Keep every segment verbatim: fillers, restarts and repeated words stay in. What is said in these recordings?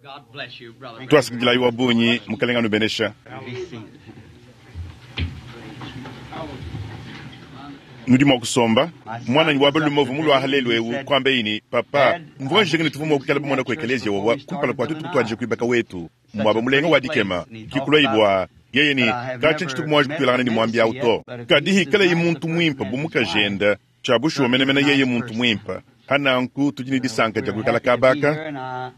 God bless you, brother. Tuasikidilayi wa bungi mukalenga anubenesha. Be seated. Nudi mua kusomba. Mwananyi wa balume uvua mulua lelu eu kuamba ini papa mvua njinga ne tuvua mua kuikala bamona ku ekeleziya wawa kumpala kua tuetu kutuadija kuibaka wetu muaba mulenga wa dikema kikulwa ibwa yeye ni kachi tshituku mwaji kutuelangana ni mwambi au to kadi hikala muntu mwimpa bu mukajenda cha bushuwa menemene yeye muntu mwimpa hananku tudi ne disanka dia kuikala kabaka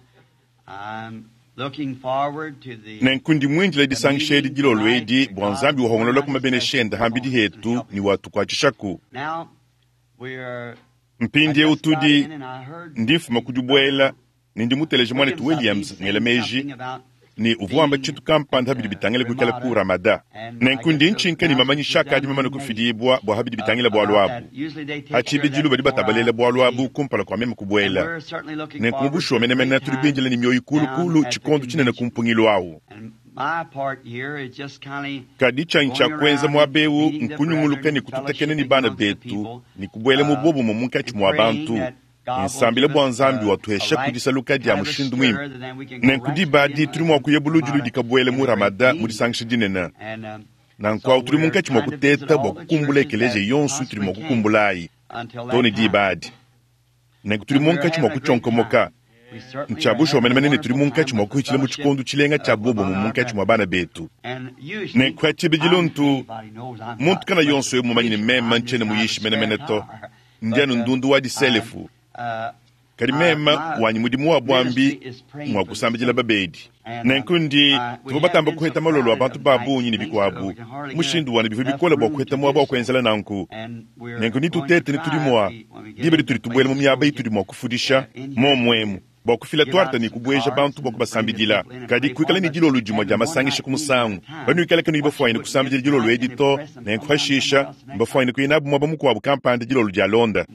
nenku ndi mwindile disangisha edi dilolo edi bua nzambi wahongolola ku mabenesha enda hambidi hetu ni watukuatshishaku mpindiewu tudi ndi mfuma ku dibuela ne ndi muteleje mwanetu Williams ngela meji ni uvua wamba tshintu kampanda habidi bitangile kuikala ku Ramada nenku ndi ntshinka ni mamanyisha akadi mamane kufidibua bua habidi bitangile bualu abu hatshibidilu badi batabalela bualu abu kumpala kua meme kubuela nenku mu bushuwa menemene tudi bindile ne mioyo kulukulu tshikondo tshinene ku mpungilu awu kadi tshanyi tshia kuenza muaba eu nkunyunguluka ne kututekene ne bana betu ne kubuela mu bobumue munkatshi mua bantu nsambila bua nzambi watuhesha kudisaluka dia mushindu mwimpe nenku diba adi tudi mua kuya buludi dikabuela mu Ramada mu disangisha dinene nanku awu tudi munkatshi mua kuteta bua kukumbula ekeleziya yonso tudi mua kukumbulayi to ne diba adi nenku tudi munkatshi mua kutshionkomoka ntshia bushuwa menemene ne tudi munkatshi mua kuhitshila mu tshikondo tshilenga tshia bobumue munkatshi mua bana betu nenku ha tshibidilu ntu muntu kana yonso eu mumanye ne meme ntshiena muyishi menemene to ndi anu ndundu wa diselefu kadi mema wanyi mudimu wa bwambi mwa kusambidila babedi nenku ndi tuvua batamba kuheta malolo a bantu ba bungi ne bikuabu mushindu wane bivua bikole bua kuheta muaba wa kuenzela nanku nenku ni tutete ne tudi mua diba ditudi tubuela mu miaba itudi mua kufudisha momwemu bua kufila tuarta ne kubueja bantu bua kubasambidila kadi kuikala ne dilolo dimue dia masangisha ku musangu banuikala kanu bafuanyine kusambidila dilolo edi to nenku hashisha mbafuanyine kuya nabu muaba mukuabu kampanda dilolo dia londa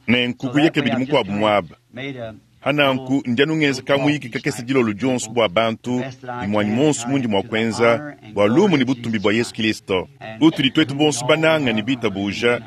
nenku kuya kabidi mukuabu muaba hananku ndi anu ngenza kamuyiki kakese dilolo dionso bua bantu ne muanyi monso mundi mua kuenza bua lumu ne butumbi bua Yesu Kristo utudi tuetu bonso bananga ne bitabuja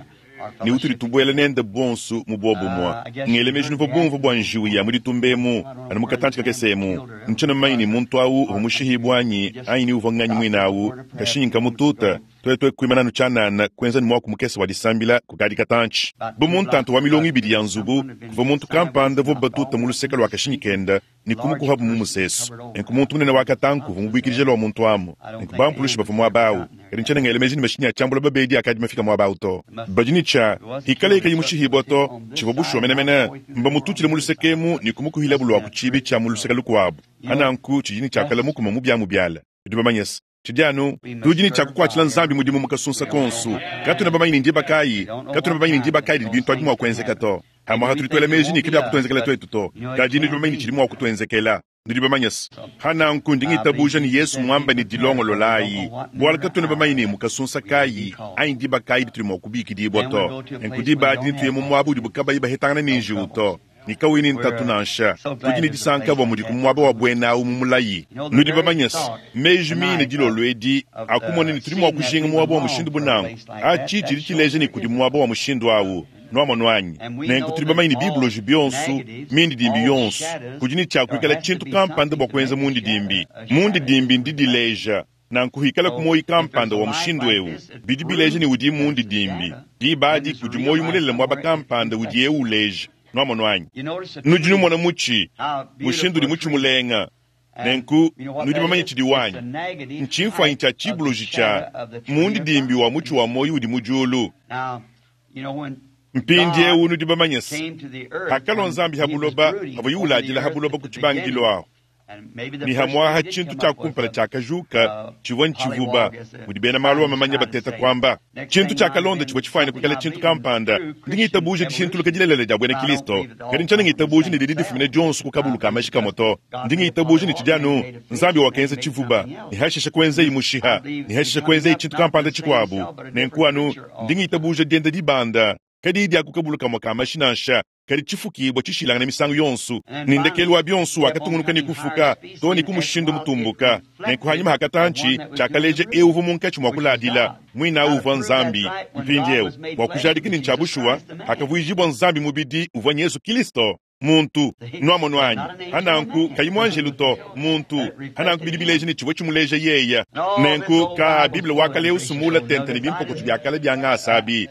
ne utudi tubuela nende bonso mu bobumue ngele meji nuvua bumvua bua njiwu ya mu ditumba emu anu mukatantshi kakese emu ntshiena mumanye ne muntu awu uvua mushihibua anyi anyi ne uvua nganyi muine awu kashinyi nkamututa tuetu kuimana anu tshianana kuenza ne muaku mukese wa disambila kukadi katantshi bu muntantu wa milongo ibidi ya nzubu kuvua muntu kampanda vua batuta mu luseke lua kashinyi kenda ne kumukuhabu mu musesu nenku muntu munene wa katanku uvua mubuikidije lua muntu amu nenku bampulushi bavua muaba awu kadi ntshiena ngela meji ne mashinyi a tshiambula babedi akadi mafika muaba awu to badi ne tshia hikala ikayi mushihibua to tshivua bushuwa menemene mbamututshile mu luseke emu ne kumukuhilabu lua ku tshibi tshia mu luseke lukuabu hananku tshidi ne tshiakala mukuma mu biamu biala bidi bamanyese tshidi anu tudi ne tshia kukuatshila nzambi mudimu mu kasunsa konso katuna bamanye ne ndiba kayi katuna bamanye ne ndiba kayi didi bintu abi mua kuenzeka to hamwaha tudi tuela meji ne kabi akutuenzekela tuetu to kadi nudi bamanye ne tshidi mua kutuenzekela nudi bamanyese hananku ndi ngitabuja ne Yesu muamba ne dilongololayi bualu katuna bamanye ne mu kasunsa kayi anyi ndiba kayi ditudi mua kubikidibua to nenku diba adi nituye mu muaba udibu kabayi bahetangana ne njiwu to ni kawini ni ntatu nansha tudi ne disanka bua mudi ku muaba wa buena awu mu mulayi nudi bamanyese meji mine dilolo edi akumona ne tudi mua kujinga muaba wa mushindu bunangu atshi tshidi tshileja ne kudi muaba wa mushindu awu nuamonu anyi nenku tudi bamanye ne bibuloji bionso mindidimbi yonso kudi ne tshia kuikala tshintu kampanda bua kuenza mundidimbi mundidimbi ndidileja nanku hikala ku moyi kampanda wa mushindu eu bidi bileja ne udi mundidimbi diba adi kudi moyi mulelela muaba kampanda udi eu uleja nuamonu anyi nudi numona mutshi mushindu udi mutshi mulenga nenku nudi bamanye tshidi wanyi ntshimfuanyi tshia tshibuloji tshia mundidimbi wa mutshi wa moyi udi mu diulu mpindiewu nudi bamanye se hakalua nzambi ha buloba havua yiuladila ha buloba ku tshibangilo aho ni hamwaha tshintu tshia kumpala tshiakajuka tshivua ntshivuba mudi bena malu amamanya bateta kuamba tshintu tshiakalonda tshivua tshifuanyine kuikala tshintu kampanda ndi ngitabuja dishintuluka dilelela dia buena Kristo kadi ntshiena ngitabuja ne didi difumine dionso ku kabulu ka mashi kamue to ndi ngitabuja ne tshidi anu nzambi wakenza tshivuba ne hashisha kuenzeyi mushiha ne hashisha kuenzeyi tshintu kampanda tshikuabu nenku anu ndi ngitabuja dienda dibanda kadi dia ku kabulu kamue ka mashi nansha kadi tshifukibua tshishilangana misangu yonso ne ndekelu wa bionso wakatungunuka ne kufuka to ne ku mushindu mutumbuka nenku hanyima hakatantshi tshiakaleja eu uvua munkatshi mua kuladila muina awu uvua nzambi mpindiewu bua kujadika ne ntshia bushuwa hakavuijibua nzambi mubidi uvua Yesu Kristo Muntu. Nwamonu anyi? Hananku kayi mwanjelu to, muntu. Hananku bidi bileja ne tshivua tshimuleja yeya. Nenku ka Bible wa kale usumula tente ne bimpokoto bia kale bia ngasa abi.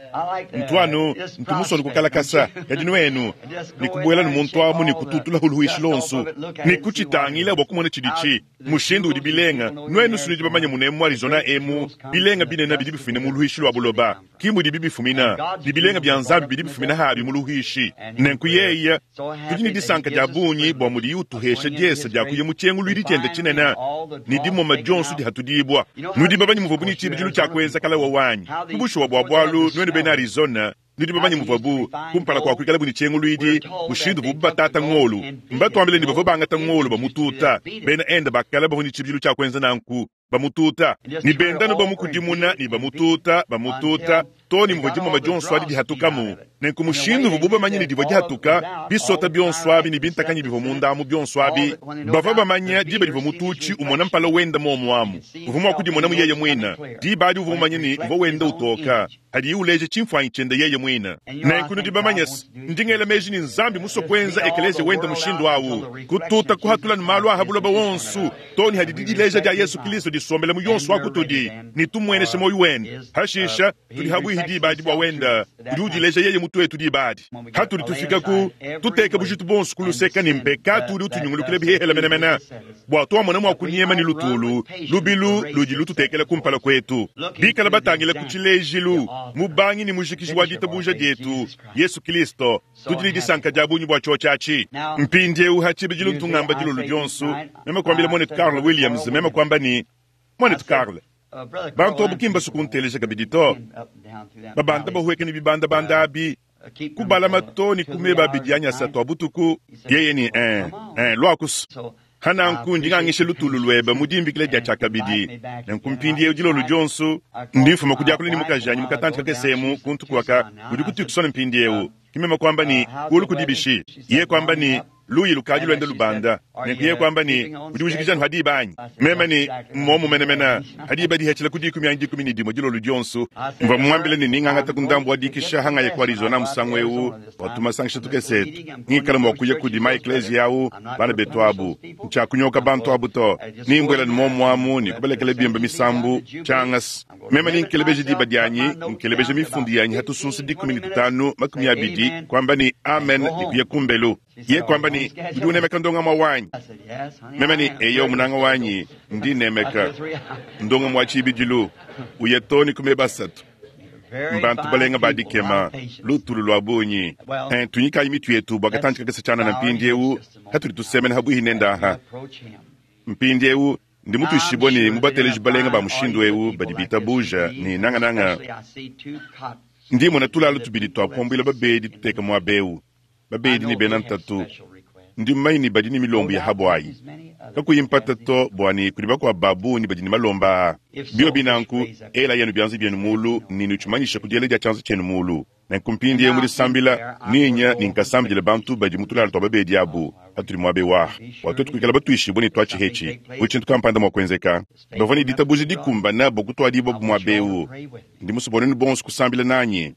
Ntwanu, ntu musonu kukalakasa, kadi nwenu, ne kubuela ne muntu amu ne kututula huluishi lonsu. Ne kutshitangila bua kumona tshiditshi. Mushindu udi bilenga, nwenu sunudi bamanye munemu mu Arizona emu, bilenga binene bidi bifumina mu luishi lwa buloba. Ki mudi bifumina, ne bilenga bia Nzambi bidi bifumina habi mu luishi. Nenku yeya, tudi ne disanka dia bungi bua mudi utuhesha diesa dia kuya mu tshienguluidi tshiende tshinene, ne dimoma dionso dihatudibua. Nudi babanyi muvua buni tshibidilu tshia kuenza kalawa wanyi. Kubushuwa bua bualu nwenu bena Arizona, nudi bamanyi muvua bu kumpala kua kuikala buni tshienguluidi, mushindu bu batata ngolu. Mbatuambile ne bavua bangata ngolu bamututa. Bena enda bakala bavua ne tshibidilu tshia kuenza nanku, bamututa. Ne bendanu bamukudimuna ne bamututa, bamututa, to ne muvua dimoma dionso adi dihatukamu. Nenku mushindu vubu bamanye ne divua dihatuka, bisota bionso abi ne bintakanyi bivua mundamu bionso abi, bavua bamanya diba divua mututshi umona mpala wenda momu amu. Uvua mua kudimona mu yeye muina. Diba adi uvua mumanye ne uvua wenda utoka, hadiye uleja tshimfuanyi tshiende yeye muina. Nenku nudi bamanye se, ndi ngela meji ne Nzambi musue kuenza ekeleziya wenda mushindu awu, kututa kuhatula ne malu aha buloba wonso, to ne hadi didileja dia Yesu Kristo disombela mu yonso wa kutudi, ne tumueneshe moyo wende. Hashisha tudi habuihi diba adi bua wenda, udi udileja yeye mutu wetu diba adi. Hatudi tufika ku tuteka bujitu bonso kuluseka ne mpekatu udi utunyungulukila bihehela menemene, bua tuamona mua kunyema ne lutulu lubilu ludi lututekela kumpala kwetu. Bikala batangila ku tshilejilu mubangi ne mujikiji wa ditabuja dietu Yesu Kristo, tudi ne disanka dia bungi bua tshotshatshi. Mpindieu ha tshibidilu ntungamba dilolo dionso, meme kuambila mwanetu Carl Williams, meme kuamba ne mwanetu Carl, bantu abu kimba sukunteleja kabidi to. Babanda bahueka ne bibandabanda abi, kubalama to ne kumeba abidi anyi asatu a butuku. Yeye ni eh, eh, lwakusu. Hananku ndi ngangisha lutulu lweba mu dimbikila dia tshiakabidi. Nenku mpindieu dilolo dionso, ndi mfuma ku diakula ne mukaji anyi mukatanji kakesemu kuntu kuaka udi kutukusona mpindieu. Kimema kwamba ni kulu kudibishi. Yeye kwamba ni luyi lukadi lwenda lubanda. Nenku yeye kwamba ni udi ujikija anu hadiba anyi. Mema ni mmomu menemene hadiba dihechela ku dikumi anyi dikumi ne dimue dilolo dionso. Mvua mmuambile ne ningangata ku ndambu wa dikisha hangaya ku Arizona musangu eu watumasangisha tukesetu. Ngikala mua kuya kudi ma ekleziya awu bana betu abu. Ntshiakunyoka bantu abu to. Nimbwela ne momu amu ne kubelekela bimba misambu tshiangasi. Mema ninkelebeja diba dianyi, nkelebeja mifundu yanyi hatusunsa dikumi ne tutanu makumi abidi kwamba ni amen ne kuya kumbelu. Ye kwamba ni udi unemeka ndonga mwa wanyi. Mema ni eyo munanga wanyi ndi nemeka ndonga mwa tshibidilu uye to ni kumeba asatu. Mbantu balenga badikema lutulu lwa bungi. Eh, tunyikayi mitu yetu bua katanji kakese tshianana mpindieu hatudi tusemena habuihi nenda aha. Mpindieu ndi mutuishibue ne mubateleji balenga ba mushindu eu badi bitabuja ne nangananga. Ndi mona tulalu tubidi twakuambuila babedi tuteka muaba eu. Babedi ne bena ntatu. Ndi mmanyi ne badi ne milombo ya habwayi. Kakuyi mpata to bua ne kudi bakuabu ba bungi badi ne malomba aa. Bio binanku, ela yenu bianza bienu mulu ne nutshimanyisha ku diela dia tshianza tshienu mulu. Nenku mpindieu mu disambila, ninya ne nkasambila bantu badi mu tulala tua babedi abu hatudi muaba ewu. Bua tuetu kuikala batuishibue ne tuatshihetshi, bu tshintu kampanda mua kuenzeka. Bavua ne ditabuja dikumbana bua kutuadibua bu muaba eu. Ndi musue bua bonso kusambila nanyi.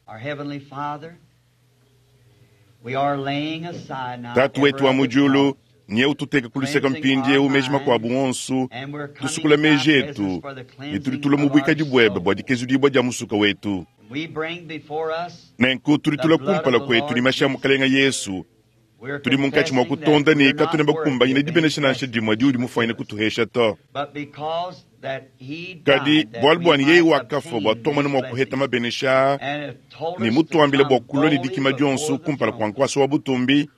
Tatu wetu wa mu diulu, nye ututeka kuluseka mpindieu meji makuabu wonso, tusukula meji etu, ne tudi tulua mu buikadi buebe bua dikezudibua dia musuka wetu. Nenku tudi tulua kumpala kuetu ne mashi a Mukalenga Yesu. Tudi munkatshi mua kutonda ne katuna bakumbanyine dibenesha nansha dimue diudi mufuanyine kutuhesha to. Kadi bualu buani yeye wakafua bua tuamone mua kuheta mabenesha ne mutuambile bua kulua ne dikima dionso kumpala kua nkuasa wa butumbi,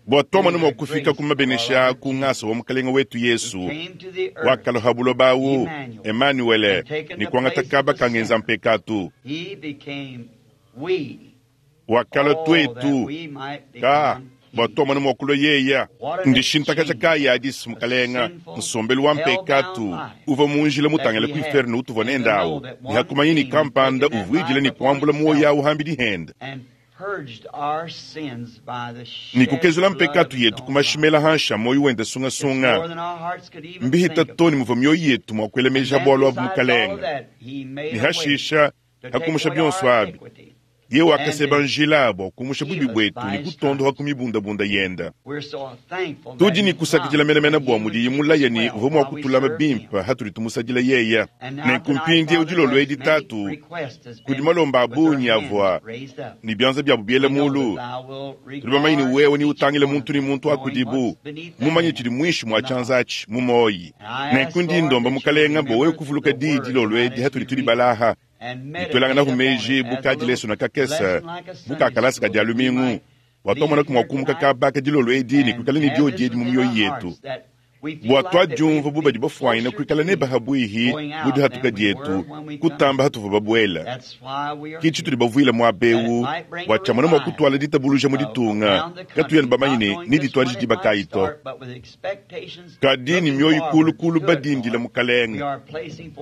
bua tuamone mua kufika ku mabenesha ku ngasa wa Mukalenga wetu Yesu wakaloha buloba awu Emmanuel ne kuangata kaba kangenza mpekatu. Wakala tuetu ka bua tuamone mua kulua yeya. Ndishintakaja kayi adisi Mukalenga, nsombelu wa mpekatu uvua mu njila mutangila ku inferno utuvua nenda awu, ne hakumanya ni kampanda uvuidila ne kuambula muoyo awu hambidi henda. Ni kukezula mpekatu yetu kumashimela hansha moyo wenda sungasunga. Mbihita to ne muvua mioyo yetu mua kuela meji a bualu abu Mukalenga. Ne hashisha hakumusha bionso abi. Ye wakaseba njila bua kumusha bubi bwetu ne kutondoha ku mibundabunda yenda. Tudi ne kusakidila menemene bua mudiyi mulaya ne uvua mua kutulama bimpe hatudi tumusadila yeya. Nenku mpindieu dilolo edi tatu, kudi malomba a bungi avua ne bianza biabu biela mulu. Tudi bamanye ne wewe ne utangile muntu ne muntu wa kudibu, mumanye tshidi muinshi mua tshianza atshi mu moyi. Nenku ndi ndomba mukalenga bua wewe kuvuluka diyi dilolo edi hatudi tudi balaha. Nitwelanganaku meji bukadi leso na kakese bukakalasa ka dia lumingu bua twamona mua kumuka kabaka dilolo edi ne kuikala ne diodi edi mu mioyo yetu bua twadiumva bu badi bafuanyina kuikala ne bahabwihi mu dihatuka dietu kutamba hatuvua babuela. Ke tshitudi bavuila muaba eu bua tshiamona mua kutwala ditabuluja mu ditunga katuyani bamanye ne ni dituadije diba kayi to. Kadi ni mioyo kulukulu badindila mukalenga.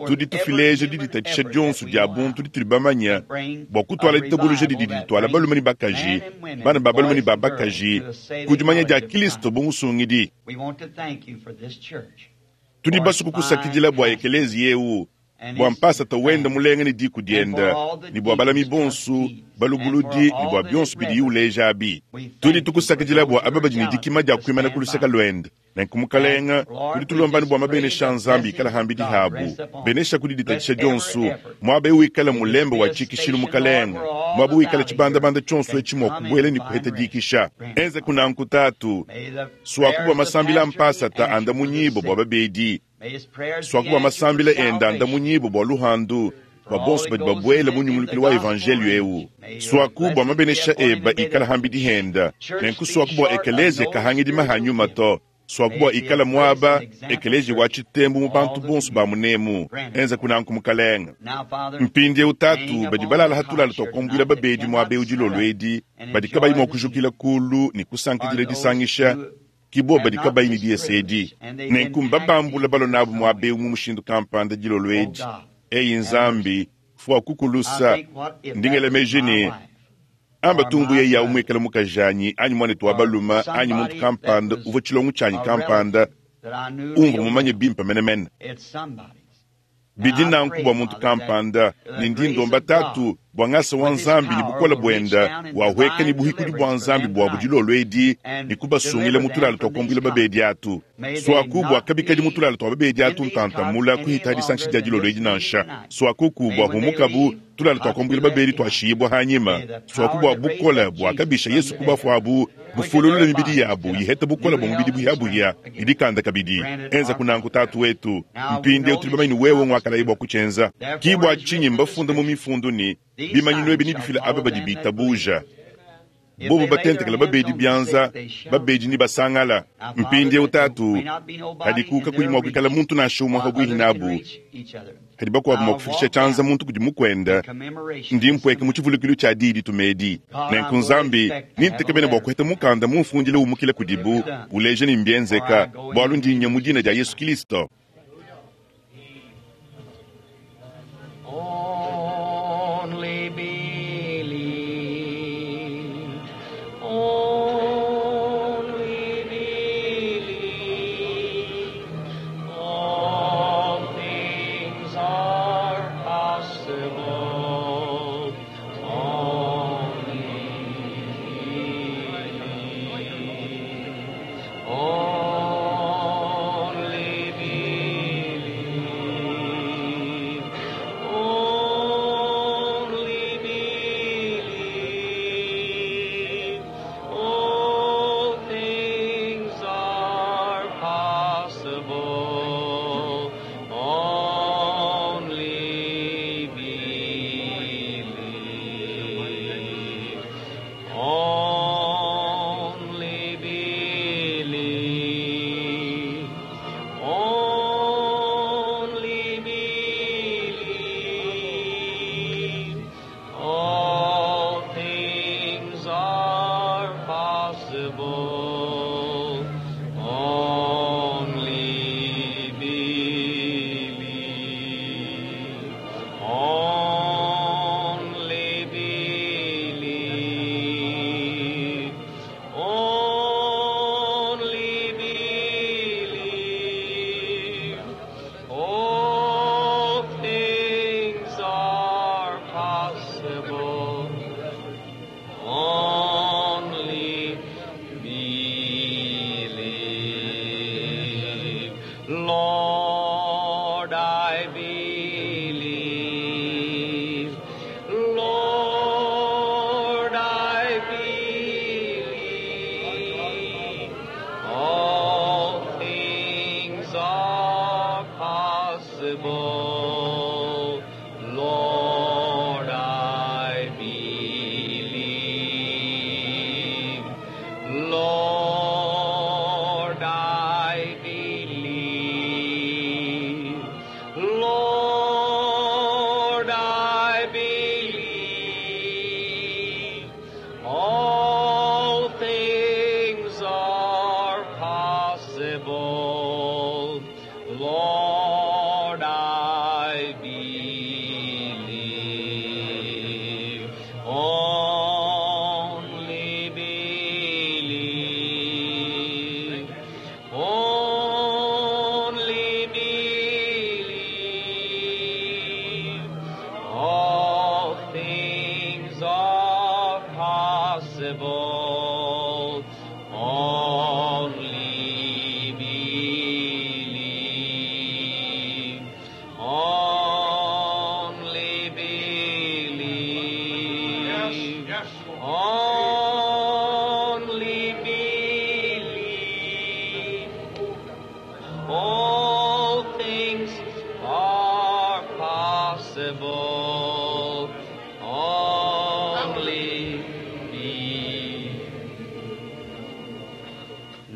Tudi tufileja diditatshisha dionso dia buntu ditudi bamanya bua kutwala ditabuluja didi ditwala balume ne bakaji, bana ba balume ne ba bakaji ku dimanya dia Kristo bu musungidi. Tudi basuku kusakidila bua ekelezi eu, bua mpasata wenda mulenga ne diku dienda, ne bua balami bonsu balubuludi ne bua bionso bidiyi uleja abi. Tudi tukusakidila bua aba badi ne dikima dia kuimana ku luseke luende. Nenku mukalenga, tudi tulombani bua mabenesha Nzambi ikala hambidi habu. Benesha kudi ditatshisha dionso, muaba eu ikala mulembe wa tshikishilu mukalenga, muaba wikala tshibandabanda tshionso etshi mua kubuela ne kuheta dikisha. Enze kunanku tatu, swaku bua masambila mpasata anda munyibo bua babedi, swaku bua masambila enda anda munyibo bua luhandu, bua bonso badi babuela mu nyungulukilu wa evangelio eu. Swaku bua mabenesha eba ikala hambidi henda. Nenku swaku bua ekelezia kahangidi mahanyuma to. Swaku bua ikala muaba ekelezia wa tshitembu mu bantu bonso ba munemu. Enza kunanku mukalenga. Mpindieu tatu badi balala hatulala twakuambuila babedi muaba eu dilolo edi, badi kabayi mua kujukila kulu ne kusankidila disangisha kibo badi kabayi ne diese edi. Nenku mbabambula balo nabu muaba eu mu mushindu kampanda dilolo edi. Eyi Nzambi fua kukulusa ndingele meji ne amba tumbu ye ya umwikala mukajanyi anyi mwanetu wa baluma anyi muntu kampanda uvua tshilongo tshianyi kampanda umvua mumanye bimpe menemene. Bidi nanku bua muntu kampanda ne ndi ndomba tatu bua ngasa wa Nzambi ne bukola buenda wahweka ne buhikudi bua Nzambi bua budilolo edi ne kubasungila mu tulala twakuambuila babedi atu. Swaku bua kabikadi mu tulala tua babedi atu ntantamula kuhita disangisha dia dilolo edi nansha. Swakuku bua humukabu tulala twakuambuila babedi twashiyibwa hanyima. Swaku bua bukola bua kabisha Yesu kubafuabu bufululula mibidi yabu yiheta bukola bua mubidi buyabuya idikanda kabidi. Enza kunanku tatu wetu mpindieu tuli bamanye wewe ngwakalayi bua kutshenza. Kibwa tshinyi mbafunda mu mifundu ni bimanyinu ebi nibifila aba badi bitabuja. Bobo batentekela babedi bianza, babedi ni basangala. Mpindieu tatu, hadi kuka kudi mua kuikala muntu nansha umue habwihi nabu. Hadi bakuabu mua kufikisha tshianza muntu kudi mukwenda, ndi mpweke mu tshivulukilu tshia diyi ditumedi. Nenku Nzambi, nintekemene bua kuheta mukanda mumfundile umukile kudibu, uleje ni mbienzeka, bualu ndi nya mu dina dia Yesu Kristo. Only believe, only believe, all things are possible, only believe, only believe. Only believe, all things are possible. Only believe, only believe, only believe, all things are possible. Only believe, only believe, only believe. All things are possible.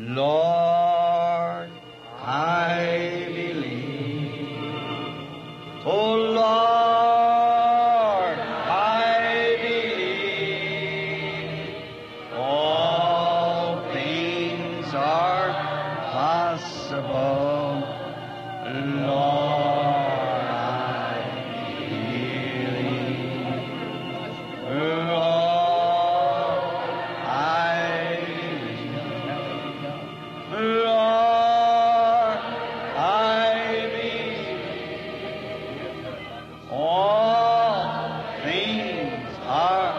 Lord, I believe. Oh Lord, I believe. All things are possible. Lord, I believe. Lord, I believe. Lord, I believe. All things are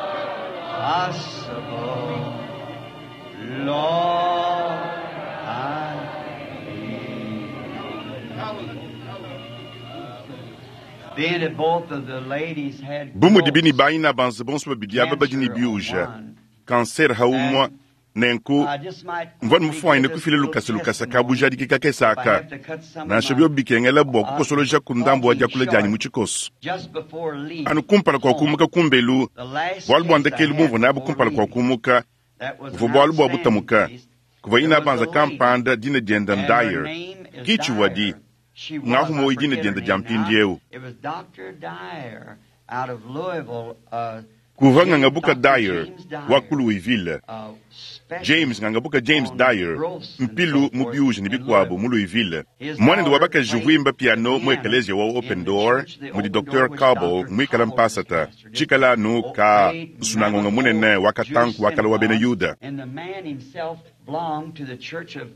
possible. Lord, I believe. Being that both of the ladies had bu mudi bini growths, bayina banze bonso babidi aba badi ne cancer on biuja one, kanser haumwa nenku I just might mvua quickly mufwanyine give this kufila little lukasa lukasa testimony kabujadiki if I kakesaka have to cut some of nansha my byo bikengela bua kukosoloja ku ndambu wa talking diakula dianyi short mu tshikoso just before leaving anu kumpala kua home. kumuka kumbelu The last bualu bua case I ndekelu had bumvua nabu before kumpala kua leaving, kumuka that was an buvua bualu bua outstanding butamuka case. kuva There ina was a banza lady, kampanda dina dienda and her Dyer name is kichiwadi Dyer. She was, ngahu I moyi dina forget her dienda dia name now. mpindiewu It was Doctor Dyer out of Louisville, uh, kuva James, ngangabuka Doctor Dyer James Dyer, wa ku Louisville uh, James specialist ngangabuka James on Dyer growths and mpilu so mu forth biuji ne in bikuabu Louisville. mu Louisville His mwanende wa daughter bakaji played huimba the piano mu piano ekeleziya wa in Open the Door church, the mudi Open Door, Doctor which Cobble Doctor muikala Cobble was mpasata pastor. Just tshikala anu oh, ka played nsunangonga mammoth munene old wa Jewish katanku wa kala wa bena synagogue, Yuda and the man himself belonged to the Church of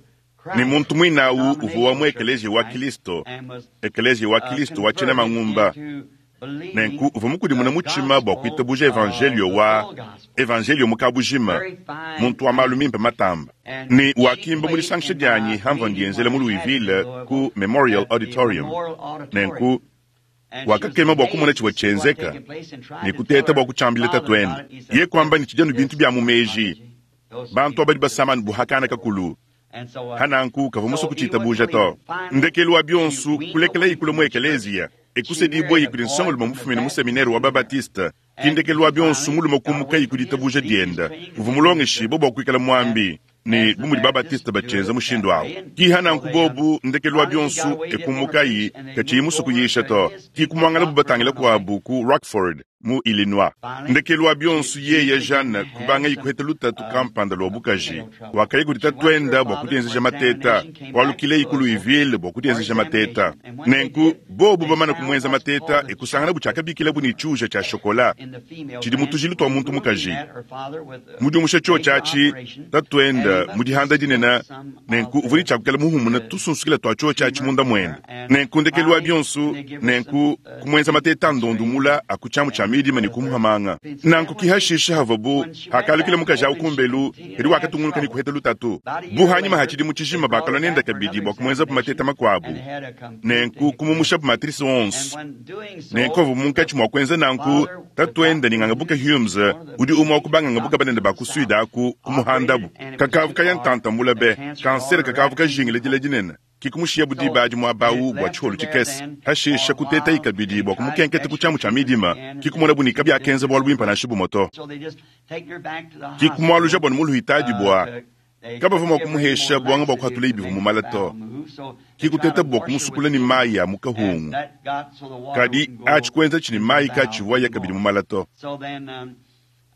ni Christ, muntu mwinawu uvuwa mu denominational church, ekeleziya wa right? Kristo And was ekeleziya wa uh, Kristo wa tshina converted mangumba into believing nenku uvua mukudimuna the mutshima bua gospel kuitabuja evangelio of the wa full gospel. evangelio mukabujima Very fine muntu wa malu man. mimpe matamba And ni she wakimba mu played lisangisha in dianyi my hamva meeting ndienzela when mu I had it in Louisville ku Louisville Memorial at the Auditorium Memorial Auditorium. nenku And she was wakakema bua kumona amazed tshivua to see what tshienzeka taken place and tried ni to tell kuteta bua her kutshiambila father tatuende about it. He said, ye kuamba ni tshijanu bintu "This bia mu meji Mamaji, those bantu people abadi just basamani buhakana kakulu And so, uh, hananku kavua muso so he wouldn't kuchitabuja believe to it. Finally, ndekelu wa she bionsu weaned kulekela away ikula from mu the church. ekeleziya She ekusedibwa married a ikuli boy nsongoluma from the mufumine mu Baptist seminari wa seminary. babatista And kindekelu wa he bionsu finally muluma got away kumuka from ikuli his tabuja belief. His dienda training uvu to be a mulongeshi minister. bo bua kuikala And muambi ni as the bu mudi Baptists babatista do bachenza it that mushindu awu way. And kiha so nanku they um, bobu ndekelu wa finally she got bionsu away, didn't want to ekumukayi preach, and they kachiyi moved musu over kuyisha to to his people, kikumwangala Rockford, bubatangila Illinois. kuabu ku Rockford mu Illinois Finally, ndekelu wa she, bionsu she yeya began Jeanne to have kubanga some ikuheta lutatu uh, kampanda lwa uh, bukaji female trouble. wakayi kudi She went to her tatuenda bua father for kudienzesha mateta examination, came back to walukile iku Louisville Louisville bua for kudienzesha mateta examination. And when they nenku did, bobu they bamana found kumwenza what's mateta called a ekusangana bu chocolate tshiakabikila bu ne tumor tshiuja tshia shokola in the female tshidi mu gland, tujilu tua muntu removing mukaji that, her father with a mudiumusha tshio major tshiatshi operation, and tatuenda he must have mudihanda spilled dinene some nenku of uvua ne the, tshiakukela muhumuna the tusunsukila tua tshio tshiatshi tumor munda there. muende And nenku ndekelu wa finally, bionsu they give her some nenku uh, kumwenza mateta x-rays ndondumula akutshiamu tshia and midima ne uh, kumuhamanga so then nanku when she kihashisha havabu when she went hakalukile back mukaji home awu and she kumbelu continued kadi to have wakatungunuka ne trouble, kuheta lutatu about a year buhanyima later, hachidi mu they tshijima brought her bakalwa nenda back for kabidi another bua kumwenzapu mateta examination, makuabu and they had a complete nenku kumumushapu hysterectomy. matrisi And onso when doing nenku so, avu munkatshi the mua kuenza nanku father, with tatuenda Doctor ni ngangabuka Hughes, Humes one of the udi umwe wa leading kubanga ngabuka doctors banene in ba the ku South, Sweden aku kumuhandabu operated, and it was kakavu too kaya far. ntantambula The be cancer had kansere already kakavu wrapped into kajingile the dila colon. dinene kikumushiya So budibaji it mwabawu bua left her tshiholu there tshikese then hashisha for a kuteta while. ikabidi They bua tried kumukenketa ku extra tshiamu tshia treatments midima again, and kikumona then bunika it byakenza bualu didn't bwimpa nansha bumoto So they just taken her back to the kikumualuja hospital. bua nimuluhitadi Uh, bua to, they kabavua couldn't mua give her any kumuhesha more buanga bua laxative kuhatula to ibivu make the mumala to bowel move, so they tried kikuteta to bua wash her with kumusukula ni thinner, mayi a and mukahungu that got so the water kadi wouldn't go atshikuenza tshini into the mayi bowel katshivuaya kabidi anymore. mumala to So then um,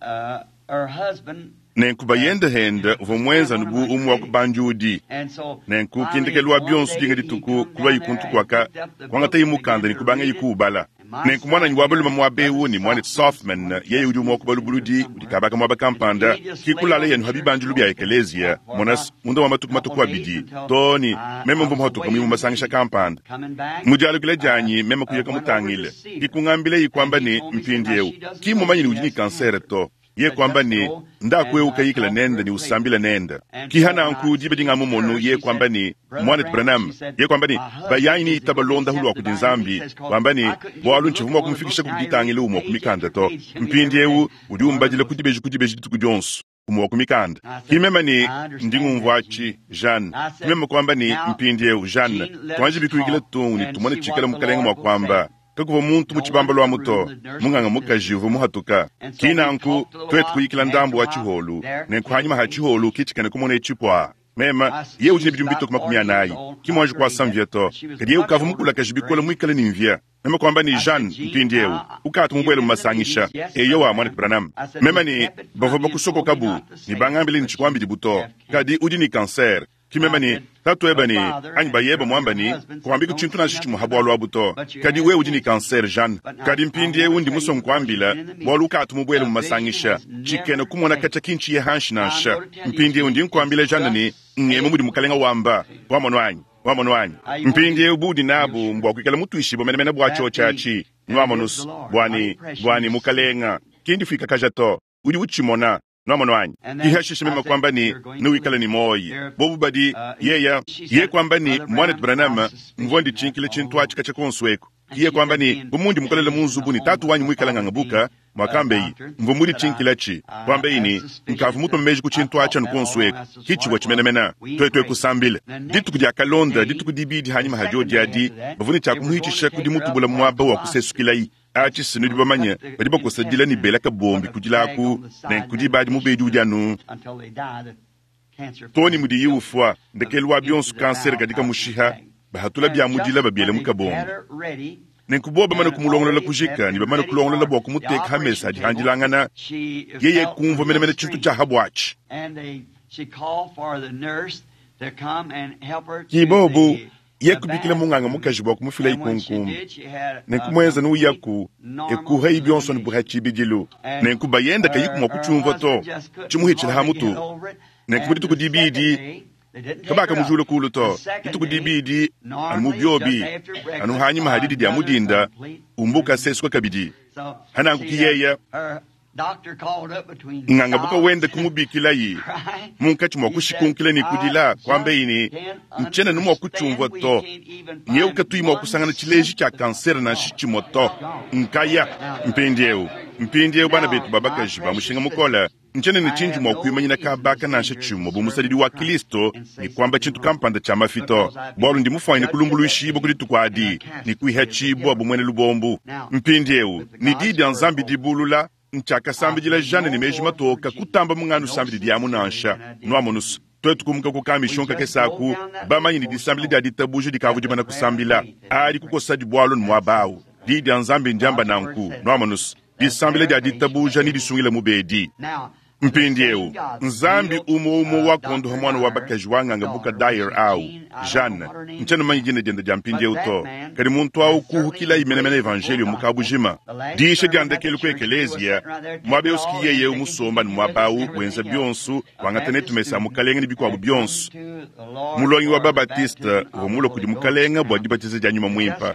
uh, her husband nenku uh, bayende henda uvua was kind of muenza one of nubu my umwe wa critics. kubanjudi And so nenku finally, kindekelu wa one bionsu day dinga he dituku come kulwa down there ikuntu and kwaka picked up the book kuangata and imukanda began ne to kubanga read it. ikuubala And my nenku mwananyi son wa balume here, mwabewu Brother ni mwane Softman, is Softman one of the yeye udi umwe wa trustees in here kubalubuludi udi somewhere. kabaka mwaba And kampanda he just laid kikulala on yenu the church habibanjulu bya pulpit ekeleziya for monas about munda wa a matuku couple matuku days abidi until toni I, meme I mvua was muhatuka away muimu in a masangisha meeting. kampanda Coming back, mudialukile I dianyi meme uh, kuyeka went over to mutangile see her. kikungambile And ikwamba he ni told me, said, now mpindiewu she doesn't know kimumanyini she udi ni has kansere cancer. to ye Said, kwamba just ni go ndakwe and uh, ukayikila talk to her nenda and ni pray for usambila her. nenda And kiha so when I nanku dibe dingamumonu her, ye she kwamba said, ni Brother mwanet Branham, she Branham said, ye kwamba ni my husband bayanyi ni is the itaba go londa hulu accept wa divine kudi nzambi he says, 'cause wamba ni I couldn't get bualu to look ntshivu at mua one of the kumufikisha books. Now he reads kuditangila umua page kumikanda after to page to me every mpindiewu day. udi One of umbadila those. kudibeji kudibeji dituku dionso umua wa kumikanda I said, kimema ni I understand that, ndingumvuachi Gene. Jeanne I said, kimema kwamba ni now, mpindiewu Jeanne Gene, let twanje us bikuikila talk tungu ni and tumone see tshikala what the mukalenga Lord mua will kwamba say. kakuva muntu No mu one tshibamba in lwa the muto room, the nurse munganga was mukaji visiting. uva muhatuka And so we kinanku talked a little twetu while. kuyikila After ndambu a wa while, tshiholu there nenku came hanyima ha a tshiholu kitshikane kumona etshipwa Mema ye udi ne bidimu bitoke makumi anayi ki muanji kuasa mvia to, kadi ye ukavua mukulakaje bikole muikale ne mvia. Meme kuamba ne Jeanne mpindiewu ukatu mubuele mu masangisha. Eyowa, mwanetu Branham. Meme ne bavua bakusokokabu ne bangambile ne tshikuambidi to, kadi udi ne kanser. Ki meme ne tatu ebe ne anyi bayebe muamba ne kuambiku tshintu nansha tshimue ha bualu abu to, kadi wewe udi ne kanser Jeanne. Kadi mpindiewu ndi musue nkuambila bualu ukatu mubuele mu masangisha tshikena kumona katshia kintshiye hanshi nansha. Mpindiewu ndi nkuambila Jeanne ne ngemu mudi mukalenga wamba. Wamonu anyi? Wamonu anyi? Mpindiewu budi nabu mbua kuikala mutuishibue menemene bua tshiotshi atshi. Nuamonusu bwani bwani mukalenga kindi fuikakaja to, udi utshimona. Nuamono anyi? Ihashishe meme kwamba ni nuwikale ni moyi bobu badi yeya ye kwamba ni mwanetu Branham mvua ndichinkile tshintu atshi katshia konso eku. Iye kwamba ni bumundi mukolele mu nzubu ni tatu wanyi muikala ngangabuka mwakambeyi mvua muditshinkilatshi kwambeyi ni nkavu mutuma meji ku tshintu atshi anu konso eku kitshivua tshimenemene tuetu ekusambile dituku dia kalonda dituku dibidi hanyima hadio diadi bavua ne tshiakumuhitshisha kudi mutubula muaba wa kusesukilayi. Atshi sinudi bamanye badi bakusadila ni bela kabombi kudilaku ne nkudi badi mubedi udi anu toni mudiyi ufwa ndekelu wa bionso kansere kadi kamushiha bahatula bya mudila babiele mu kabombi. Nenku bo bamane kumulongolola kujika ne bamane kulongolola bua kumuteka hamesa adi handilangana yeye kumvua menemene tshintu tshia habwatshi. Kibobu ye kubikila munganga mukaji bua kumufila ikunkumbi. Nenku muenza nuyaku ekuha ibionso ne buha tshibidilu. Nenku bayenda kayiku mua kutshiumvua to tshimuhitshila ha mutu. Nenku mu dituku dibidi kabaka mujule kulu to dituku dibidi anu mu biobi anu hanyima hadidi dia mudinda umbuka sesuka kabidi. Hananku kiyeya ngangabuka wenda kumubikilayi munkatshi mua kushikunkila ne kudila kwambeyi ni ntshiena nu mua kutshiumvua to nyeu katuyi mua kusangana tshileji tshia kansere nansha tshimue to nkaya. Mpindiewu mpindiewu bana betu babakaji ba mushinga mukole ntshiena ne tshindi mua kuimanyina kabaka nansha tshimue bu musadidi wa Kristo ne kuamba tshintu kampanda tshia mafito bualu ndi mufuanyine kulumbuluishibua ku dituku adi ne kuihatshibua bu muena lubombu. Mpindiewu ne di dia Nzambi dibulula ntshiakasambidila Jeanne ne meji matoka kutamba munganu sambidi diamu nansha. Nuamonusu tuetu kumuka kukamisho kesaku bamanye ne disambila dia ditabuja dikavu dimana kusambila adi kukosa dibualu ne muabawu. Di dia Nzambi ndiamba nanku. Nuamonusu disambila dia ditabuja ni disungila mubedi. Mpindiewu Nzambi umwe umwe wakondoha mwana wa bakaji wanganga buka Dyer au Jeanne ntshiena manyi dina diende dia mpindiewu to kadi muntu awu kuhukila imenemene evangelio mukabujima. Diisha dia ndekelu ku ekeleziya muaba euski yeye musomba ne muaba awu wenza bionso wangata netu mesa mukalenga ne bikuabu bionso. Mulongi wa Babatiste uvua mulue kudi mukalenga bua dibatiza dia nyuma muimpa.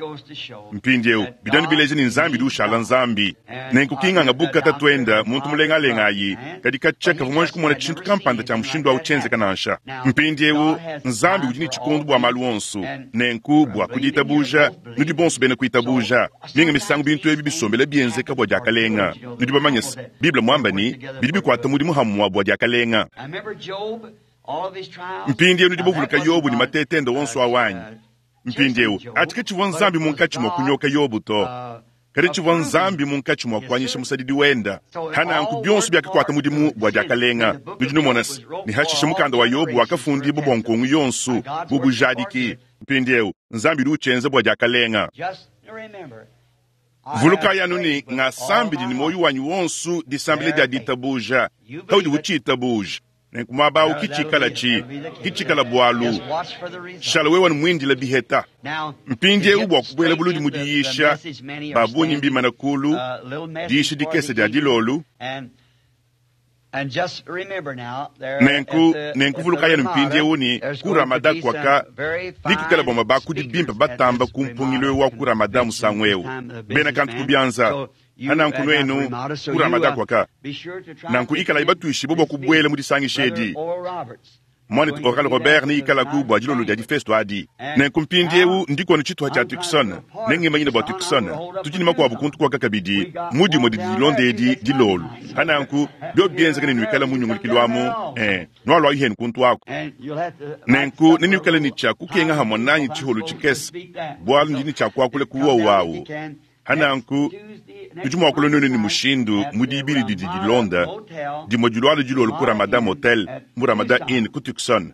Mpindiewu bidanu bileja ni Nzambi di ushala Nzambi. Nenku kinganga buka tatuenda muntu mulengalenga ayi kadi katshia kavua muanji kumona tshintu kampanda tshia mushindu awu tshienzeka nansha. Mpindiewu Nzambi udi ne tshikondu bua malu onso nenku bua kuditabuja nudi bonso bena kuitabuja. Minga misangu bintu ebi bisombela bienzeka bua diakalenga. Nudi bamanye se Bible muamba ni bidi bikuata mudimu hamua bua diakalenga. Mpindiewu nudi bavuluka Yobu ne matetende wonso awanyi. Mpindiewu atshi tshivua Nzambi munkatshi mua kunyoka Yobu to, kadi tshivua Nzambi munkatshi mua kuanyisha musadidi wenda. Hananku bionso biakakuata mudimu bua diakalenga. Nudi numona se ne hashishe mukanda wa Yobu wakafundibua bua nkongu yonso bu bujadiki. Mpindiewu Nzambi udi utshienza bua diakalenga. Vulukayi anu ni ngasambidi ne moyo wanyi wonso disambila dia ditabuja kaudi utshitabuja. Nenku muaba awu kitshikala tshi kitshikala bualu shala wewe mwindila biheta. Mpindiewu bua kubuela buludi mu diyisha babunyi mbimana kulu diisha dikese dia dilolu. Nenku nenku vulukayi anu mpindiewu ni ku Ramada kwaka nikukala bua mabakudi bimpe batamba ku mpungilo wa ku Ramada musangu ewu bena kantu kubianza. Hananku nuenu ku Ramada kwaka nanku ikala ibatuishibua bua kubuela mu disangisha edi. Mwanetu Oral Robert ni ikalaku bua dilolo dia difesto adi. Nenku mpindiewu ndikonu tshituha tshia Tucson nengemanyine bua Tucson tudi ne makuabu kuntu kwaka kabidi mudimue didi dilonda edi dilolo. Hananku bio bienzeka ne nuikala munyungulukilu amu eh nualua ihenu kuntu ako. Nenku nenuikale ne tshia kukenga hamwe nanyi tshiholu tshikese bualu ndini tshia kuakula kuwa wawu. Hananku tudi mua kulua nenu ne mushindu mu dibili didi dilonda dimue diluala dilolo ku Ramada Motel mu Ramada Inn ku Tucson.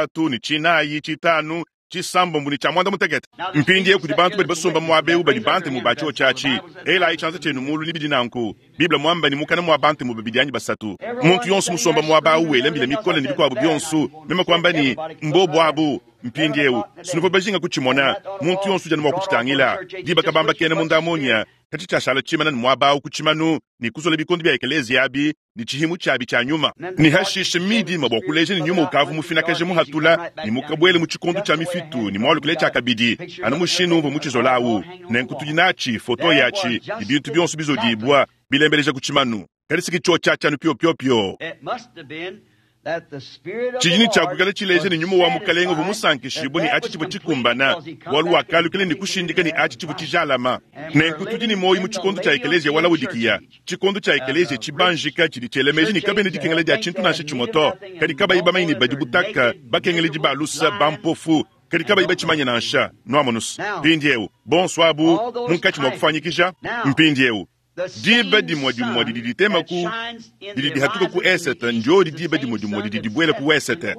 tshisatu, ne tshinayi, tshitanu, tshisambombo ne tshia muanda-mutekete. Mpindieu kudi bantu badi basomba muaba eu badi bantemu ba tshiotshi atshi. Elayi tshianza tshienu muulu ne bidi nanku. Bible muamba ne mukana mua bantemu babidi anyi basatu. Muntu yonso musomba muaba au wela mbila mikole ne bikuabu bionso. Meme kuamba ne, mbobu abu. Mpindieu sinuvua bajinga kutshimona, muntu yonso udi anu mua kutshitangila. Diba kabamba kena munda munya, katshi tshiashala tshimana ne muaba awu ku tshimanu ne kuzola bikondo bia ekeleziya abi ne tshihimu tshiabi tshia nyuma. Ne hashishe midima bua kuleja ne nyuma ukavu mufinakaje muhatula ne mukabuele mu tshikondo tshia mifitu ne mualukile tshiakabidi anu mushindu umvua mutshizola awu. Nenku tudi natshi foto yatshi ne bintu bionso bizodibua bilembeleja ku tshimanu. Kadi siki tshio tshiatshi anu pio-pio-pio. Tshidi tshiakuikala tshileja ne nyuma wa mukalenga uvua musankishibue ne atshi tshivua tshikumbana, bualu wakalukila ne kushindika ne atshi tshivua tshijalama. Nenku tudi ne muoyo mu tshikondo tshia ekeleziya wa Laodikiya, tshikondo tshia ekeleziya tshibanjika tshidi tshiela meji ne kabena dikengela dia tshintu nansha tshimue to, kadi kabayi bamanye ne badi butaka, bakengeledi ba lusa, bampofu, kadi kabayi batshimanye nansha. Nuamonusa mpindieu bonso abu munkatshi mua kufuanyikija mpindieu. Diba dimue dimue didi ditema ku didi dihatuka ku esete, ndiodi diba dimue dimue didi dibuela ku wesete.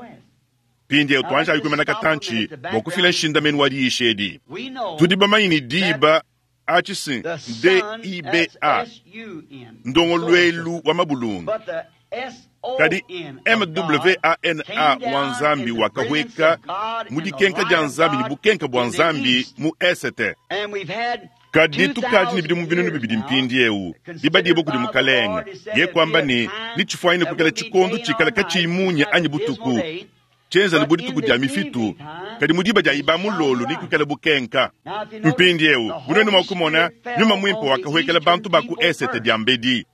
Mpindieu tuanjayi kuimana katantshi bua kufila nshindamenu wa diyisha edi. Tudi bamanye ne diba atshi si D I B A, ndongoluelu wa mabulungu. Kadi M W A N A wa Nzambi wakahweka mu dikenka dia Nzambi ne bukenka bua Nzambi mu esete. Kadi tukaji ne bidimu binunu bibidi mpindieu dibadibua kudi mukalenga ye kwamba ne nitshifuanyine kuikala tshikondo tshikala katshiyi munya anyi butuku tshienza ne bu dituku dia mifitu, kadi mu diba dia iba mulolu ni kuikala bukenka. Mpindieu bunene mua kumona nyuma muimpe wakahwekela bantu ba ku esete diambedi.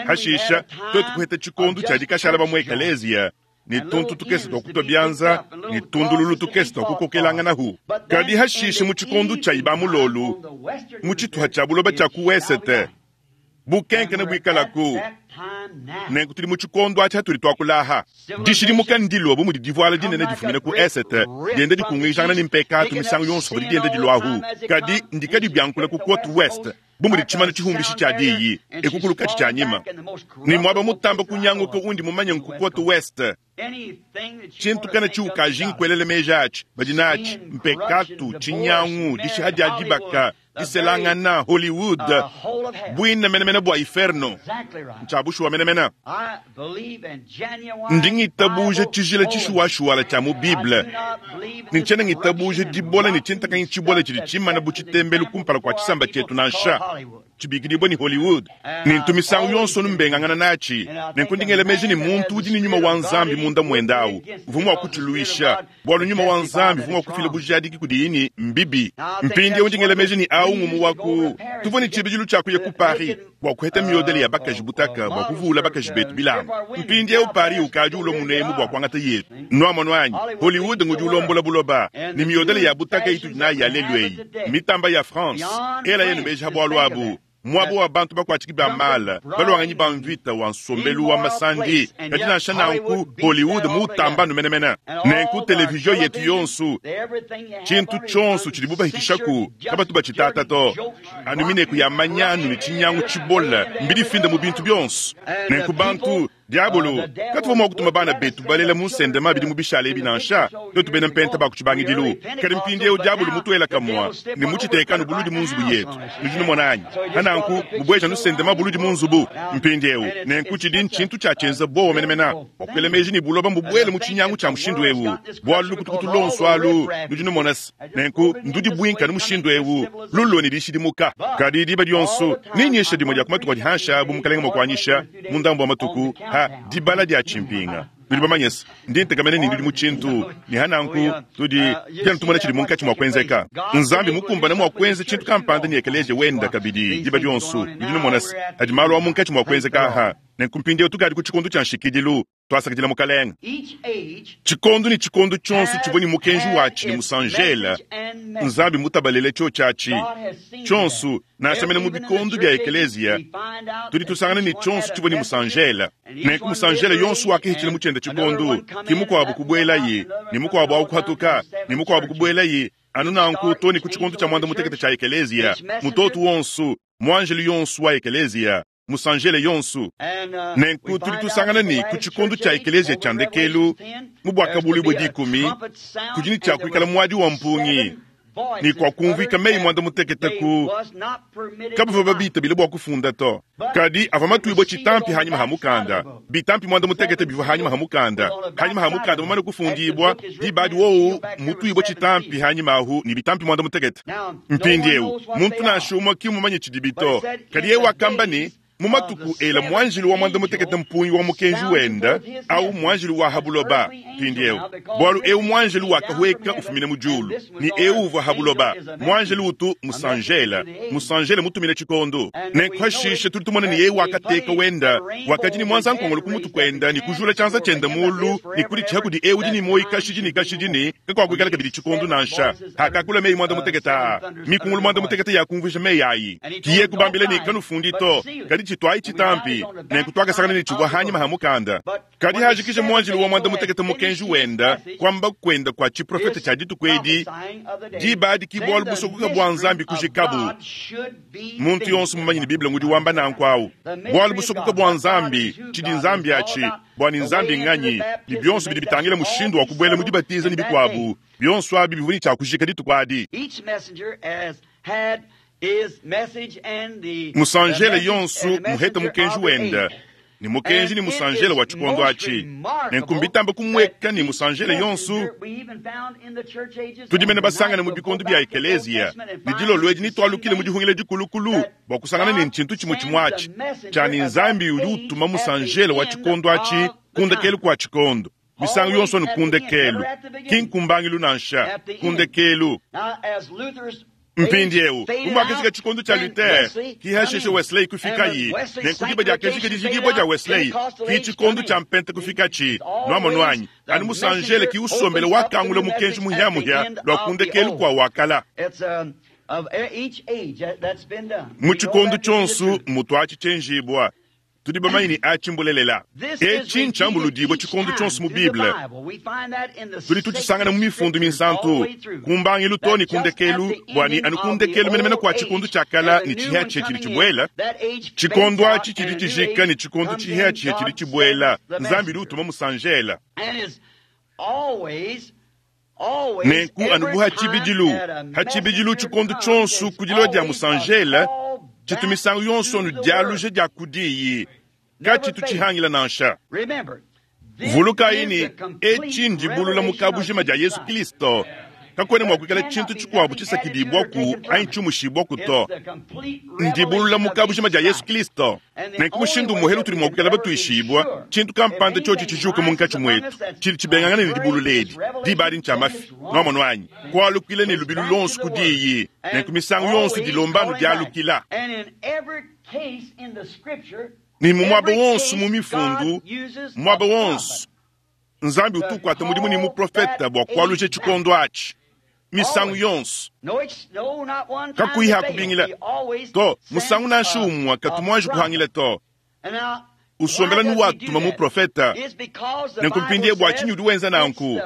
Hashisha twetu kuheta tshikondo tshia dikashala ba mu ekeleziya ne tuntu tukese twa kutwa bianza ne tundululu tukese twa kukokelanganahu. Kadi hashishe mu tshikondo tshia iba mulolu mu tshituha tshia buloba tshia ku wesete bukenke ne buikalaku. Nenku tudi mu tshikondo atshi hatudi tuakulaha. Dishidimuka ndilua bu mudi divuala dinene difumina ku esete dienda dikungijangana ne mpekatu misangu yonso padi dienda diluahu. Kadi ndikadi biankula ku Côte Ouest bu mudi tshimanu tshihumbishi tshia diyi ekukulu katshi tshia nyima. Ni mwaba mutamba kunyanguka undi mumanye nku Côte Ouest. Tshintu kana tshiukaji nkuelele meji atshi badi natshi mpekatu tshinyangu dishiha dia dibaka diselangana Hollywood bwina menemene bua inferno ntshabushuwa menemene. Ndi ngitabuja tshijila tshishuwashuwala tshia mu Bible ne ntshiena ngitabuja dibola ne tshintakanyi tshibola tshidi tshimana bu tshitembelu kumpala kua tshisamba tshietu nansha tshibikidibua ni Hollywood. Ne ntu misangu yonso numbengangana natshi. Nenku ndi ngela meji ne muntu udi ne nyuma wa Nzambi munda muende awu uvua mua kutshiluisha, bualu nyuma wa Nzambi uvua mua kufila bujadiki kudiyi ne mbibi. Mpindieu ndi ngela meji ne awu ngumu wa ku tuvua ne tshibidilu tshia kuya ku Paris bua kuheta miodele ya bakaji butaka bua kuvuula bakaji betu bilamba. Mpindieu Paris ukadi ulua munemu bua kuangata yetu. Nuamono anyi Hollywood ngudi ulombola buloba ne miodele ya butaka itudi nayi ya lelu eyi mitamba ya France ela yenu meji ha bualu abu. Mwabo wa bantu bakwatshiki ba mala balwanganyi ba mvita wa nsombelu wa masandi kadi nansha nanku Hollywood mutamba numenemene. Nenku televizion yetu yonso tshintu tshionso tshidi bubahitishaku kabatu batshitata to anu mineku ya manyanu ne tshinyangu tshibola mbidifinda mu bintu bionso. Nenku bantu diabolo katuva mua kutuma bana betu balela mu nsendema bidi mu bishala ebi nansha twetu bena mpenta ba ku tshibangidilu. Kadi mpindieu diabolo mutuela kamua ne mutshitekanu buludi mu nzubu yetu. Nudi numona anyi hananku mubweja nusendema buludi mu nzubu mpindieu. Nenku tshidi ntshintu tshiatshienza bowa menemene bua kuela meji ne buloba mbubuele mu tshinyangu tshia mushindu ewu bualu lukutukutu lonso alu nudi numona se. Nenku ndudi buinka nu mushindu ewu lulo ne dishidimuka. Kadi diba dionso ninyesha dimue dia ku matuku adi hansha bu mukalenga mua kuanyisha mu ndambu wa matuku ha dibala dia tshimpinga. Nudi bamanye se ndi ntekamene ne ndudi mu tshintu ne hananku tudi dianu tumona tshidi munkatshi mua kuenzeka. Nzambi mukumbane mua kuenza tshintu kampanda ne ekeleziya wenda kabidi diba dionso. Nudi numona se adi malu a munkatshi mua kuenzeka aha. Nenku mpindieu tukadi ku tshikondo tshia nshikidilu twasakidila mukalenga. Tshikondo ne tshikondo tshionso tshivua ne mukenji watshi ne musanjela Nzambi mutabalele tshio tshiatshi tshionso nansha mene mu bikondo bia ekeleziya tudi tusangana ne tshionso tshivua ne musanjela. Nenku musanjela yonso wakihitshila mu tshienda tshikondo ki mukuabu kubuelayi ne mukuabu akuhatuka ne mukuabu kubuelayi anu nanku to ne ku tshikondo tshia mwanda mutekete tshia ekeleziya mutoto wonso muanjelu yonso wa ekeleziya musanjele yonso. Nenku tudi tusangana ne ku tshikondo tshia ekeleziya tshia ndekelu mu bwakabulu bwe dikumi kudi ne tshia kuikala muadi wa mpungi Ne kuakumvuika meyi muanda mutekete ku kabavua babitabile bua kufunda to. Kadi avua matuibue tshitampi hanyima ha mukanda. Bitampi muanda mutekete bivua hanyima ha mukanda. Hanyima ha mukanda mumane kufundibua, diba adi wowu mutuibue tshitampi hanyima ahu ne bitampi muanda mutekete. Mpindieu muntu nansha umue ki mmumanye tshidibi to. Kadi yeye wakamba ne, mu matuku ela mwanjilu wa muanda mutekete mpungi wa mukenji wenda au mwanjilu wa habuloba. Mpindieu bualu eu mwanjilu wakahweka ufumine mu diulu ni eu uvua habuloba. Mwanjilu utu musanjela musanjela mutumile tshikondo nenkuhashishe tudi tumona ni yeye wakateka wenda wakadi ni mwanza nkongolo ku mutu kwenda ni kujula tshianza tshiende mulu ni kuditshiha kudi eu udi ni moyi kashidi ni kashidi ni kakwakuikala kabidi tshikondo nansha hakakula meyi muanda mutekete aa mikungulu muanda mutekete yakumvuija meyi ayi kiye kubambila ni kanufundi to kadi tshitwayi tshitampi nenkutwakasangana ni tshivua hanyima ha mukanda. Kadi hajikisha mwanjilu wa muanda mutekete mukenji wenda kwamba kwenda kwa tshiprofete tshia dituku edi diba adi ki bualu busokoka bua Nzambi kujikabu. Muntu yonso mumanyi ni Bible ngudi wamba nanku awu bualu busokoka bua Nzambi tshidi Nzambi atshi bua ni Nzambi nganyi ni bionso bidi bitangila mushindu wa kubuela mu dibatiza ni bikuabu bionso abi bivua ni tshia kujika dituku adi. Musanjele yonso muhete mukenji wenda ni mukenji ni musanjele wa tshikondo atshi nenkumbitamba kumweka ni musanjele yonso tudimene basangane mu bikondo bia ekeleziya ni dilolo edi nitwalukile mu dihungile dikulukulu bua kusangana ni ntshintu tshimue tshimue atshi tshia ni Nzambi udi utuma musanjele wa tshikondo atshi kundekelu kua tshikondo misangu yonso ni kundekelu ki nkumbangilu nansha kundekelu. Mpindieu umwakishika tshikondo tshia Luther kihasheshe Wesley kufikayi nenkudiba diakeshika dijikibua dia Wesley ki tshikondo tshia mpente kufikatshi nuamonuanyi anu musanjele ki usombele wakangula mukenji muhiamuhia lua kundekelu kua wakala. Mu tshikondo tshionso mutu atshi tshienjibua tudi bamanyi ni atshi mbulelela. Etshi ntshambuludibua tshikondo tshionso mu Bible. Tudi tutshisangana mu mifundu minsantu kumbangilu to ni kundekelu bua ni anu kundekelu menemene kua tshikondo tshiakala ni tshihiatshia tshidi tshibuela. Tshikondo atshi tshidi tshijika ni tshikondo tshihiatshia tshidi tshibuela. Nzambi udi utuma musanjela. Nenku anu bu hatshibidilu hatshibidilu tshikondo tshionso kudilo dia musanjela tshitu misangu yonso nu dialuja dia kudiyi katshitu tshihangila nansha. Vulukayi ni etshi ndibulula mu kabujima dia Yesu Kristo. Kakwena mua kuikala tshintu tshikuabu tshisakidibwaku anyi tshiumushibwaku to. Ndibulula mu kabujima dia Yesu Kristo. Nenku mushindu muhelu tudi mua kuikala batuishibua tshintu kampanda tshiotshi tshijuka munkatshi muetu tshidi tshibengangana ne dibulula edi diba adi ntshia mafi nuamono anyi kualukila ne lubilu lonso kudiyi nenku misangu yonso dilombanu dialukila. Ni mu muaba wonso mu mifundu muaba wonso Nzambi utukwata mudimu ni muprofeta bua kualuja tshikondo atshi misangu yonso kakuyi hakubingila to musangu nansha umue katumwanji kuhangila to. Usombela nu watuma muprofeta nenku mpindie bua tshinyi udi wenza nanku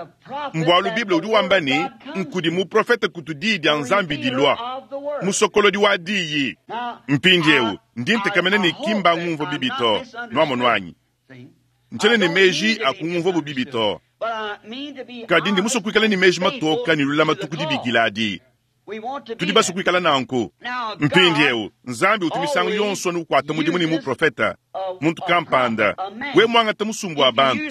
mbualu Bible udi wamba ni nkudi muprofeta kutu diyi dia Nzambi dilua musokolodi wa diyi. Mpindieu ndi ntekamena ni kimba ngumva bibi to nuamono anyi ntshiena ne meji akungumva bubibi to. Kadi ndi musue kuikala ne meji matoka ni lulamatu ku dibikila adi. Tudi basue kuikala nanku. Mpindieu Nzambi utu misangu yonso nukuata mudimu ni muprofeta muntu kampanda we muangata musumbu wa bantu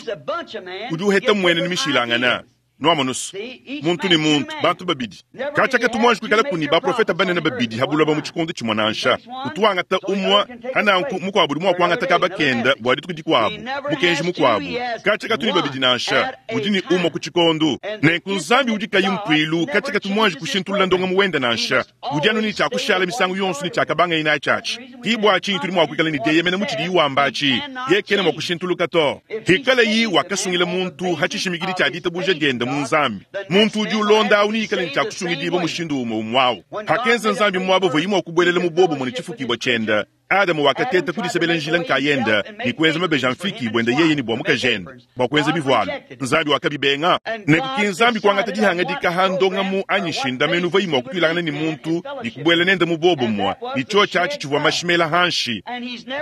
udi uheta muene ni mishilangana nuamonusu muntu ni muntu bantu babidi katshiaka tumwanji kuikala kuni baprofeta banene babidi habuloba mu tshikondo tshimue nansha utuangata umua hananku mukuabu udi mua kuangata kabakenda bua dituku dikuabu mukenji mukuabu katshiaka tuni babidi nansha udi ni umua ku tshikondo nenku Nzambi udi kayi mpuilu katshiaka tumwanji kushintulula ndonga muwenda nansha udi anu ni tshiakushala misangu yonso ni tshiakabanga ina tshiatshi kibua tshinyi tudi mua kuikala ni dieyemena mu tshidi iwamba atshi ye kena mua kushintuluka to. Hikala yi wakasungila muntu hatshishimikidi tshia ditabuja dienda mu Nzambi muntu udi ulonda awu niyikala ni tshiakusungidibua mushindu umue umue awu hakenza Nzambi muaba uvua imue kubuelela mu bobo mune tshifukibua tshienda Adamu wakateta kudisebela njila nkayenda ne kuenza mabeji a mfiki buenda yeye ne bua mukajende bua kuenza bivualu. Nzambi wakabibenga. Nenku Nzambi kuangata dihangadika ha ndongamu anyi shindamenu uvua imua kutuilangana ne muntu ne kubuela nende mu bobumua ne tshio tshiatshi tshivua mashimela hanshi.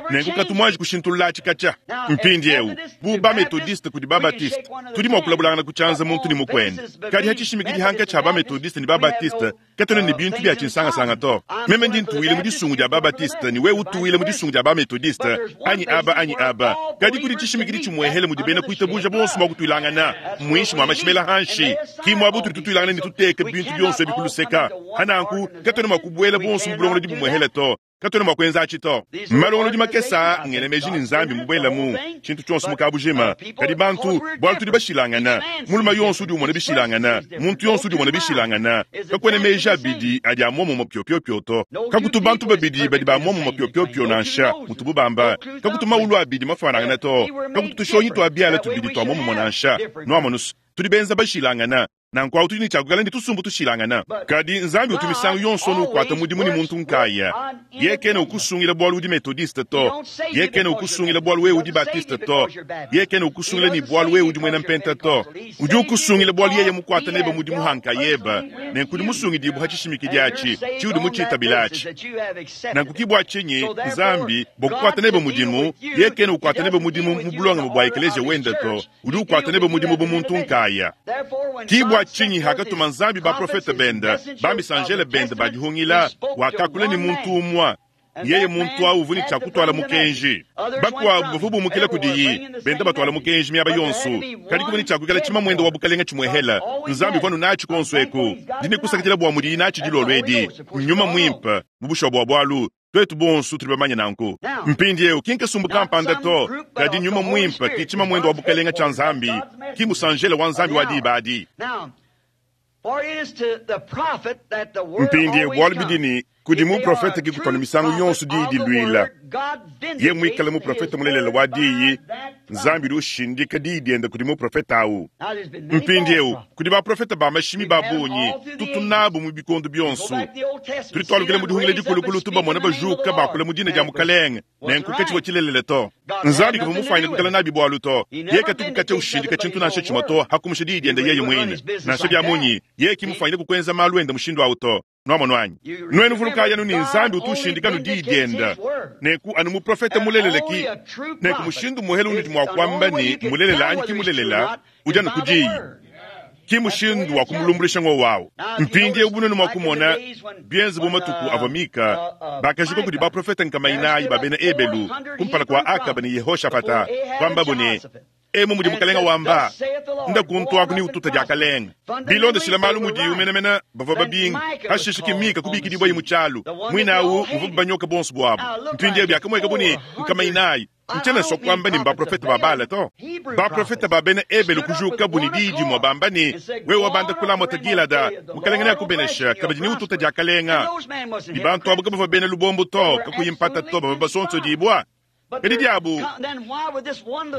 Nenku katumwanji kushintulula tshikatsha. Mpindiewu bu bametodiste kudi babatiste tudi mua kulabulangana kutshianza muntu ne mukwende. Kadi hatshishimiki dihanka tshia bametodiste ne babatiste katona ne bintu bia tshinsangasanga to. Meme ndi ntuwile mu disungu dia babatiste ne wewe utuwile mu disungu dia bametodiste anyi aba anyi aba. Kadi kudi tshishimikidi tshimuehele mudi bena kuitabuja bonso mua kutuilangana muinshi mua mashimela hanshi. Ki muabu tudi tutuilangana ne tuteke bintu bionso ebi kuluseka. Hananku katona mua kubuela bonso mu bulongolodi bumuehele to. Katona mua kuenza atshi to. Malongolodi makesa ngene meji ni Nzambi mubuelamu tshintu tshionso mukabujima. Kadi bantu bualu tudi bashilangana. Muluma yonso udi umona bishilangana, muntu yonso udi umona bishilangana. Kakuena meji abidi adi a muomumue pyopiopio to. Kakutu bantu babidi badi ba muomumue pyopiopio nansha mutubu bamba. Kakutu maulu abidi mafanangana to. Kakutu tushonyi twa biala tubidi twa muomumue nansha. Nuamonusu tudi benza bashilangana. Nanku awu tudi ne tshiakukala ne tusumbu tushilangana. Kadi Nzambi utu misangu yonso nukuata mudimu ne muntu nkaya. Yeye kena ukusungila bualu udi metodiste to. Yeye kena ukusungila bualu wewe udi baptiste to. Yeye kena ukusungila ne bualu wewe udi muena mpenta to. Udi ukusungila bualu yeye mukuata nebe mudimu hankayeba. Nenku udi musungidibu hatshishimikidi atshi tshiudi mutshitabila atshi. Nanku kibua tshinyi Nzambi bua kukuata nebe mudimu, yeye kena ukuata nebe mudimu mu bulongame bua ekeleziya wenda to. Udi ukuata nebe mudimu bu muntu nkaya. Kibua tshinyi hakatuma Nzambi baprofete benda bamisanjele benda badihungila wakakula ne muntu umua. Yeye muntu awu uvua ne tshia mukenji. Bakuabu bavua bumukila kudiyi benda batwala mukenji miaba yonso. Kadi kuvua ne tshia kuikala tshima mwenda wa bukalenga tshimuehela. Nzambi uvua nunatshi konso eku. Ndi ne kusakidila bua mudiyi natshi dilolo edi. Nyuma muimpe mu bushuwa bua bualu twetu bonso tuli bamanye nanku. Mpindiewu ki nkasumbu kampanda to, kadi nyuma muimpe ki tshima mwenda wa bukalenga tshia Nzambi, ki musanjele wa Nzambi wa diba adi. Mpindiewu bualu bidi ne kudi muprofete kikutwana misangu yonso diyi diluila. Ye muikale muprofete mulelela wa diyi, Nzambi udi ushindika diyi diende kudi muprofete awu. Mpindiewu kudi baprofete ba mashimi ba bungi tutu nabu mu bikondo bionso. Tudi twalukila mu dihungila dikulukulu tubamona bajuka bakula mu dina dia mukalenge nenku katshivua tshilelele to. Nzambi kavua mufanye kukala nabi bualu to. Ye katuku katshia ushindika tshintu nansha tshimue to hakumusha diyi diende yeye muine. Nansha bia munyi ye kimufanyile kukwenza malu ende mushindu awu to. Nuamono anyi nuenu vulukaya anu ni Nzambi utu ushindika nu diyi dienda. Nenku anu muprofete mulelele ki nenku mushindu muhele unudi mua kuamba ni mulelela anyi ki mulelela udi anu ku diyi. Ki mushindu wa kumulumbulisha ngo wawu. Mpindiewu bunene mua kumona bienze bu matuku avua Mika bakajika kudi baprofete nkamainayi ba bena Ebelu kumpala kua Akaba ne Yehoshafata kuambabu ne emu mudi mukalenga wamba nda kuntu ni ututa diakalenga. Bilondeshila malu mudiyu menemene bavua babinga hashisha ki Mika kubikidibwa yi mu tshialu mwinawu muvua banyoka bonso bwabu. Mpindiewu biakamweka bune nkamainayi ntshiena sua kuamba ne baprofete ba Bala to. Baprofete ba bena Ebelu kujuka buni diyi dimue bamba ne wewe wabanda kulamota Gilada mukalenga neakubenesha kabidi ne ututa diakalenga. Ni bantu abo kabavua bena lubombo to kakuyi mpata to bavua basonsodibwa. Kadi diabu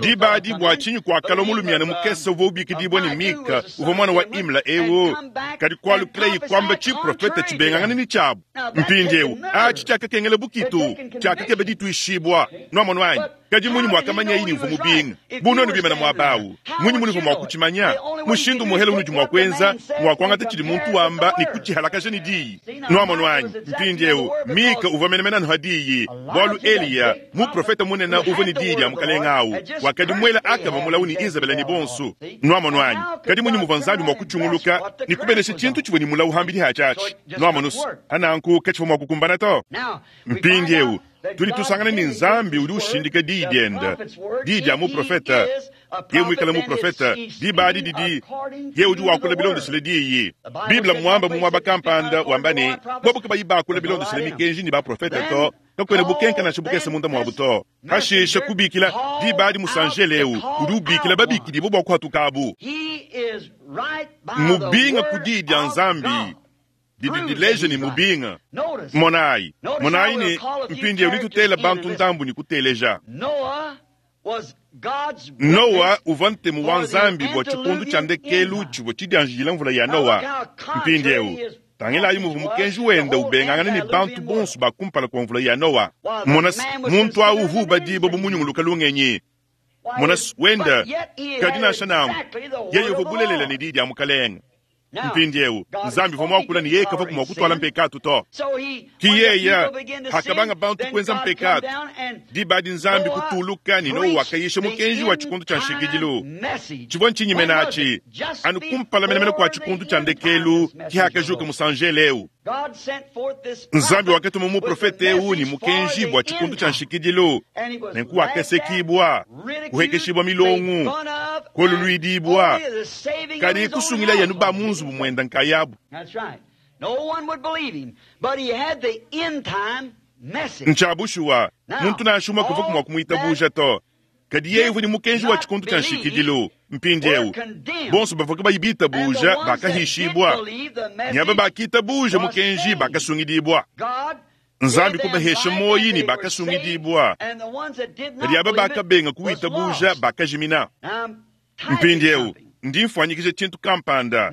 diba adi bua tshinyi kuakala mulumiana mukese uvua ubikidibwa ne Mika uvua mwana wa Imla ewu. Kadi kualukila kwamba tshiprofete tshibengangana ni tshiabu. Mpindiewu atshi tshiakakengela bukitu tshiakakeba dituishibwa. Nuamono anyi kadi munyi mwakamanya yini uvua mubinga bunonu bimana muabawu munyi munuvua mua kutshimanya mushindu muhele unudi mua kuenza mua kuangata tshidi muntu wamba ne kutshihalakaja ne diyi. Nuamono anyi mpindiewu Mika uvua menemene anu ha diyi bualu Eliya muprofete munene uvua ne diyi dia mukalenga awu wakadi muela Akaba mulawu ne Izabela ne bonso. Nuamono anyi kadi munyi muvua Nzambi mua kutshunguluka ne kubenesha tshintu tshivua ne mulawu hambidi hatshiatshi. Nuamonusu hananku katshivua mua kukumbana to. Mpindiewu tudi tusangana ni Nzambi udi ushindika diyi diende, diyi dia muprofete. Ye muikale muprofete diba adi didi ye udi wakula bilondeshile diyi. Biblia muamba mu muaba kampanda wamba ne bobu kabayi bakula bilondeshile mikenji ne baprofete to kakwena bukenka nansha bukese munda muabu to. Hashisha kubikila diba adi musanjele ewu udi ubikila babikidibo bua kuhatukabu. Mubinga ku diyi dia Nzambi didi dileja ni mubinga. Monayi monayi ne mpindiewu ditutela bantu ndambu ni kuteleja. Noa uvua ntemu wa Nzambi bua tshipundu tshia ndekelu tshivua tshidianjila mvula ya Noa. Mpindiewu Tangilayi muvua mukenji wenda ubengangana ne bantu bonso ba kumpala kua mvula ya Noa. Mona muntu awu uvua ubadibua bu munyunguluka lungenyi. Mona wenda kadi nansha nanku yeye uvua bulelela ne diyi dia mukalenge. Mpindieu Nzambi uvua muakula ne yeye kavua mua kutuala mpekatu to. Ki yeye hakabanga bantu kuenza mpekatu, diba adi Nzambi kutuluka ne Noa wakayisha mukenji wa tshikondo tshia nshikidilu. Tshivua ntshinyimena atshi anu kumpala menemene kua tshikondo tshia ndekelu ki hakajuka musanjele eu. Nzambi wakatuma muprofete eu ne mukenji bua tshikondo tshia nshikidilu, nenku wakasekibua, kuhekeshibua milongo, kuoluluidibua, kadi kusungila yanu ba mu nzubu mwenda nkayabu. Ntsha bushuwa muntu nansha umue kavua mua kumuitabuja to. Kadi yeye uvua ne mukenji wa tshikondo tshia nshikidilu. Mpindieu bonso bavua kabayi bitabuja bakahishibua, ne aba bakitabuja mukenji bakasungidibua. Nzambi kubahesha moyi ne bakasungidibua, kadi aba bakabenga kuitabuja bakajimina. Mpindieu ndi mfuanyikija tshintu kampanda.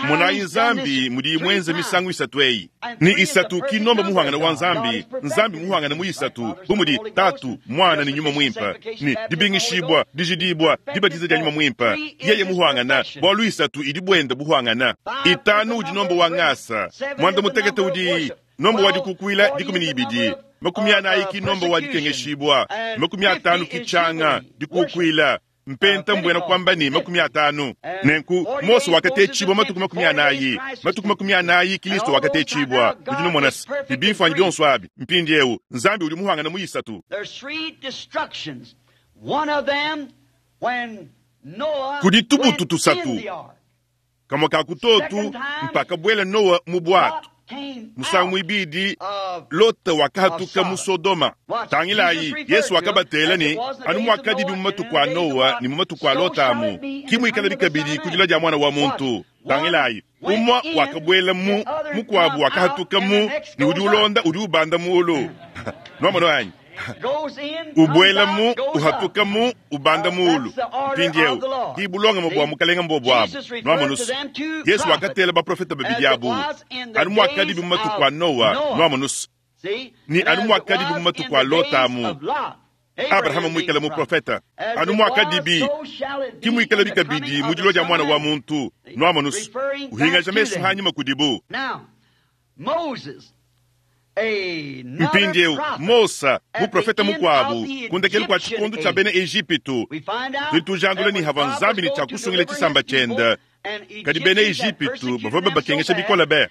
Monayi Nzambi mudiyi mwenze misangu isatu eyi. Ni isatu ki nomba muhangana wa Nzambi, Nzambi muhangana mu isatu bu mudi Tatu, Mwana ne Nyuma Mwimpe. Ni dibingishibwa, dijidibwa, dibatiza dia Nyuma Mwimpe. Yeye muhangana, bualu isatu idi buenda buhangana. Itanu udi nomba wa ngasa, mwanda mutekete udi nomba wa dikukuila dikumi ne ibidi. Makumi anayi ki nomba wa dikengeshibwa, makumi atanu ki tshanga dikukuila. Mpenta mbwena kwamba ni makumi atanu. Nenku Mose wakatechibwa matuku makumi anayi, matuku makumi anayi Kristo wakatechibwa. Udi numona bibimfanyi bionso abi. Mpindieu Nzambi udi muhangana mu isatu. Kudi tubutu tusatu kamwe ka kutotu mpaka bwela Noa mu bwatu. Musangu mwibidi Lota wakahatuka mu Sodoma. Tangilayi Yesu wakabatela ne anu mwakadibi mu matuku a Noa ne mu matuku a Lota amu kimwikala bikabidi kudila dia mwana wa muntu. Tangilayi umwa wakabwela mu mukwabu wakahatuka mu ne udi ulonda udi ubanda muulu. Nwamona wanyi ubwela mu uhatuka mu ubanda muulu. Mpindieu kibulongama bua mukalenga mbobo abu. Nwamonusu Yesu wakatela baprofeta babidi abu anu mwakadibi mu matuku a Noa. Nwamonusu ni anu mwakadibi mu matuku a Lota amu. Abrahama mwikala muprofeta anu mwakadibi kimwikala bikabidi mu dilua dia mwana wa muntu. Nwamonusu uhingaja mesu hanyuma kudibu. Mpindieu Mosa muprofeta mukwabu kundekelu kwa tshikondo tshia bena Ejipitu tutujandula ni hava Nzambi ni tshia kusungila tshisamba tshiende. Kadi bena Ejipitu bavua babakengesha bikole be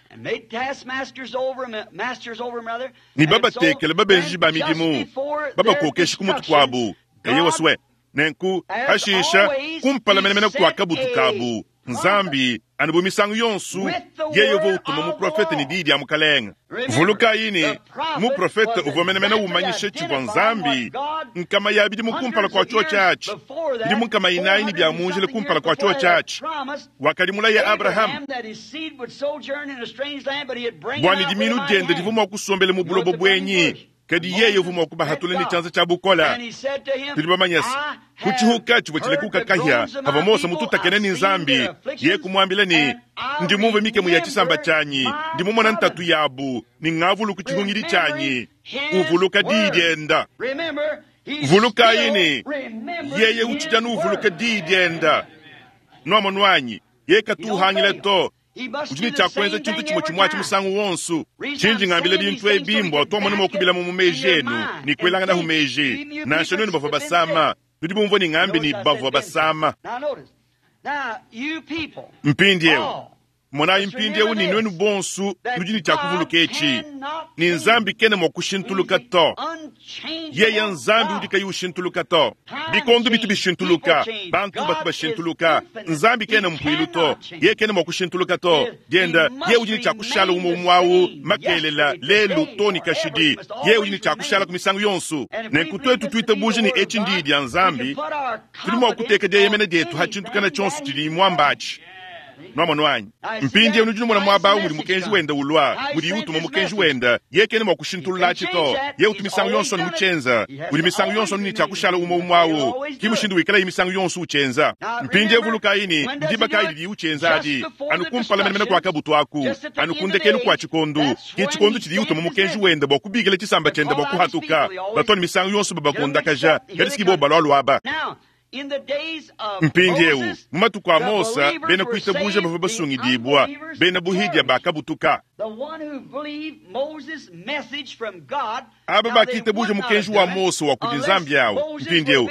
ni babatekele babenji ba midimu babakokesha ku mutu kuabu. Eye waswe nenku hashisha kumpala menemene kua kabutu kabu Nzambi anu bu misangu yonsu yeye uvua utuma muprofete ne diyi dia mukalenga. Vulukayi ne muprofete uvua menemene umanyisha tshivua Nzambi nkama ya bidimu kumpala kua tshio tshiatshi, bidimu nkama inayi ne bia munjila kumpala kua tshio tshiatshi. Wakadimulaya Abrahamu bua ne diminu diende divua mua kusombela mu bulobo buenyi, kadi yeye uvua mua kubahatula ne tshianza tshia bukola. Tudi bamanye se kutshihuka tshivua tshilekuka kahia hava Mose mututakene ne Nzambi. Ye kumwambila ne ndi mumve mikemu ya tshisamba tshianyi, ndi mumona ntatu yabu ne ngavuluka tshihungidi tshianyi. Uvuluka diyi dienda. Vulukayi ne yeye utshidi anu uvuluka diyi dienda. Nwamonwanyi ye katuhangila to. Udi ne tshia kuenza tshintu tshimue tshimue atshi musangu wonso. Tshinji ngambila bintu ebi mbua tuamona mua kubilamu mu meji enu ne kuelanganahu meji. Nansha nuenu bavua basama, nudi bumvua ne ngambi ne bavua basama. Mpindieu monayi mpindieu ne nuenu bonso nudi ne tshia kuvuluka etshi ne Nzambi kena mua kushintuluka to. Yeye Nzambi udi kayi ushintuluka to. Bikondo bitu bishintuluka, bantu batu bashintuluka. Nzambi kena mpuilu to, yeye kena mua kushintuluka to. Dienda yeye udi ne tshia kushala umue umue awu makelela lelu to ne kashidi. Yeye udi ne tshia kushala ku misangu yonso. Nenku tuetu tuitabuja ne etshi ndiyi dia Nzambi, tudi mua kuteka dieyemena dietu ha tshintu kana tshionso tshidi muamba atshi. Nwamonu anyi? Mpindieu nudi numona muaba awu mudi mukenji wenda ulua, mudiye utuma mukenji wenda. Yeye kena mua kushintulula atshi to. Yeye utu misangu yonso anu mutshienza. Udi misangu yonso anu ne tshia kushala umue umue awu. Ki mushindu wikalaye misangu yonso utshienza. Mpindieu vulukayi ne, ndiba kayi didiye utshienza adi? Anu kumpala menemene kua kabutu aku, anu ku ndekelu kua tshikondu. Ki tshikondu tshidiye utuma mukenji wenda bua kubikila tshisamba tshiende bua kuhatuka. Batu anu misangu yonso babakondakaja, kadi si bobu balualua aba. Mpindieu, mu matuku a Mose, bena kuitabuja bavua basungidibua, bena buhidia bakabutuka. Aba bakitabuja mukenji wa Mose wa kudi Nzambi awu. Mpindieu,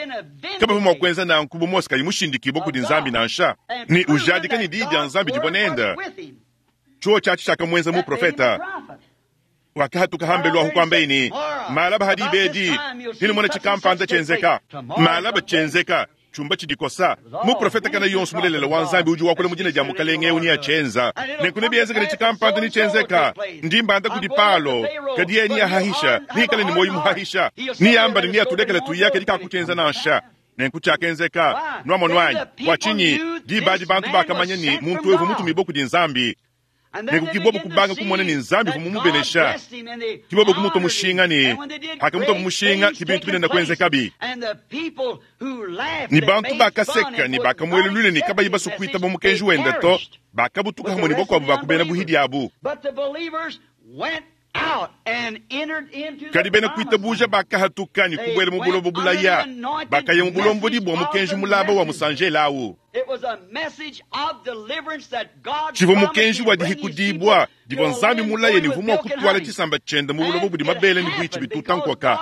kabavua mua kuenza nanku bu Mose kayi mushindikibue kudi Nzambi nansha, ne ujadika ne diyi dia Nzambi divua nende. Tshiwo tshiatshi tshiakamuenza muprofeta. Wakahatuka hambelu ahu kuambaye ne, malaba hadi bedi, hinumona tshikampanda tshienzeka. Malaba tshienzeka. Chumba tshidikosa. Muprofeta kana yonso mulelela wa Nzambi udi wakula mu dina dia mukalenge eu ni atshienza. Nenku nebienzeke ne tshikampanda ni tshienzeka. Ndi mbanda kudi Palo, kadi yeye ni ahahisha, nikale ne moyo muhahisha. Ni yamba ne ni atulekele tuya kadi kakutshienza nansha. Nenku tshiakenzeka, nwamonu anyi? Bua tshinyi diba adi bantu bakamanya ne muntu evu mutumibue kudi Nzambi. Nenku kibobo kubanga kumona ne Nzambi uvua mumubenesha. Kibobo kumutua mushinga ne hakamutua mushinga ki bintu binene kuenzekabi. Ni bantu bakaseka ne bakamuelulule ne kabayi basue kuitaba mukenji wende to, bakabutuka hamwe ne bakuabu bakubena buhidi abu. Kadi bena kuitabuja bakahatuka ne kubuela mu bulobo bulaya, bakaya mu bulombodi bua mukenji mulaba wa musanjela awu. Tshivua mukenji wa dihikudibua divua Nzambi mulaye ne uvua mua kutwala tshisamba tshiende mu bulobo budi mabele ne buitshi bituta nkoka.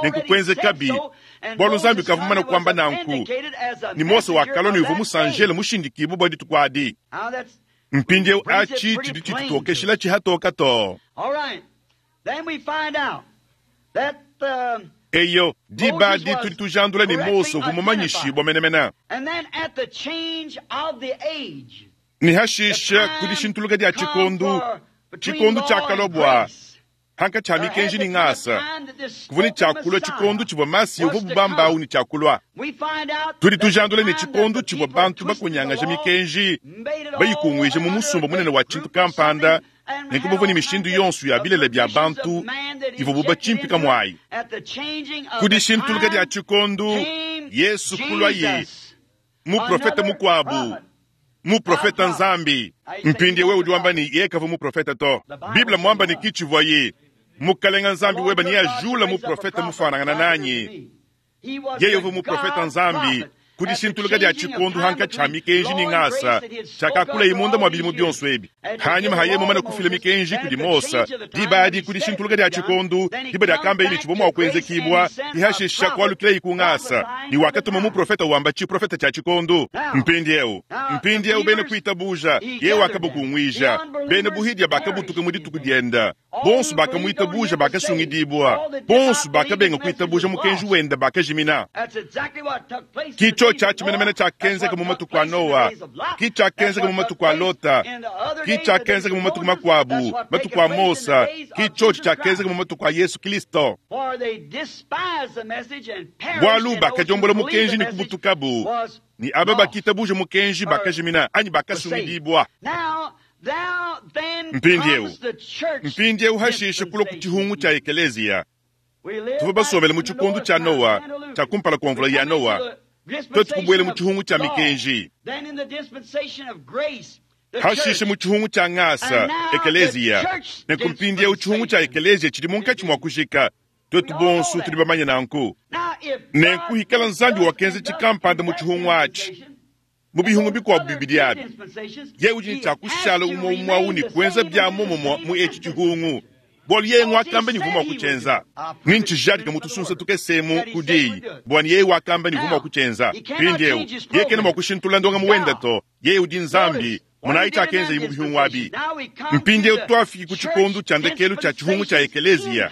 Nenku kuenzekabi, bualu Nzambi kavua mumane kuamba nanku, ne Mose wakalua ne uvua musanjela mushindikibue bua dituku adi. Mpindieu atshi tshidi tshitutokeshila tshihatoka to. Eyo, diba adi tudi tujandula ne Mose uvua mumanyishibua menemene. Ne hashisha kudishintuluka dia tshikondu, tshikondu tshiakalua bua hankatshi ha mikenji ne ngasa, kuvua ne tshiakulua tshikondu tshivua Masiya uvua bubamba awu ne tshiakulua. Tudi tujandula ne tshikondu tshivua bantu bakonyangaja mikenji, bayikunguije mu musumba munene wa tshintu kampanda, nenku bavua ne mishindu yonso ya bilele bia bantu ivua bubatshimpika muayi. Kudishintuluka dia tshikondu, Yesu kulua ye muprofeta mukuabu, muprofeta Nzambi. Mpindieu wewe udi wamba ne yeye kavua muprofeta to. Biblia mwamba ne kitshivua ye mukalenga Nzambi weba ne ajula muprofeta mufanangana nanyi. Yeye uvua muprofeta Nzambi. Kudishintuluka dia tshikondu hankatshi ha mikenji ne ngasa tshiakakula imunda mua bilimu bionso ebi. Hanyuma haye mumane kufila mikenji kudi Mose, diba adi kudishintuluka dia tshikondu, diba diakamba ili tshivua mua kuenzekibua, ihashisha kualukila ku ngasa, ne wakatuma muprofeta wamba tshiprofeta tshia tshikondu. Mpindieu, mpindieu bena kuitabuja, yeye wakabukunguija, bena buhidia bakabutuka mu dituku dienda. Bonso bakamuitabuja bakasungidibua, bonso bakabenga kuitabuja mukenji wenda bakajimina. Kicho tshiatshi menemene tshiakenzeka mu matuku a Noa, ki tshiakenzeka mu matuku a Lota, ki tshiakenzeka mu matuku makuabu, matuku a Mose, ki tshiotshi tshiakenzeka mu matuku a Yesu Kristo. Bualu bakadiombola mukenji ne kubutukabu, ne aba bakitabuja mukenji bakajimina anyi bakasungidibua. Mpindieu, mpindieu hashisha kulua ku tshihungu tshia ekeleziya. Tuvua basombele mu tshikondu tshia Noa, tshia kumpala kua mvula ya Noa. Twetu kubuela mu tshihungu tshia mikenji. Hashisha mu tshihungu tshia ngasa, ekeleziya. Nenku mpindieu tshihungu tshia ekeleziya tshidi munkatshi mua kujika. Twetu bonso tudi bamanye nanku. Nenku hikala Nzambi wakenza tshikampanda mu tshihungu atshi. Mu bihungu bikuabu bibidi abi, yeye udi ne tshiakushala umue umue awu ne kuenza bia muomumue mu etshi tshihungu. Bualu yeye ngwakamba ne uvua mua kutshienza. Ni ntshijadika mutusunsa tukesemu ku diyi, bua ne yeye wakamba ne uvua mua kutshienza. Mpindieu, yeye kena mua kushintulula ndongamu wenda to, yeye udi Nzambi. Monayi tshiakenza mu bihungu abi. Mpindieu twafiki ku tshikondu tshia ndekelu tshia tshihungu tshia ekeleziya.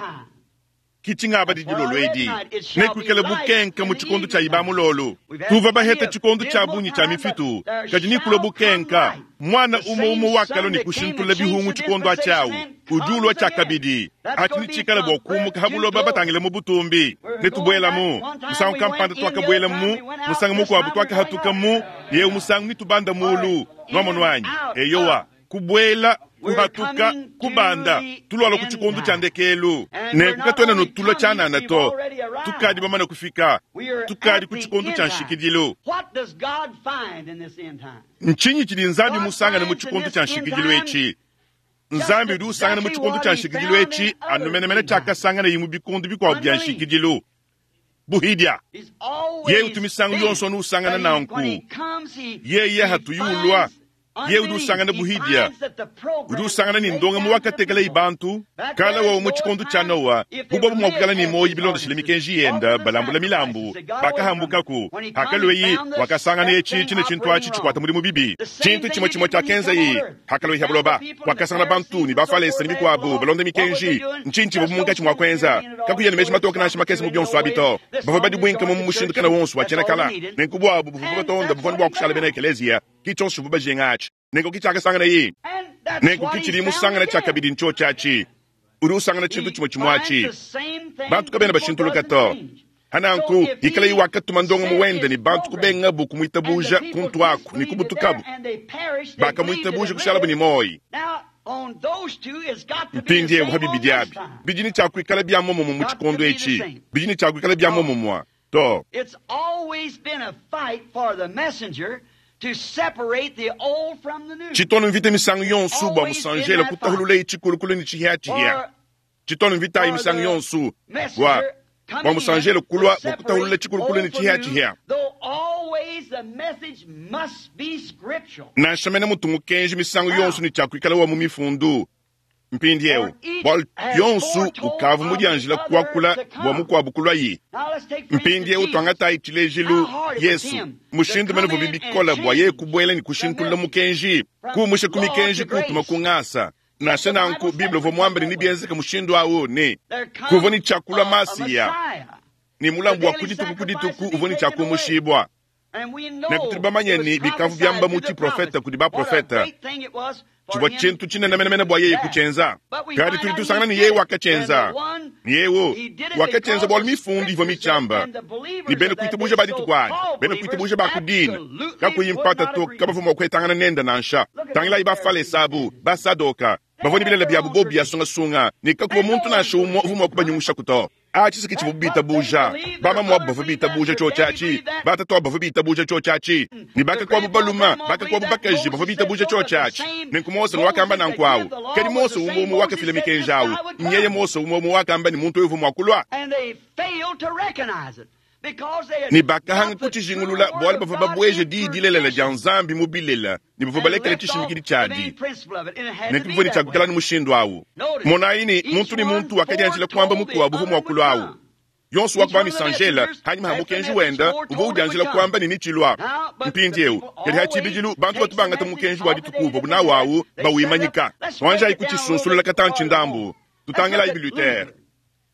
Kichingaba dilolo edi nekuikale bukenka mu tshikondo tshia ibamulolo tuva baheta tshikondo tshia bunyi tshia mifitu kadi nikula bukenka mwana umo umo wakalo ni kushintula bihungu tshikondo atshiawu udi ulwa tshiakabidi ati nitshikala bua kumuka habuloba batangile mu butumbi netubwelamu musangu kampanda twakabwelamu musangu mukuabu twakahatukamu yewu musangu nitubanda mulu nwamonwanyi eyowa kubwela kuhatuka kubanda tulwala ku tshikondo tshia ndekelu nenku katwena notulwa tshianana to tukadi bamana kufika tukadi ku tshikondo tshia nshikidilu ntshinyi tshidi nzambi musangane mu tshikondo tshia nshikidilu etshi nzambi udi usangana mu tshikondo tshia nshikidilu etshi anumenemene tshiakasangana yi mu bikondo bikuabu bia nshikidilu buhidya ye utu misangu yonso anu usangana nanku yeye hatuyulwa ye udi usangana buhidya udi usangana ni ndonga mu wakatekela ibantu kala wawu mu tshikondo tshia nowa bubobu mua kukala ni moyi bilondeshile mikenji yenda balambula milambu bakahambukaku hakalweyi wakasangana etshi tshine tshintu atshi tshikwata mudimu bibi tshintu tshimwe tshimwe tshiakenza yi hakalweyi habuloba wakasangana bantu ni bafalesa ni bikuabu balonda mikenji ntshintshi bobu munkatshi mua kuenza kakuya ni meji matoka nansha makese mu bionso abi to bavua badibwinka mu mushindu kana wonso wa tshiena kala nenku buabu buvua batonda buvua ne bua kushala bena ekeleziya kitshonso bubajinga atshi nenku kitshakasangana yi nenku kitshili musangana tshiakabidi ntsho tshiatshi udi usangana tshintu tshimwe tshimwe atshi bantu kabena bashintuluka to hananku ikala yi wakatuma ndongo muwende ni bantu kubengabu kumwitabuja kuntu aku ni kubutukabu bakamwitabuja kushalabu ni moyi mpindiewu habibidi abi bidi tshiakuikala bia momumue mu tshikondo etshi bidi tshiakuikala bia momumue to It's always been a fight for the messenger to separate the old from the new. tshitono mvita misangu yonso bua musanjela kutahulula tshikulukulu ni tshihiatshihia tshitono mvita ayi misangu yonso bua bua musanjela kulwa bua kutahulula tshikulukulu ni tshihiatshihia Though always the message must be scriptural. nansha mene mutu mukenji misangu yonso ni tshiakuikala wa mu mifundu mpindiewu bua yonso ukavu mudianjila kuakula bua mukuabu kulwa yi Now let's take for mpindiewu instance twangatayi tshilejilu yesu mushindu mene vubi bikola bua yeye kubwela ni kushintulula mukenji kuumusha ku mikenji kutuma kungasa nansha nanku biblia uvua muambele ni bienzeka mushindu awu ni there comes kuvua ni tshiakulwa a- a masiya Messiah. ni mulambu wa kudituku kudituku uvua ni tshiakumushibwa And we know Nenku tudi bamanye it was ni bikavu byamba prophesied mu through the tshiprofeta prophets. kudi What a baprofeta great thing it was for tshivua him tshintu tshinenemenemene bua yeye that. kutshienza But we kadi find tudi out tusangana he ni did yeye it. wakatshienza And the one, ni yewu he did it wakatshienza because bualu the mifundu ivua scriptures mitshamba and the believers ni bena of that kuitabuja day, badituku adi so-called bena believers, kuitabuja bakudina absolutely kakuyi would mpata not to agree. kabavua mua kuetangana nenda nansha Look at tangilayi the bafalesa abu basadoka bavua ni bilele byabu bo byasungasunga ni kakuva muntu nansha umwe uvua mua kubanyungusha kuto atshi siki tshivua bitabuja bamamuabu bavua bitabuja tshio tshiatshi batatu bavua bitabuja tshio tshiatshi ni bakakuabu baluma bakakuabu bakaji bavua bitabuja tshio tshiatshi nenku mose wakamba nanku awu kadi mose umwe umwe wakafila mikenji awu nyeye mose umwe umwe wakamba ni muntu uyu uvua mua kulwa And they failed to recognize it because they had ni bakahanga got the true kutshijingulula word bualu of bavua God babweje in diyi dilelela dia tradition nzambi mu bilela ni bavua and balekele left off tshishimikidi the main tshiadi principle of it. And it had to nenku be bivua ni that tshiakukala way. ni mushindu awu Notice, monayi ni each muntu ni one muntu wakadianjila kuamba foretold the mukuabu uvua other mua would kulwa awu come. yonso Each wakuba one of the misanjela messengers, hanyuma ha as the mukenji message wenda foretold uvua it would udianjila come. kuamba ni nitshilwa Now, but the mpindiewu people kadi ha always tshibidilu bantu takes batu the bangata message mukenji wa of the day dituku that uvua they nawu had. awu They set up. bawimanyika Let's break twanjayi it down a little kutshisunsulula bit katantshi farther ndambu on. Let's tutangilayi look at bilutere Luther.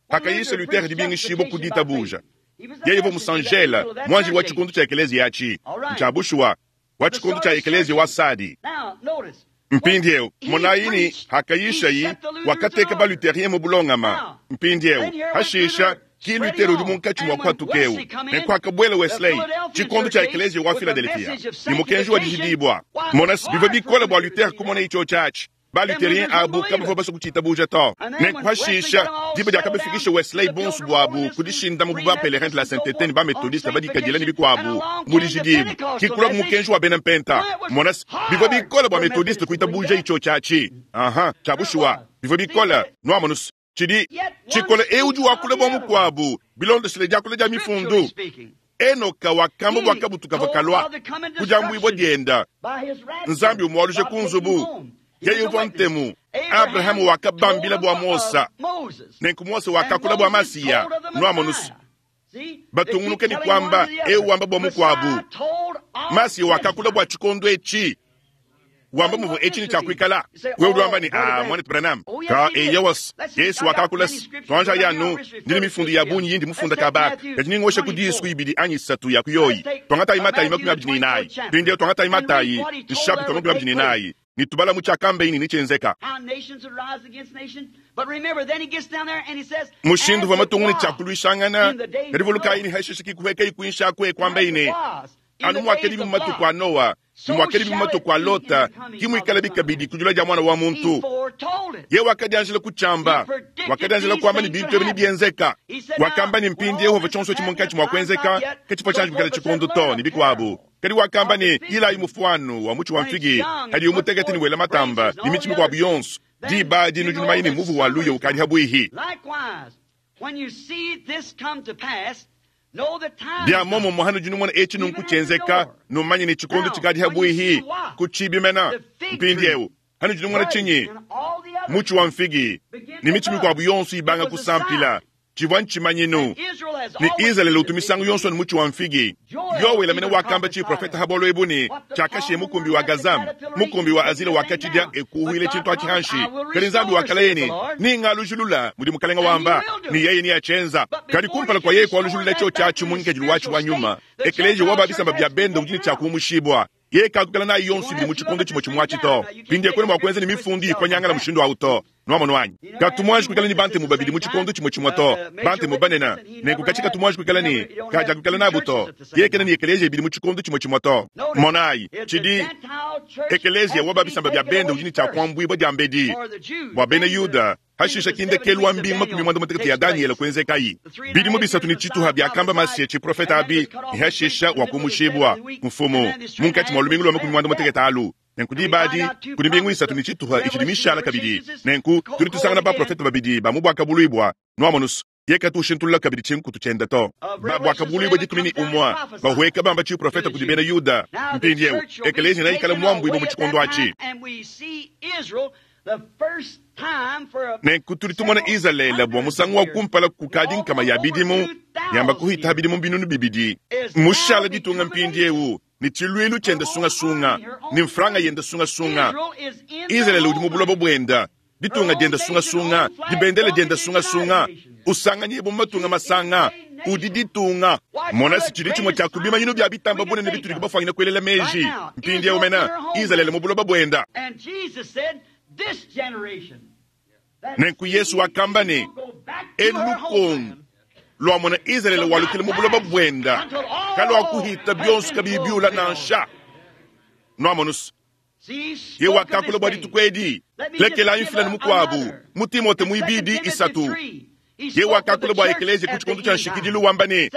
When hakayisa Luther lutere preached dibingishibwa ku justification by faith, ditabuja he was the yeye uvua messenger, that musanjela angel of that mwanjili wa church age. tshikondo tshia ekeleziya atshi All right. ntshiabushuwa wa The tshikondo tshia Sardis ekeleziya church wa age. sadi Now, notice, when mpindiewu he monayini preached, he hakayishayi set the Lutherans in wakateka order. baluterien mu bulongama Now, mpindiewu then here went hashisha Luther ki spreading lutero udi on. munkatshi mua And when kuatukewu Wesley come in, nenku akabwela the wesley Philadelphian tshikondo church tshia age ekeleziya wa with the filadelfiya message of ni mukenji wa sanctification, dijidibwa why, it's monasi bivua hard for bikola bua Luther to lutere see kumona that. icho tshiatshi Them baluterien Lutherans wouldn't abu believe kabavua it. basua kutshitabuja to And then nenku when Wesley hashisha got them all diba settled down diakabafikisha to wesley the bonso Pilgrim buabu Holiness and kudishinda mu Free ba pelerin Methodists de la and so sainteté forth ni ba on methodiste badikadila ni sanctification, and bikuabu along mu came the dijidibu Pentecostal kikula message. mukenji wa bena mpenta Why, it was monasi bivua hard bikola bua for methodiste Methodists to believe kuitabuja that. icho tshiatshi aha Sure it tshiabushuwa was. bivua See, bikola but nuamonusu tshidi yet one tshikola ewu speaks udi of wakula the bua other one. mukuabu bilondeshile diakula dia Scripturally mifundu speaking, enoka wakamba he bwakabutuka told vakalwa of the coming kujambuibwa destruction dienda by his rapture, nzambi umwaluje God ku taking nzubu home. He was yeye a uvua witness. ntemu Abraham abrahamu told wakabambila of, bua of mosa Moses, nenku mose and wakakula bua Moses masiya told of the nuamonusu Messiah. See, they keep batungunuke ni telling one kwamba to the ewu other. wamba bua Messiah mukuabu told of masiya this wakakula bua time. tshikondo etshi Wamba muvua etshi tshia kuikala. Wewe udi wamba ne, ah, mwanetu Branham. Ka eyawas, Yesu wakakula twanja yanu, ndine mifundu ya bungi yindi mufunda kabaka. Kadi ningosha ku disu ibidi anyi isatu ya kuyoyi. Twangatayi Matayi makumi abidi ne inayi. Mpindieu twangatayi Matayi, nshapita makumi abidi ne inayi. Nitubala mu tshiakambe ini nichenzeka. Mushindu wa matungu ni tshiakuluishangana, kadi vulukayi ni hashishiki kuheka ikuinsha kwe kwamba ine. Anu mwakeli bimatu kwa Noa, mwakeli bimatu kwa Lota, kimwikala bikabidi kujula ja mwana wa muntu. Ye wakadianjila kuchamba, wakadianjila kwamba ni bintu ebi bienzeka. Wakamba ni mpindi Yehova chonso chimunkachi mwakwenzeka, kachipo chanji kukala chikondo to ni bikwabu. Kadi wakamba ni ilayi mufuanu wa muchi wa mfigi, hadi umutekete ni wela matamba, ni michi mikwabu yonso. Diba dinu junumaini muvu wa luyo ukadi habwihi. Bya momo muhanu jinu mwana echi nunku chenzeka, numanye ni chikondo chikadi habwihi, kuchibimena, mpindi eu. Hanu jinu mwana chinyi, muchi wa mfigi, ni michi mikwabu yonso ibanga kusampila. Chivwa nchimanyinu. Ni Israeli utumisangu yonso ni muchi wa mfigi. Yowe lamene wakamba chi profeta habolo ebuni, chakashe mukumbi wa Gazam, mukumbi wa Azila wakachidia ekuhuile chintu achihanshi. Kali nzambi wakalayeni, ni ngalujulula mudi mukalenga wamba, ni yeye ni achenza. Kali kumpala kwa yeye kwa lujulula cho chachu munke jiluwachi wa nyuma. Ekeleje waba bisamba bya bendo ujini cha kumushibwa. Ye kakukala na yonso bili muchikondo chimo chimwachi to. Pindi kwene mwakwenze ni mifundi kwa nyanga la mushindo wa uto. Nwamo nwanyi. Katumwaji kukala ni bante mubabili muchikondo chimo chimwa to. Bante mubanena. Nenku kachi katumwaji kukala ni. Kaja kukala na buto. Ye kena ni ekeleje bili muchikondo chimo chimwa to. Monai. Chidi. Ekeleje waba bisamba bya bende ujini cha kwambu ibo jambedi. Wa bene Yuda. Hashisha kinde kelwa mbima kumimwanda mutekete ya Daniel kwenze kai. Bidi mubisatu ni chitu habya kamba masye chi profeta abi. Ni hashisha wakumushibwa. Mfumo. Munkati mwa lumingu lwa kumimwanda mutekete alu. Nenku dibadi, kuli mbingu isatu ni chituha ichidi mishala kabidi. Nenku, tuli tusangana ba profeta babidi, ba mubwaka buluibwa. Nwamonus, yeka tushintulula kabidi chinkutu chenda to. Ba bwaka buluibwa dikumi ni umwa. Ba huweka bamba chi profeta kudibena Yuda. Mpindi yeu, ekelezi na ikala mwambu ibo muchikondo achi. Nenku tuli tumona Israeli bwa musangu wa kumpala kukadi nkama ya bidimu, yamba kuhita bidimu binunu bibidi. Mushala ditunga mpindi yeu. Ni chilwilu chenda sunga sunga, ni mfranga yenda sunga sunga. Israeli udi mubulobo bwenda, ditunga jenda sunga sunga, dibendele jenda sunga sunga. Usanga nyebo matunga masanga, udi ditunga. Mona si chili chimwe cha kubima nyinu bya bitamba bune ne bituli kubafangina kwelela meji. Mpindi yeu mena, Israeli mubulobo bwenda. Nenku Yesu wakamba ni, elukong. Lwa mwana Israeli walukile mubuloba bwenda. Kalwa kuhita byonsu kabibiula nansha. Nwamonus. Ye wakakula bwa ditukwedi. Lekela infila ni mukwabu. Mutimote muibidi isatu. Ye wakakula bwa ekeleze kuchikondo cha nshikidilu wambane.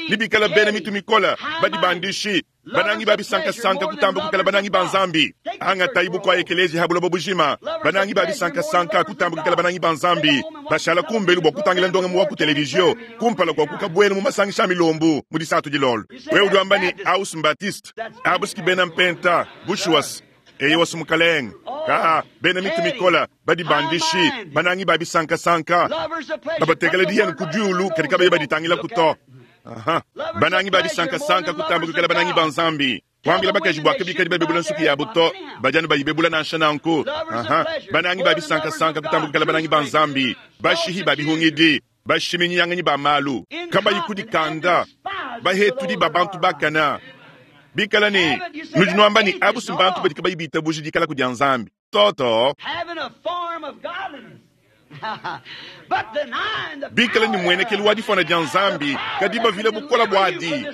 Nibikala bene mitu mikola. Badi bandishi. Banangi babi sanka sanka kutamba kukala banangi banzambi. Anga taibu kwa ekelezi habulobo bujima. Banangi babi sanka sanka kutamba kukala banangi banzambi. Bashala kumbelu bwa kutangila ndonga muwa ku televizio. Kumpala kwa kukabwenu mu masangisha milombu. Mudisatu jilolo. Wewe uduambani aus mbatiste. Abuski bena mpenta. Bushuas. Eye wasu mukaleng. Ka bena mitu mikola. Badi bandishi. Banangi babi sanka sanka. Babatekele diyenu kudiulu. Kadika baye baditangila kuto. Aha. Banangi babi sanka sanka kutamba kukala banangi banzambi. Wambila bakaji bwa kabika di babebula nsuki ya buto. Bajanu bayibebula na nshananku. Aha. Banangi babi sanka sanka kutamba kukala banangi banzambi. Bashihi babi hungidi. Bashiminyi yanganyi ba malu. Kamba yikudi kanda. Bahetudi babantu bakana. Bikala ni nujinwamba ni abusi mbantu badika bayibita buji dikala kudia nzambi. Toto. Bikala ni mwenekelu wa difona dia nzambi kadiba vile bukola bwadi.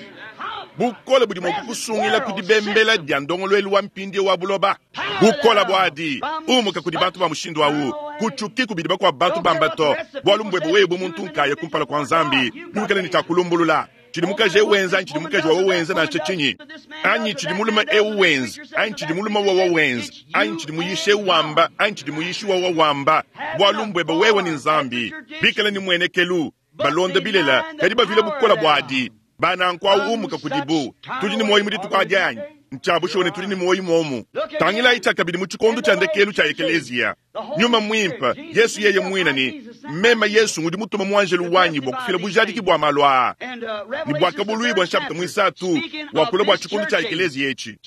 Bukola budi mwakukusungila kudibembela dia ndongolwelu wa mpindi wa buloba. Bukola bwadi umuka kudi bantu ba mushindu awu. Kuchuki kubidi kwa bantu bambato. Bwalu mbwebo webu muntu nkaya kumpala kwa nzambi. Bikala ni takulumbulula. Chidi mukaje wenza, chidi mukaje wa wenza na chichinyi. Anyi chidi muluma e wenza, anyi chidi muluma wa wa wenza, anyi chidi muyishe wamba, anyi chidi muyishi wa wa wamba. Bwalumbweba wewe ni nzambi. Bikala ni mwenekelu, balonda bilela, kadiba vile bukola bwadi. Bana nkwa umuka kudibu. Tudi ni moyi muditu kwa janyi. Nchabushone tudi ni moyi momu. Tangila ichakabidi muchikondo cha ndekelu cha ekelezia. Nyuma mwimpa, Yesu yeye mwina ni mema Yesu ngudi mutuma mwanjelu wanyi bwa kufila bujadiki bwa malwa. Ni bwa kabului bwa nshapita mwisatu wa kula bwa chikondo cha ekelezia echi.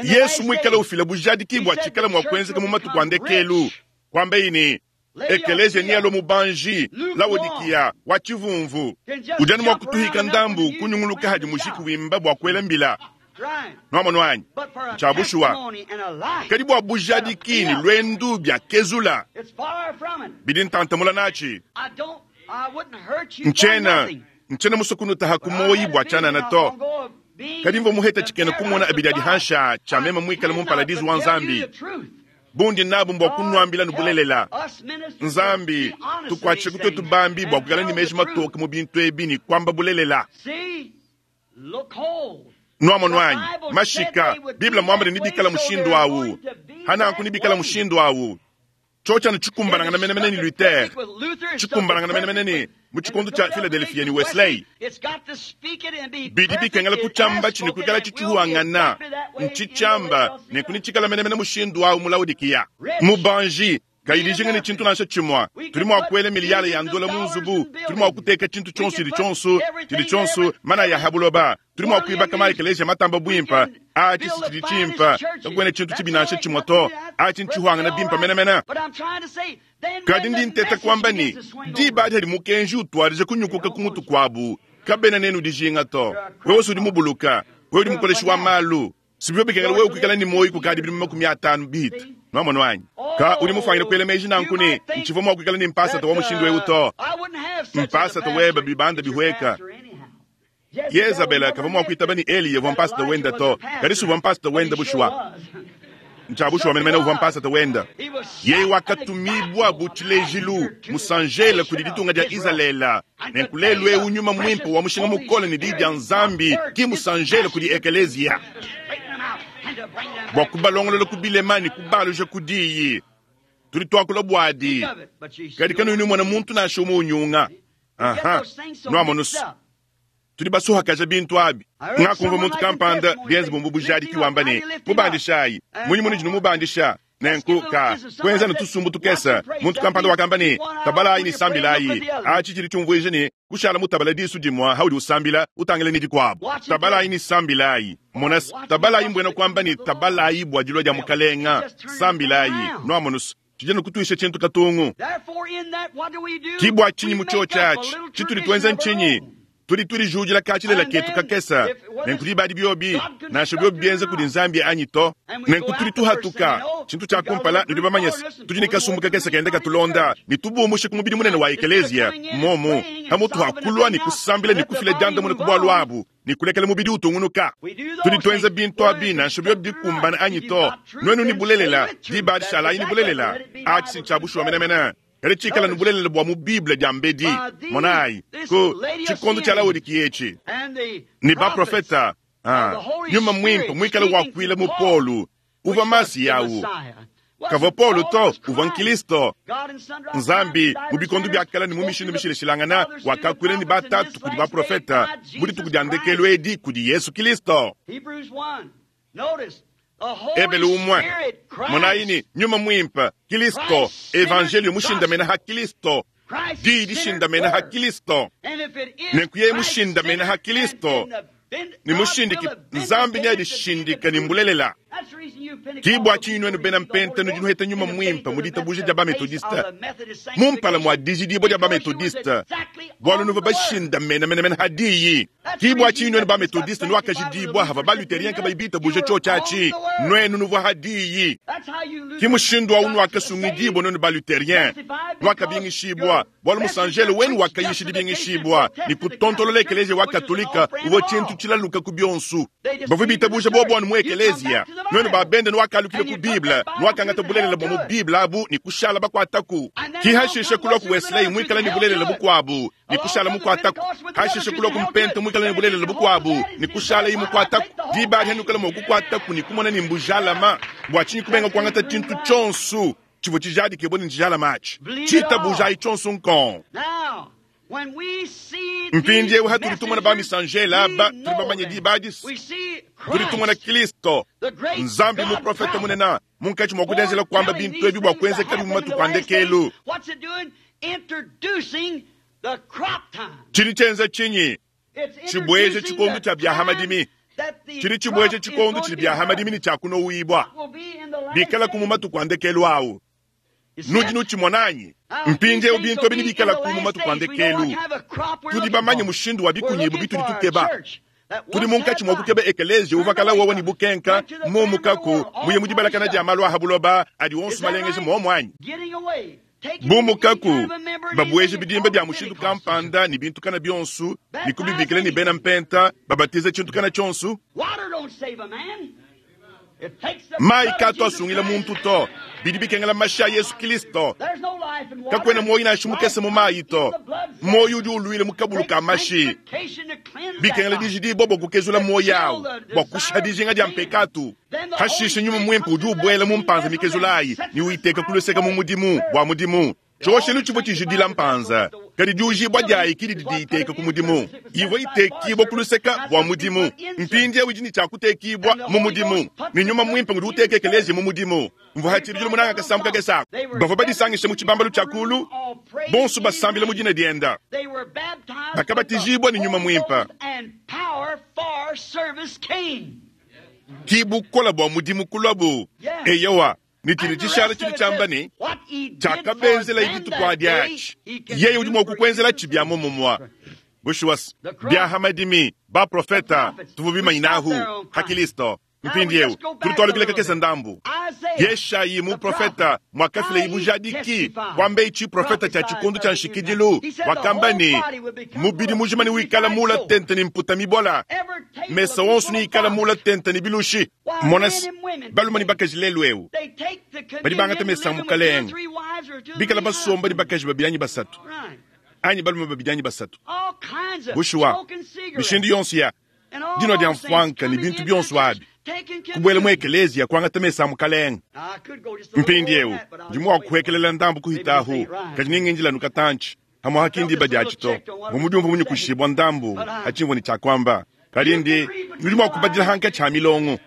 Yesu muikale ufila bujadiki bua tshikala mua kuenzeka mu matuku a ndekelu kwambaye ne ekeleziya ni alo mubanji Laodikiya wa tshivumvu udi anu mua kutuhika ndambu kunyunguluka hadi mujiki wimba bua kuela mbila nwamonu anyi tshia bushuwa kadi bua bujadiki ni lwendu bya kezula bidi ntantamula natshi ntshiena ntshiena musokunutaha ku moyi bua tshianana to kadi mvua muheta tshikena kumona abidi adi hansha tshia mema muikale mu mparadizu wa Nzambi bundi nabu mbua kunuambila nubulelela Nzambi tukuatshishe kutuetu bambi bua kuikala ne meji matoke mu bintu ebi ne kuamba bulelela nwamonu anyi mashika Biblia muamba ne nibikala mushindu awu hananku nibikala mushindu awu tshotsha tshikumbanangana menemene ni Luther tshikumbanangana menemene ni mu tshikondo tshia Philadelphia ni Wesley bidi bikengela kutshiamba tshini kuikala tshitshihuangana ntshitshiamba ne kunitshikala menemene mushindu awu mu Laodikiya mubanji kayidijinga ne tshintu nansha tshimua tuli mua kuela miliyala ya ndola mu nzubu tuli mua kuteka tshintu tshionso tshidi tshionso tshidi tshionso mana ya habuloba tuli mua kuibaka maekeleziya matamba bwimpa atshi si tshidi tshimpa kakuena tshintu tshibi nansha tshimua to atshi ntshihuangana bimpa menemene kadi ndi nteta kuamba ni diba adi hadi mukenji utwarije kunyukuka ku mutu kuabu kabena nenu dijinga to wewe udi mubuluka wewe udi mukoleshi wa malu sibyo bikengela wewe kuikala ni moyi kukadi bidimu makumi atanu bihita nwamonu anyi ka udi mufangile kuela meji nanku ne ntshivua mua kuikala ni mpasata wa mushindu ewu to mpasata weba bibanda bihweka Yezabela kavua mua kuitaba ni Eliya uvua mpasata wenda to kadi suvua mpasata wenda bushuwa ntshia bushuwa menemene uvua mpasata wenda yeye wakatumibwa bu tshilejilu musanjela kudi ditunga dia Izalele nenku lelu ewu nyuma mwimpe wa mushinga mukole ne diyi dia Nzambi ki musanjela kudi ekeleziya bua kubalongolola ku bilema ne kubaluja ku diyi tudi tuakula buadi kadi kanuyi numona muntu nansha umue unyunga aha nuamonusu tudi basuhakaja bintu abi ngakumva muntu kampanda bienze bumbu bujadiki wamba ne mubandishayi munyi munudi numubandisha nenku ka kuenza ne tusumbu tukesa muntu kampanda wakamba ne tabalayi ne sambilayi atshi tshidi tshiumvuija ne kushala mutabala disu dimua haudi usambila utangile ne dikuabu tabalayi ne sambilayi mona tabalayi mbuena kuamba ne tabalayi bua dilua dia mukalenga sambilayi nuamonusu tshidi kutuisha tshintu katungu kibua tshinyi mu tshiotshi atshi tshitudi tuenza ntshinyi tudi tulijudila katshilela ketu kakesa nenku dibadi biobi nansha biobi bienza kudi Nzambi anyi to nenku tudi tuhatuka tshintu tshia kumpala nudi bamanyese tudi ne kasumbu kakesa kenda katulonda ne tubumushe ku mubidi munene wa ekeleziya momu hamutu hakulua ne kusambila ne kufila diandamuna ku bualu abu ne kulekela mubidi utungunuka tudi tuenza bintu abi nansha biobi bikumbana anyi to nuenu ni bulelela dibadi shalayi ni bulelela atshi si tshia bushuwa menemene kadi tshikala ni bulelela bua mu Bible dia mbedi monayi ku tshikondo tshia Laodikiya etshi ni baprofeta nyuma mwimpe muikale wakuila mu Polu uvua masi yawu kavua Polu to uvua Nkristo Nzambi mu bikondo bia kala ne mu mishindu mishilashilangana wakakuila ni batatu kudi baprofeta mu dituku dia ndekelu edi kudi Yesu Kristo Ebele umwe monayi ni nyuma mwimpe Kristo evangelio mushindamena ha Kristo diyi dishindamena ha Kristo nenku yeye mushindamena ha Kristo ni mushindiki Nzambi ni adishindika ni mbulelela kibwa tshinyi nuenu bena mpenta nudi nuheta nyuma mwimpe mu ditabuja dia bametodiste mumpala mua dijidibua dia bametodiste bualu nuva bashindamena menemene ha diyi kibwa tshinyi nuenu bametodiste nuakajidibua hava baluterien kabayi bitabuja tshiotshi atshi nuenu nuvua ha diyi ki mushindu awu nuakasungidibua nuenu baluterien nuakabingishibua bualu musanjele wenu wakayisha dibingishibua ni kutontolola ekeleziya wa katolika uvua tshintu tshilaluka ku bionsu bavua bitabuja bobo mu ekeleziya nuenu babende nuakalukile ku Bible nuakangata bulelela bua mu Bible abu ni kushala bakuataku ki hashishe kulua ku Wesley muikala ni bulelela bukuabu ni kushala mukuataku hashishe kulua ku mpente muikala ni bulelela bukuabu ni kushala yi mukuataku diba adi hanukala mua kukuataku ni kumona ni mbujalama bua tshinyi kubenga kuangata tshintu tshionso tshivua tshijadike ni ntshijalama atshi tshitabujayi tshionso nkon mpindiewu hatuli tumona bamisanjela aba tuli bamanye diba adisi tuli tumona Kristo Nzambi muprofeta munene munkatshi mua kudenzela kuamba bintu ebi bua kuenzeka mu matuku a ndekelu tshidi tshienza tshinyi tshibueje tshikondo tshia bia hamadimi Tshidi tshibueja tshikondo tshidi bia hamadimi ne tshia kunowibwa bikalaku mu matuku a ndekelu awu. Nudi nutshimona anyi? Mpindieu bintu ebi nebikalaku mu matuku a ndekelu. Tudi bamanye mushindu wa bikunyibu bitudi tukeba. Tudi munkatshi mua kukeba ekeleziya uvua kala wowo ne bukenka mumukaku muye mu dibalakana dia malu a ha buloba adi wonso malengeje muomu anyi? Bumukaku babueje bidimba bia mushindu kampanda ne bintu kana bionso ne kubibikila ne bena mpenta babatiza tshintu kana tshionso. Mayi katu asungila muntu to, bidi bikengela mashi a Yesu Kristo. Kakuena muoyo nansha mukese mu mayi to, muoyo udi uluila mu kabulu ka mashi. Bikengela dijidibua bua kukezula muoyo awu bua kushiha dijinga dia mpekatu. Hashishe nyuma muimpe udi ubuela mu mpanza mikezulayi ne uyiteka kuluseka mu mudimu bua mudimu. Tshioshelu tshivua tshijidila mpanza, kadi diujibua diayi kidi didi iteka ku mudimu. Ivua itekibua kuluseka bua mudimu, mpindieu idi ne tshia kutekibua mu mudimu. Ne nyuma muimpe ngudi uteka ekeleziya mu mudimu. Mvua hatshibidilu munanga kasambu kakese ako. Bavua badisangishe mu tshibambalu tshia kulu, bonso basambila mu dina dienda. Bakabatijibua ne nyuma muimpe. Ki bukola bua mudimu kuluabu. Eyowa. Ne tshidi tshishala tshidi tshiamba ne tshiakabenzela dituku adi atshi, yeye udi mua kukuenzela tshi bia muomumue. Bushuwa bia hamadimi baprofeta tuvua bimanyinahu ha Kristo. Mpindieu tudi tualukila kakese ndambu. Yeshayi muprofeta mwakafila ibujadiki kwamba ichi profeta cha tshikondo cha nshikidilu wakamba ne mubidi mujima ne wikala mula tente ne mputa mibola, mesa wonso ne ikala mula tente ne bilushi. Monasi balume ne bakaji lelu eu badi bangata mesa mukalenge bikala basomba ne bakaji babidi anyi basatu anyi balume babidi anyi basatu. Bushuwa mishindu yonso ya dinua dia mfwanka ne bintu bionso abi kubuela mu ekeleziya kuangata mesa a mukalenge. Mpindieu ndi mua kuhekelela ndambu kuhitahu, kadi ningindila nukatantshi hamwe hakindimba diatshi to. Mvua mudiumvu munyikushibua ndambu hatshimvua ne tshiakuamba, kadi ndi nudi mua kubadila hankatshi ha milongo.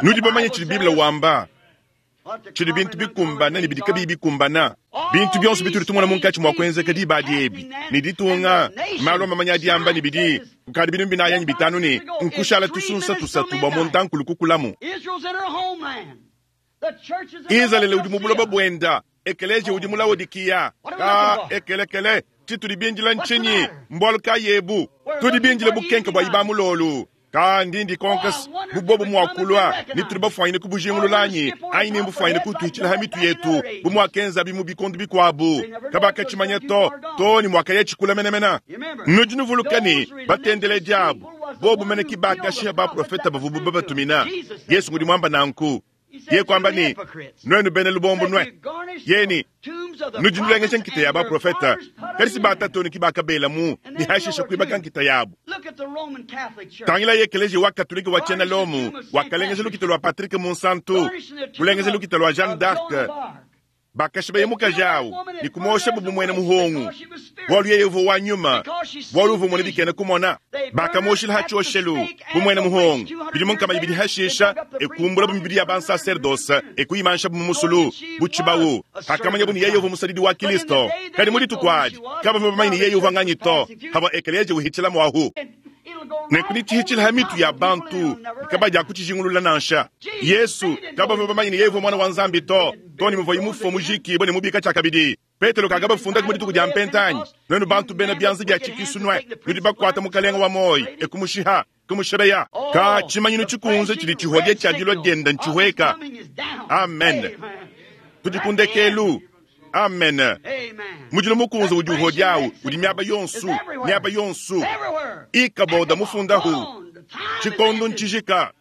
Nudi bamanye tshidi Bible wamba, tshidi bintu bikumbana ne bidi kabiyi bikumbana. Bintu bionso bitudi tumona munkatshi mua kuenzeka diba adi ebi ne ditunga malu a mamanya adi amba ne bidi kukadi bintu binayi anyi bitanu ne nkushala tusunsa tusatu bua muntankulu kukulamu. Izalele udi mu buloba buenda, ekeleziya udi mu Laodikiya. Ka ekelekele tshitudi bindila ntshinyi? Mbualu kayi ebu? Tudi bindile bukenke bua ibamulolu. Ka ndindi konkas bubobu muakulwa ni tuli bafuanyine kubujingululanyi anyi ni mbufuanyine kutuhitshila ha mitu yetu bu muakenza bi mu bikondu bikuabu kabakatshimanya to to ni muakaya tshikula menemena. Nudi nuvuluka ne batendele diabu bobu mene ki bakashiha baprofeta bavubu babatumina. Yesu ngudi muamba nanku ye kwamba ni nwenu bene lubombo nwe yeni nudi nulengesha nkita ya baprofeta kadi si batatoni ki bakabela mu ni hashisha kuibaka nkita yabu. Tangila ye ekeleziya wa katolika wa tshiena Lomu wakalengesha lukita lua Patrick Munsantu kulengesha lukita lua Jeanne d'Arc bakashiba ye mukaji awu ni kumosha bubu muena muhongu bualu yeye uvua wa nyuma bualu uvua muena bikena kumona. Bakamoshila ha tshioshelu bu muena muhongu bidi munkama ibidi hashisha ekumbula bu mibidi ya bansacerdoce ekuyimansha bu musulu bu tshibawu. Hakamanya bu ni yeye uvua musadidi wa Kristo, kadi mu dituku adi kabavua bamanye ni yeye uvua nganyi to hava ekeleziya uhitshila muahu. Nenku tshihitshila ha mitu ya bantu kabadi akutshijingulula nansha. Yesu kabavua bamanye ni yeye uvua mwana wa Nzambi to to ni muvua imufua mujikibue ne mubika tshiakabidi. Petelo kakabafunda ku dituku dia mpentanyi nwenu bantu bena byanza bya tshikisu nwe nudi bakuata mukalenga wa moyi ekumushiha kumushebeya. Ka tshimanyinu tshikunze tshidi tshihodia tshia dilua dienda ntshihweka. Amen. Tudi ku ndekelu. Amen. Mudilo mukunze udi uhodiawu udi miaba yonsu miaba yonsu ikaboda mufundahu tshikondo ntshijika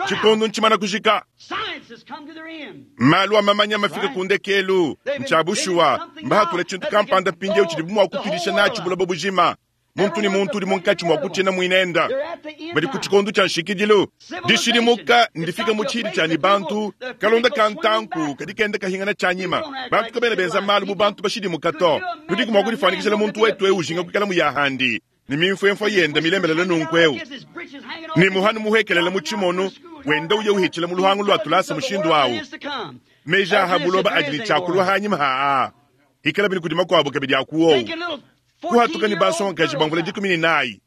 tshikondo ntshimana kujika. Malu a mamanya mafika ku ndekelu ntshiabushuwa mbahatula tshintu kampanda mpindieu tshidi mua kutudisha natshi buloba bujima. Muntu ni muntu udi munkatshi mua kutshina muinenda badi ku tshikondo tshia nshikidilu. Dishidimuka ndifika mu tshidi tshia ni bantu kalonda ka ntanku kadi kenda kahingana tshia nyima. Bantu kabena benza malu bu bantu bashidimuka to. Tudiku mua kudifuanyikishila muntu wetu eu ujinga kuikala muyahandi ni mimfwemfwa yenda milembelele nunku eu ni muhanu muhekelele mu tshimono wenda uye uhitshila mu luhangu lua tulasa mushindu awu. Meja aha buloba adi ni tshiakulua hanyima haa ikala bini kudi makuabu kabidi akuowu kuhatuka ni bansongakaji bamvula dikumi ne nayi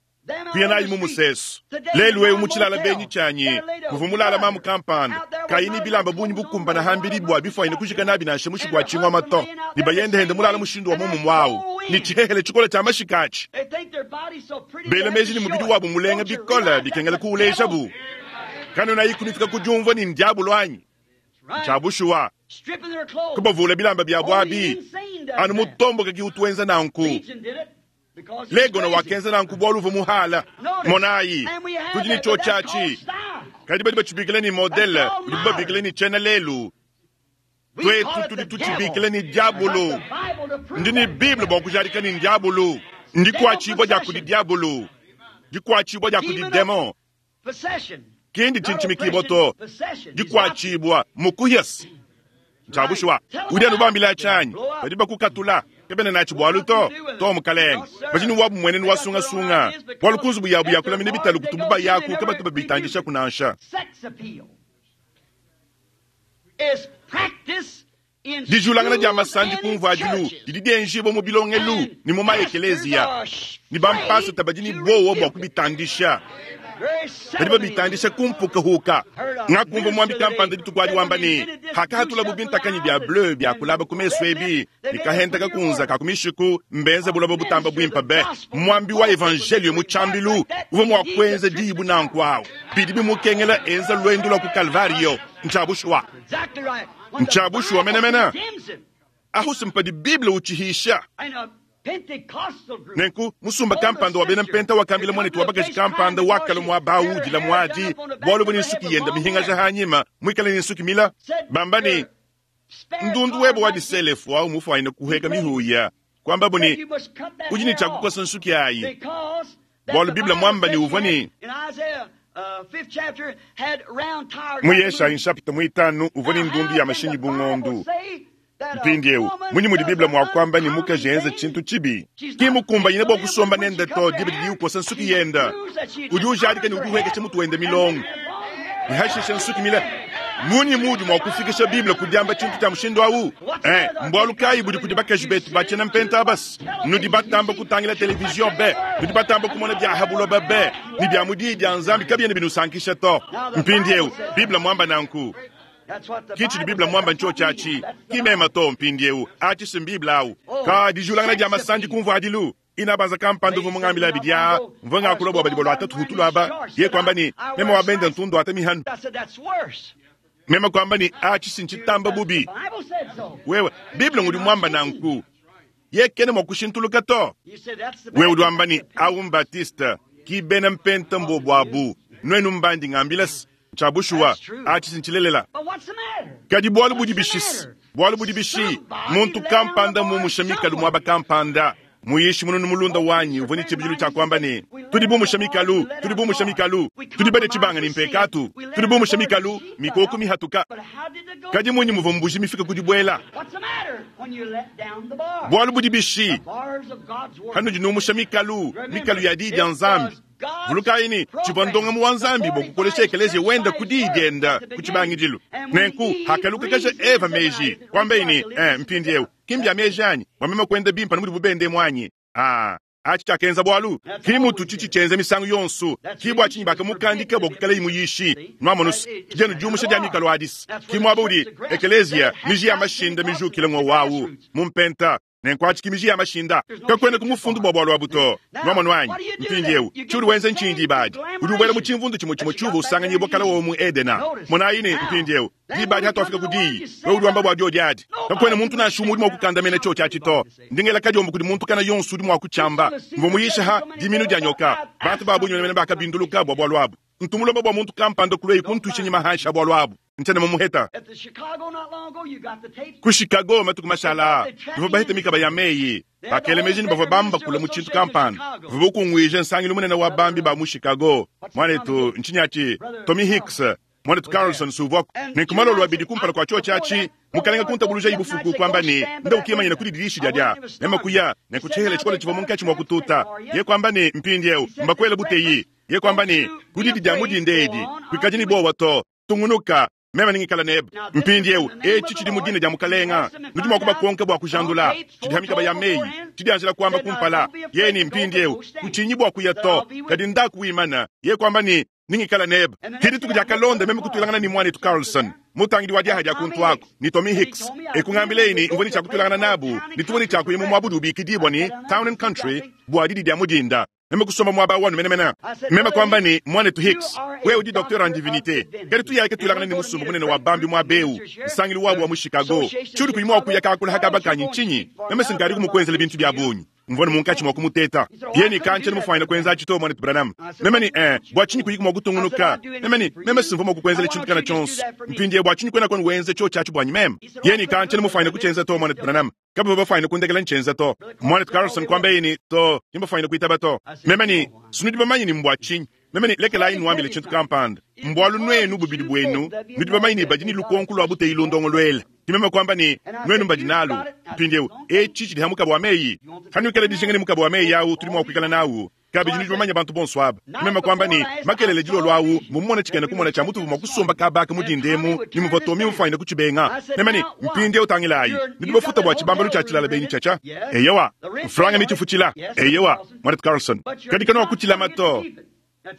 Kuya nayi mu musesu. Lelu ewu mu tshilala benyi tshianyi, muvua mulala mamu kampanda, kayi ne bilamba bungi bukumbana hambidi bua bifuanyine kujika nabi nansha mushiku wa tshingoma to. Ne bayende hende mulala mushindu wa muomu awu, ne tshihehele tshikole tshia mashika atshi. Bela meji ne mubidi wabu mulenga bikole bikengela kuulejabu. Kanuna ikunifika ku diumvua ne ndiabulu anyi? Tshia bushuwa. Kubavula bilamba byabu abi, anu mutomboke ki utuenza nanku. Legono wakenza nanku bualu uvua muhala. Monayi, tudi ne tshiotshi atshi. Kadi badi batshibikila ne modele, udibu babikila ne tshiena lelu. Twetu tudi tutshibikila ne diabulu. Ndi ne Bible bua kujadika ne diabulu. Ndikuatshibua dia kudi diabulu. Dikuatshibua dia kudi demon. Kindi tshinchimikibwa to. Dikuatshibua mukuhias. Tshia bushuwa. Udi anu bambila tshianyi. Badi bakukatula. Kebena natshi bualu to. To mukalenge. Badi ne wabu muenenu wa sungasunga. Bualu ku nzubu yabu ya kulamina bitalu kutubu bayaku kabatu babitandisha kunansha. Dijulangana dia masandi kumvua adilu didi dienjibwa mu bilongelu ne mu maekeleziya. Ne bampasata badi ne bowa bua kubitandisha. Badi babitandisha kumpukahuka. Ngakumva mwambi kampanda dituku adi wamba ne, hakahatula bubintakanyi bya bleu bya kulaba ku mesu ebi, bikahenta kakunza ka ku mishiku mbenze buloba butamba bwimpa be. Mwambi wa evangelio mu tshambilu uvua mua kuenza diyi nanku awu. Bidi bimukengela enza lwendo lwa ku Calvario. Ntshia bushuwa. Ntshia bushuwa menemene. Ahu simpadi Bible utshihisha. Nenku musumba kampanda wa bena mpenta wakambila mwanetu wa bakaji kampanda wakala mwa bawu dila mwadi bualu buni nsuki yenda mihingaja hanyima mwikale ne nsuki mila bamba ne ndundu webo wa diselefu au mufuanyine kuheka mihuya kwamba buni udi ne tshiakukosa nsuki ayi bualu Bible mwamba ne uvua ne mu Yeshayi nshapita muitanu uvua ne ndundu ya mashinyi bungondu. Mpindi eu, munyi mudi Bible mua kuamba ne mukaji enza tshintu tshibi. Ki mukumbanyine bua kusomba nende to diba didi ukosa nsuki yenda. Udi ujadika ne udi uhekesha mutu wende milongo. Ne hashisha nsuki mile. Munyi mudi mua kufikisha Bible ku diamba tshintu tshia mushindu awu? Eh, mbualu kayi budi kudi bakaji betu batshiena mpenta abasi? Nudi batamba kutangila televizion be, nudi batamba kumona bya habuloba be, ne bya mudi dia Nzambi kabiena binusankisha to. Mpindi eu, Bible mwamba nanku. Kichi di Bible mwamba ncho chachi. Kimema to mpindi eu, achi Bible au. Ka dijulangana dia masandi kumvua adilu. Inabanza kampanda uvu mungambila bidia, mvunga akulobo badi bolwa tatu hutulu aba, ye kwamba ni mema wabenda ntundu ata mihanu. Mema kwamba ni achi sinchitamba bubi. Wewe, Bible ngudi mwamba nanku. Ye kene mwakushintuluka to. Wewe udi wamba ni au Batista, ki bena mpenta mbobu abu. Nwenu mbandi ngambilas. Tshia bushuwa, achi sinchilelela. Kadi bualu budi bishisi, bualu budi bishi, muntu kampanda mumusha mikalu mwaba kampanda. Muyishi mununu mulunda wanyi uvua ne tshibidilu tshia kuamba ne, tudi bumusha mikalu, tudi bumusha mikalu, tudi bade tshibanga ne mpekatu, tudi bumusha mikalu, mikoko mihatuka. Kadi munyi muvua mbuji mifika ku dibuela? Bualu budi bishi, hanudi numusha mikalu, mikalu ya diyi dia Nzambi. Vulukayi ne tshivua ndongamu wa Nzambi bua kukolesha ekeleziya wenda ku diyi dienda ku tshibangidilu. Nenku hakalukakaja Eva meji kwambaye ne, eh, mpindi eu ki mbya meji anyi bua meme kuenda bimpa ne mudi bubende mwanyi. Ah, achi tshiakenza bualu ki mutu tshitshi tshienza misangu yonso ki bua tshinyi bakamukandika bua kuikala imuyishi nwamonusi kijenu diumusha dia mikalo adisi ki muaba udi ekeleziya miji ya mashinda mijukile ng'owu awu mumpenta. Nenku achi ki miji ya mashinda kakwena kumufundu bua bualu abu to nwamonu anyi mpindi eu tshiudi wenza ntshindi ibadi udi ubuela mu tshimvundu tshimue tshimue tshiuva usanganyibwa kala womu Edena monayi ne mpindi eu dibadi hatuafika ku diyi wewe udi wamba bua diodi adi kakwena muntu nansha umue udi mua kukandamena tshiotshi atshi to ndingela kadiombo kudi muntu kana yonso udi mua kutshiamba mvua muyisha ha diminu dia nyoka bantu ba bungi menemene bakabinduluka bua bualu abu ntumulomba bua muntu kampanda kulweyi kuntuisha nyima hansha bualu abu ntshiena mumuheta ku Chicago matuku mashala bavua baheta mikaba ya meyi bakela meji ne bavua bamba kula mu tshintu kampanda bavua bakungwija nsangilu munene wa bambi ba mu Chicago mwanetu ntshinyatshi Tommy Hicks mwanetu Carlson suvwako nenkumalolo abidi kumpala kwa tshiotshi atshi mukalenga kuntabuluja ibufuku kwamba ne nda ukimanyina kudi didishi dia dia mema kuya nenkutshihela tshikolo tshivua munkatshi mua kututa ye kwamba ne mpindi eu mbakwela buteyi ye kwamba ne kudidi dia mudinde edi kuikadi ne bowa to tungunuka Meme ningikala nebe. Mpindiewu etshi tshidi mu dina dia mukalenga. Nudi mua kubakonka bua kujandula. Tshidi ha mikaba ya meyi. Tshidi anjela kuamba kumpala. Yeni mpindiewu kutshinyi bua kuya to. Kadi ndaku wimana. Ye kuamba ni ningikala nebe. Kidi tuku dia kalonda meme kutulangana ni mwanetu Carlson. Mutangidi wa diaha dia kuntu ako ni Tommy Hicks. Ekungambile mvua ni chakutulangana nabu. Ni tuwe ni chakuyimu mwabudu ubikidibwa ni Town and Country bua didi dia mudinda. Meme kusoma mwaba wanu menemena. Meme kwamba ni mwanetu Hicks. Wewe udi docteur en divinité. Kadi tuyake tulangana ni musumbu munene wa bambi mwa beu. Nsangilu wabu wa mu Chicago. Chudi kuyimu wa kuya kakula hakaba nchinyi. Meme singari kumukwenzela bintu bya bunyi. Mvona munkachi mwa kumuteta. Yeni kanche mufanya kwenza chito mwanetu Branham. Meme ni eh bwa chinyi kuyika mwa kutungunuka. Meme ni meme simvo mwa kukwenzela chintu kana chonso. Mpindie bwa chinyi kwena kwenu wenze cho chachi bwanyi meme. Yeni kanche mufanya kuchenza to mwanetu Branham. Kaba bafanya kundekela nchenza to. Mwanetu Carlson kwamba yeni to nimba kuitaba to. Meme ni sunudi bamanyi ni mbwa chinyi. Meme ni lekela inu wambile chintu kampanda. Mbwalu nwenu bubidi bwenu. Nudi bamanyi ni bajini lukonku lwa bute ilondongo lwele. Kimeme kwamba ni nwenu mbajinalu. Mpindiewu echi chidi hamuka bwa meyi. Hanukele dijengene muka bwa meyi yawu tuli mwa kuikala nawu. Kabiji nudi bamanya bantu bonso aba. Kimeme kwamba ni makelele jilo lwawu mumona chikene kumona cha mutu mwa kusomba kabaka mudindemu ni mvotomi mufanya kuchibenga. Meme ni mpindiewu tangilayi. Nudi bafuta bwa chibambalu cha chilala beni chacha. Eyewa. Mfranga michifuchila. Eyewa. Mwanetu Carlson. Kadika no kuchila mato.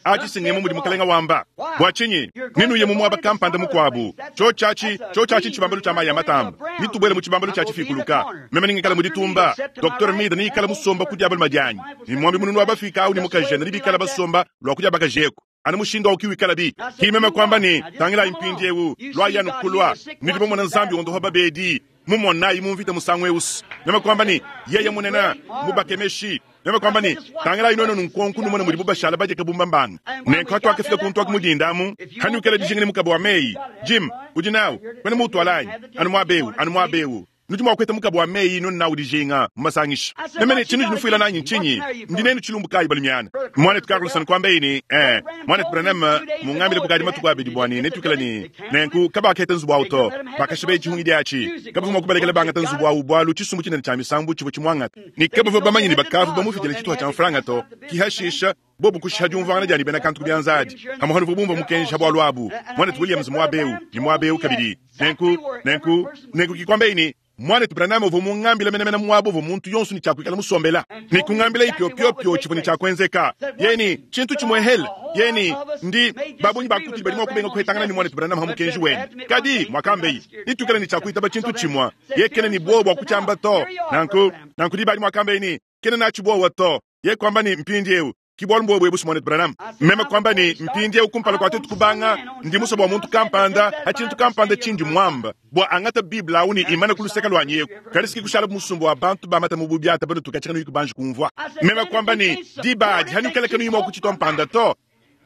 Achi singemu mudi mukalenga wamba. Bwa chinyi, ninu ye mumwaba kampanda mukwabu. Cho chachi, cho chachi chibambalu cha maya matamba. Nitubwele mu chibambalu cha chifikuluka. Meme ningikala muditumba. Doctor Mida ningikala musomba kudyabal madyanyi. Ni mwambi mununu wabafika au ni mukajena nibikala basomba lwa kudyaba kajeko. Ana mushindo ukiwikala bi. Kimeme kwamba ni tangila impindiewu lwa yanu kulwa. Nilibo mwana nzambi ondoho babedi. Mumona imumvita musangwe usu. Meme kwamba ni yeye munena mubakemeshi. Meme kwamba ni tangila inono nunkonku numona muri bubashala baje kabumba mbanga. Nenko twake fika kuntu akumudindamu. Hanukele dijingene mukabo wa meyi. Jim, udi nawo. Kwene mutu alayi. Anu mwabewu, anu mwabewu. Nudi mwakweta mukabo wa meyi nunu nawo dijinga mumasangisha. Meme ni chinu jinufuila nanyi nchinyi. Ndinenu chilumbu kayi balumyana. Mwanetu Carlson kwamba ini eh mwanetu Branham mungambile kukadi matuku abidi bwani netukela ni nenku kabaketa nzubu auto bakashibe chihungi diachi kabavu mwakubalekela banga nzubu au bwalu chisumbu chinene cha misambu chivo chimwangata ni kabavu bamanyi ni bakavu bamufitile chituha cha mfranga to kihashisha bobu kushiha jumvangana jani bena kantu kubyanzadi hamuhanu bubumba mukenji habwalu abu mwanetu Williams mwabeu ni mwabeu kabidi nenku nenku nenku kikwamba ini mwanetu Branham ovo mungambila menemene mwabo vo muntu yonso ni chakuikala musombela ni kungambila ipyopyopyo chivo ni chakwenzeka yeni chintu chimwehele yeni ndi babunyi bakuti bali mwakubenga kuhetangana ni mwanetu Branham hamukenji wenu kadi mwakambeyi nitukela ni chakuitaba chintu chimwa yekene ni bwobo akuchamba to nanku nanku di bali mwakambeyi ni kene nachibowa to ye kwamba ni mpindiewu kibwalu mbwe bwe mwanetu Branham meme kwamba ni mpindie ukumpala kwa tetu kubanga ndi musobo wa muntu kampanda hachintu kampanda chinji mwamba bwa angata bibla uni imana kuluseka lwanyeku kalisiki kushala musumbu wa bantu bamata mububyata bado tukachika nuyi kumvwa meme kwamba ni dibadi hanukeleke nuyi mwa kuchitwa mpanda to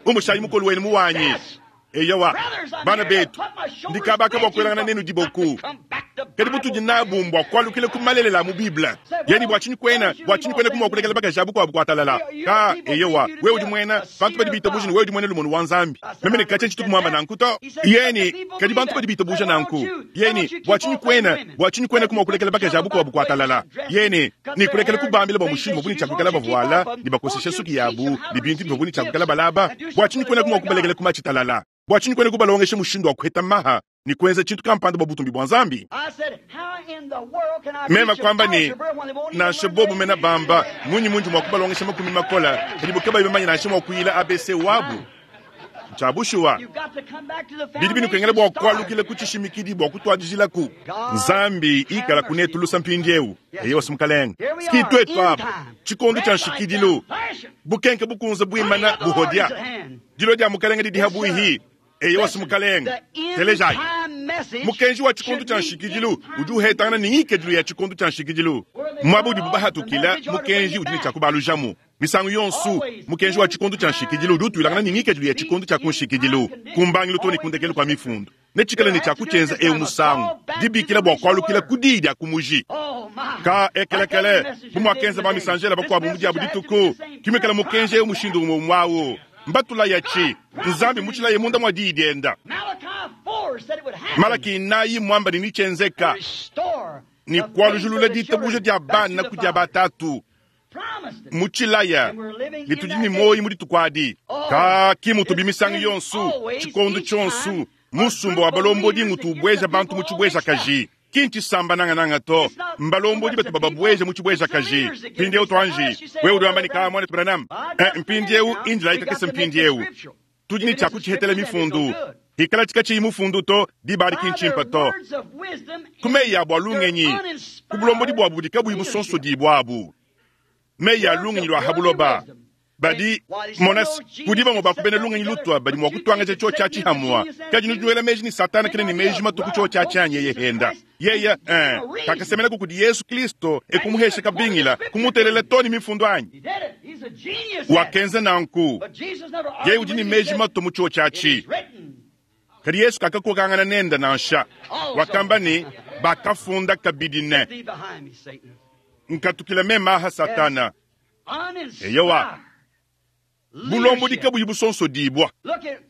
umushayi mukolu wenu muwanyi eyawa bana betu ndikabaka bwa kwelangana nenu diboku kadi butudi nabu mbwa kwalukile kumalelela mu bibla yani bwa chinyi kwena bwa chinyi kwena kumwa kulekela bakajabu kwa bukwatalala ka eyewa wewe udi mwena bantu badi bitabuja ni wewe udi mwena lumonu wa nzambi meme ne kache chitu kumwamba nanku to yeni kadi bantu badi bitabuja nanku yeni bwa chinyi kwena bwa chinyi kwena kumwa kulekela bakajabu kwa bukwatalala yeni ni kulekela kubambila bwa mushingo buni chakukala bavuala ni bakosesha suki yabu ni bintu bivuni chakukala balaba bwa chinyi kwena kumwa kubalekela kumachitalala bwa chinyi kwena kubalongesha mushindu wa kuheta maha ni kwenza chintu kampanda bwa butumbi bwa nzambi mema kwamba ni nanshe bobu mena bamba munyi munji mwa kubalongesha makumi makola kadi bukaba ibamanya nanshe mwa kuyila A B C wabu chabushuwa bidi binu kengele bwa kwalukile kuchishimikidi bwa kutwajijilaku nzambi ikala kunetulusa mpindiewu eyo simukalenga sikitwetu apa chikondo cha nshikidilu bukenke bukunza bwimana buhodya dilo dia mukalenga didiha buihi eyo simukalenga telejai mukenji wa chikondo cha nshikidilu udi uhetangana ni ngikedilu ya chikondo cha nshikidilu mwabudi bubahatukila mukenji udi ni chakubalujamu misangu yonsu mukenji wa chikondo cha nshikidilu udi utwilangana ni ngikedilu ya chikondo cha kunshikidilu kumbangilu toni kundekelu kwa mifundu nechikala ni chakuchenza eu musangu dibikila bwa kwalukila kudidi akumuji ka ekelekele bumwakenza ba misanjela bakwabu mudiabu dituku kimekela mukenji eu mushindu umwe mwawo mbatula yachi nzambi muchila yemunda mwa diidienda Malaki nayi mwamba ni nichenzeka ni kwalujulula ditabuja dia bana kudia batatu muchilaya litudi ni moyi mudi tukwadi ka kimutu bimisangu yonsu chikondo chonsu Musumba wa balombodi ngutu ubweja bantu mu chibwejakaji. Ki ntshisamba nangananga to, mbalombodi batu bababweja mu chibwejakaji. Mpindieu twanji wewe udi wamba ne kaa mwana Branham. Eh, mpindieu indila ikakese mpindieu tudi ne tshiakutshihetela mifundu hikala tshikatshiyi mufundu to dibali ki ntshimpa to. Ku meyi abu a lungenyi ku bulombodi buabu budi kabuyi busonsodi buabu, meyi a lungenyi lua habuloba badi monas kudi bamue bakubena lungenyi lutwa badi mua kutuangaja tshio tshia tshihamua. Kadi nudi nuela meji ni Satana kene ni meji matuku tshio tshia tshianyi yeye henda yeye eh kakasemelako kudi Yesu Kristo ekumuhesha kabingila kumutelela to ni mifundu anyi wakenza nanku yeye udi ni meji mato mu tshio tshia tshi. Kadi Yesu kakakokangana nenda nansha wakamba ni bakafunda kabidi ne nkatukila mema aha Satana eyowa bulombodi kabuyi busonsodibwa.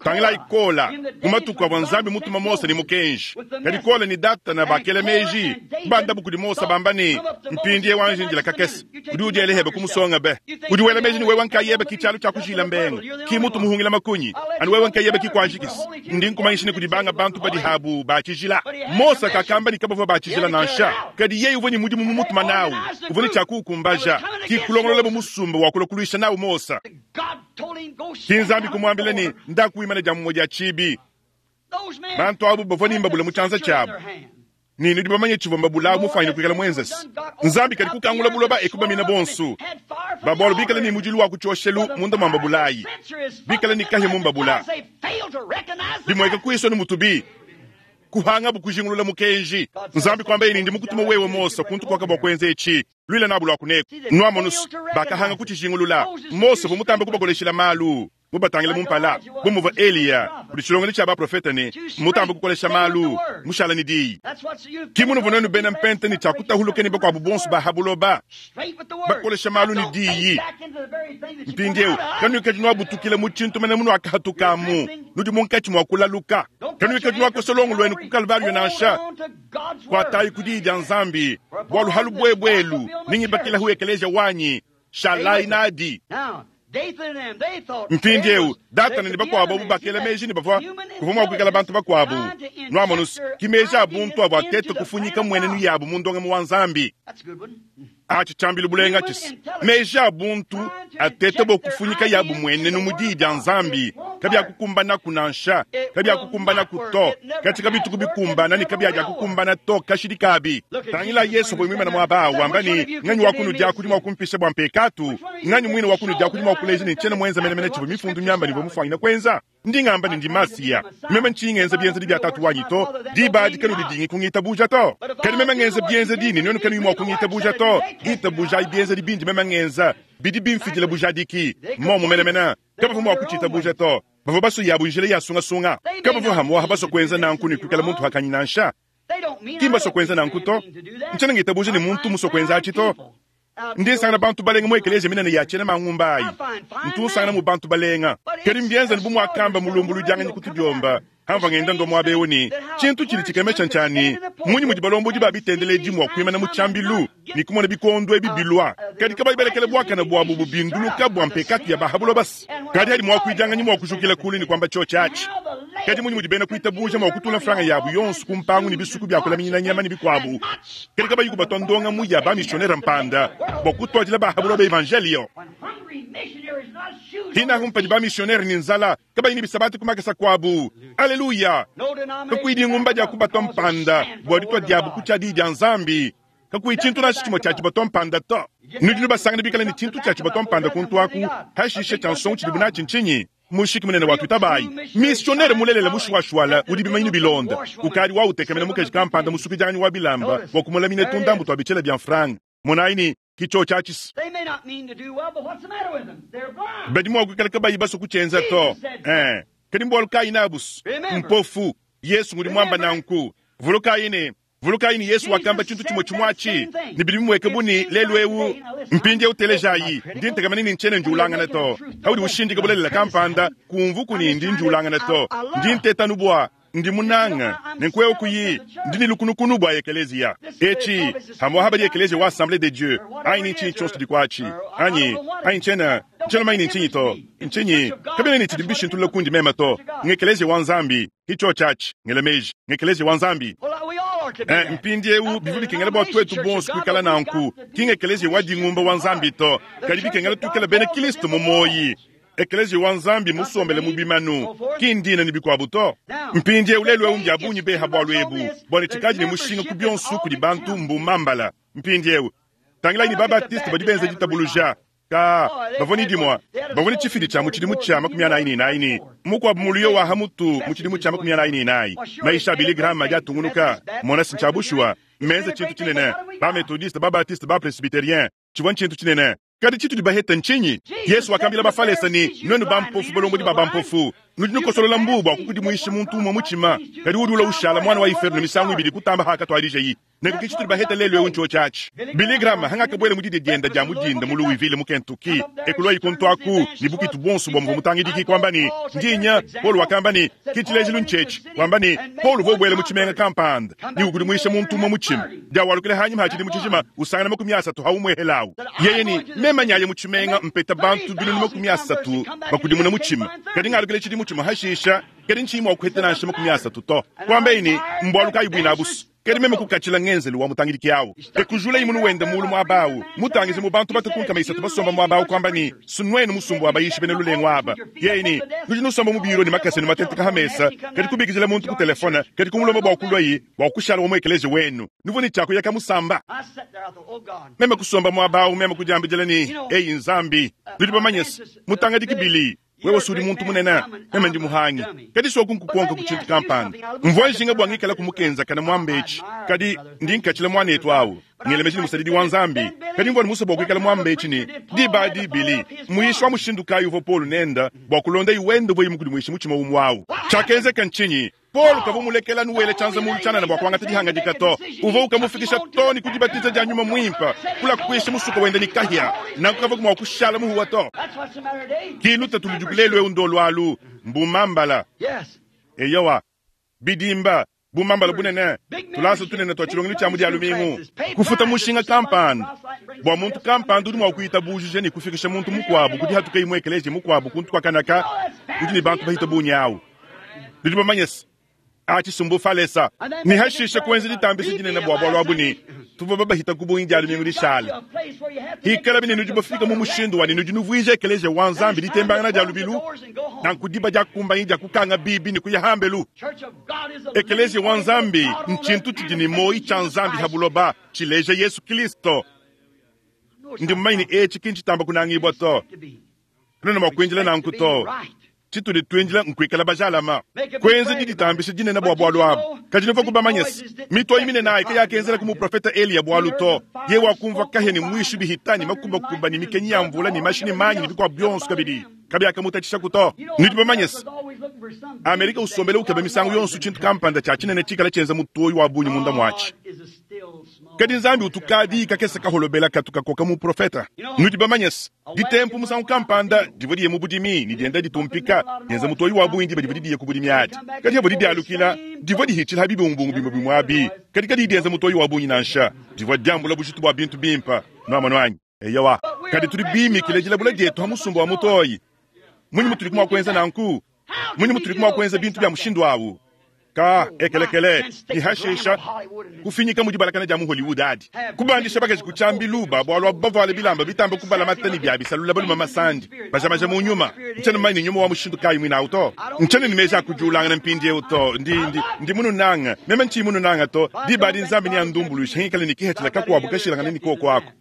Tangila ikola mu matuku avua Nzambi mutuma Mose ne mukenji. Kadi kola ni Datana bakela meji bandabu kudi Mose bamba ne mpindie wanje njila kakese udi udiele hebe kumusonga be udi wela meji ni wewe nkayebe ki tshialu tshia kujila mbenga ki mutu muhungila makunyi anu wewe nkayebe ki kuanjikisi ndi nkumanyisha ne kudi banga bantu badi habu batshijila. Mose kakamba ni kabavua batshijila nansha kadi yeye uvua ni mudimu mu mutuma nawu uvua ne tshiakuukumbaja ki kulongolola bu musumba wa kulokuluisha nawu Mose. Ki Nzambi kumwambila ni ndakuimana dia mumwe dia chibi bantu abu bavua ni mbabula mu tshianza tshiabu ni nudi bamanye tshivua mbabula mufanyine kuikala mwenzesi. Nzambi kadi kukangula buloba ekubamina bonsu babwalo bikala ni mudilu wa kutshioshelu munda mwa mbabulayi bikala ni kahya mu mbabula bimweka kuiso ni mutubi kuhanga bukujingulula mukenji. Nzambi kwamba ini ndi mukutuma wewe Mose kuntu kwaka bwa kwenza echi lwila nabu lwa kuneko nwamonusu bakahanga kuchijingulula Mose vumutambe kubakoleshela malu mubatangile mumpala bumuva Eliya kudi tshilongelo tshia baprofeta ne mutambe kukolesha malu mushala ni diyi kimuno vunenu bena mpente ni tshakutahuluke ni bakuabu bonso bahabuloba bakolesha malu ni diyi. Mpindieu kanuikadi nwabutukile mu tshintu mene munu akahatukamu nudi munkatshi mua kulaluka kanuikadi nwakosolongo lwenu ku Kalvario nansha kuatayi ku diyi dia Nzambi bwalu halu bwebwelu ningibakilahu ekeleja wanyi shalai nadi. Mpindieu Datana ne bakuabu abu bakela meji ne bavua kuvua mua kuikala bantu bakuabu nwamonusu ki meji a buntu abu atete kufunyika mwenenu yabu mu ndongamu wa Nzambi. Atshi tshiambilu bulenga tshisi meji a buntu atete bokufunyika yabu mwenenu mu diyi dia Nzambi kabyakukumbanaku nansha kabyakukumbanaku to katika bituku bikumbana ni kabyakukumbana to kashidi kabi. Tangila Yesu bwe mwimana mwaba wamba ni nganyi wakunu dia kudi mwa kumpisha bwa mpekatu nganyi mwine wakunu dia kudi mwa kuleja ni tshena mwenza mene mene tshibu mifundu myamba ni bwemufanyina kwenza ndi ngamba ni ndi Masiya meme nchingenza byenza bya tatu wanyi to dibadi kanu didingi kungitabuja to kadi meme ngenza byenza dini nyono kanu mwa kungitabuja to itabuja ibyenza dibindi meme ngenza bidi bimfidila bujadiki momo mene mene kabavu mwa kuchitabuja to bavua baso yabu njila ya sungasunga kabavu hamwa baso kwenza nanku ni kuikala muntu hakanyi nansha kimba so kwenza nanku to nchena ngitabuja ni muntu muso kwenza achi to ndi nsangana bantu balenga mu ekeleja minene ya tshena mangumbayi ntu nsangana mu bantu balenga kadi mbienza ni bumwakamba mulumbulu dianganyi kutudiomba hamva ngenda ndo mwabewu ni tshintu tshili tshikemesha ntshani munyi mudi balombodi ba bitendeleji mua kuimana mu tshiambilu ni kumona bikondo ebi bilwa kadi kabayi belekele bwakana bwabu bubinduluka bwa mpekatu ya bahabulo basi kadi hadi mua kuidianganyi mua kujukila kulu ni kwamba tshio tshiatshi kadi munyi mudi bena kuitabuja mua kutula franga yabu yonso kumpangu ni bisuku bya kulaminyina nyama ni bikwabu kadi kabayi kubatwa ndonga mu ya bamissionnaire mpanda bwa kutwadila bahabulo ba evangelio hina humpadi bamissionnaire ni nzala kabayi ni bisabati kumakesa kwabu. Aleluya kakuidi ngumba dia kubatwa mpanda bwa ditwa diabu kutshia diyi dia Nzambi kakuyi tshintu nashi tshimue tshia tshibatwa mpanda to nudi nubasangana bikala ni tshintu tshia tshibatwa mpanda kuntu aku hashishe tshia nsongo tshidibu natshi ntshinyi mushiki munene wa twitabayi missionnaire mulelela mushuashuala udi bimanyinu bilonda ukadi wautekemena mukeji kampanda musukidianganyi wa bilamba wa kumulamina tundambu twa bitshela bia mfranga monayi ni kicho tshia badi mua kuikala kabayi baso kutshienza to eh kadi mbwalu kayi nabusu mpofu Yesu ngudi mwamba nanku vulukayi ne vulukayi ni Yesu wakamba tshintu tshimue tshimue ni bidi bimweke buni lelu ewu mpindi eutelejayi ndi ntekamene ni ntshene ndiulangana to haudi ushindika bulelela kampanda kumvu kuni ndi ndiulangana to ndi ntetanu bwa Ndi munanga nenku eu kuyi ndi ne lukunukunu bua ekeleziya etshi hamwaha badi ekeleziya wa Assemblée de Dieu anyi ni ntshinyi tshionso tshidi kuatshi anyi anyi ntshiena ntshiena manyi ni ntshinyi to ntshinyi kabena ni tshidi bishintulula kundi mema to ngekeleziya wa Nzambi hicho tshatshi ngela meji ngekeleziya wa Nzambi. Eh, mpindieu bivua bikengela bua tuetu bonso kuikala nanku ki ngekeleziya wa dingumba wa Nzambi to kadi bikengela tuikala bena Kristo mu moyi. Ekeleziya wa Nzambi musombele mu bimanu ki ndina ni bikuabu to. Mpindieu lelu eu mbia bungi beha bualu ebu bua tshikaji ne mushinga ku bionso kudi bantu mbumambala. Mpindieu tangilayi ni babatiste badi benza ditabuluja ka bavua ni dimua bavua ni tshifidi tshia mu tshidimu tshia makumi anayi ne inayi ni mukuabu muluyo wa hamutu mu tshidimu tshia makumi anayi ne inayi maisha a Billy Graham adi atungunuka mona si tshia bushuwa menza tshintu tshinene ba methodiste ba baptiste ba presbyterien tshivua ntshintu tshinene. Kadi tshitudi baheta ntshinyi? Yesu wakambila bafalesa ni nwenu bampofu balombodi ba bampofu nudi nukosolola mbu bua kukudimuisha muntu umwe mutshima kadi udi ula ushala mwana wa iferno misangu ibidi kutamba hakatuadijeyi nenku tshitudi baheta lelu eu ntsho tshatshi. Billy Graham hangakabwela mu didi dienda dia mudinda mu Louisville mu Kentucky ekulwa ikuntu aku ni bukitu bonso bua muvua mutangidiki kwamba ni ndinya Paul wakamba ni kichilejilu nchetshi kwamba ni Paul uvua ubwela mu tshimenga kampanda ni ukudimuisha muntu umwe mutshima diawalukile hanyima hatshidi mu tshijima usangana makumi asatu haumwehelawu yeye ni mema nyaye mu tshimenga mpeta bantu binunu makumi asatu bakudimuna mutshima kadi ngalukile tshidi mutshima hashisha kadi ntshimo wakuheta nansha makumi asatu to kwamba ini mbwaluka ibwina abusu kadi meme kukatshila ngenzelu wa mutangidiki awu ekujula imunu wenda mulu mwabawu mutangize mu bantu batakunkama isatu basomba mwabawu kwamba ni sunwenu musumbu abayishi bene lulengo aba yeye nudi nusomba mu biro ni makase ni matenteka hamesa kadi kubikizila muntu ku telefona kadi kumulomba bua kulwayi bua kushala wa muekeleje wenu nuvo ni tshako yaka musamba meme kusomba mwabawu meme kudiambidila ni eyi Nzambi nudi bamanyese mutangidiki bili wewe sudi muntu munene meme ndi muhangi kadi soku nkukonka ku tshintu kampanda mvua njinga bua ngikala kumukenza kana mwambechi kadi ndi nkatshila mwanetu awu ngelemeji ni musadidi wa Nzambi kadi mvua ni musa bua kuikala mwambechi ni diba dibili muishi wa mushindu kayi uvua Paul nenda bua kulonda iwende bwe mukudi muishi mutshima umwawu tshakenzeka ntshinyi Paul kavua mulekela nuwele tshanza mulu tshanana bua kuangata dihanga to uvua ukamufikisha to ni kudibatiza dia nyuma mwimpa kula kuisha musuka wenda ni kahia nanku kavua mua kushala muhuwa to kiluta tulujukulelu eu ndolwalu mbumambala eyowa bidimba bumambala bunene tulasa tunene twa tshilongelo tshia mudi alumingu kufuta mushinga kampanda bua muntu kampanda udi mua kuita bujuje ni kufikisha muntu mukuabu kudi hatuka imwe ekeleje mukuabu kuntu kwa kanaka udi ni bantu bahita bunyawu nudi bamanyese achisumbu falesa ni hashisha kuenza ditambisa dinene bua bualu abu ni tuvua babahita ku bungi dia lumingu dishala hikala bine nudi bafika mu mushindu wani nudi nuvuija ekeleje wa Nzambi ditembangana dia lubilu nanku diba dia kumbanyi dia kukanga bibi ni kuya hambelu ekeleje wa Nzambi ntshintu tshidi ni moyi tshia Nzambi habuloba tshileja Yesu Kristo ndi mumanyi ni etshi kintsitamba kunangibwa to nuna mua kuinjila nanku to tshitudi twinjila nkuikala bajalama kwenza diditambisha dinene bua bualu abu kadi nuva kubamanyese mitoyi minene ayi kayakenzela ku muprofeta Eliya bualu to ye wakumva kahya ni mwishu bihita ni makumbakumba ni mikenyi ya mvula ni mashi ni manyi ni bikuabu bionso kabidi kabiakamutathisha to nudi bamanyese Amerika usombele ukeba misangu yonso tshintu kampanda tshia tshinene tshikala tshienza mutoyi wa bunyi munda mwatshi kadi Nzambi utukadi kakesa kaholobela katukakoka mu profeta nudi bamanyese ditempu musangu kampanda divua diye mu budimi ni dienda ditumpika dienza mutoyi wa bungi diba divua didiye ku budimi adi kadi yavua didialukila divua dihitshila bibungubungu bimue bimue abi kadi kadi dienza mutoyi wa bungi nansha divua diambula bujitu bua bintu bimpa nuamanu anyi eyowa kadi tudi bimikile dilabula dietu ha musumba wa mutoyi munyi mutudi kumua kuenza nanku munyi mutudi kumua kuenza bintu bia mushindu awu ka ekelekele ihashisha kufinyika mudi balakana dia mu Hollywood adi kubandisha bakaji kutshambilu bualu abu bavuale bilamba bitamba kubala matani bia bisalula baluma masandi bajamaja mu nyuma ntshiena mmanyi nyuma wa mushindu kayi mwina awu to ntshiena ni meji akujulangana mpindiewu to ndi ndi ndi mununanga meme ntshiyi mununanga to diba adi Nzambi ni andumbuluisha hingikale ni kihetshila kakuabu kashilangana ni koko ako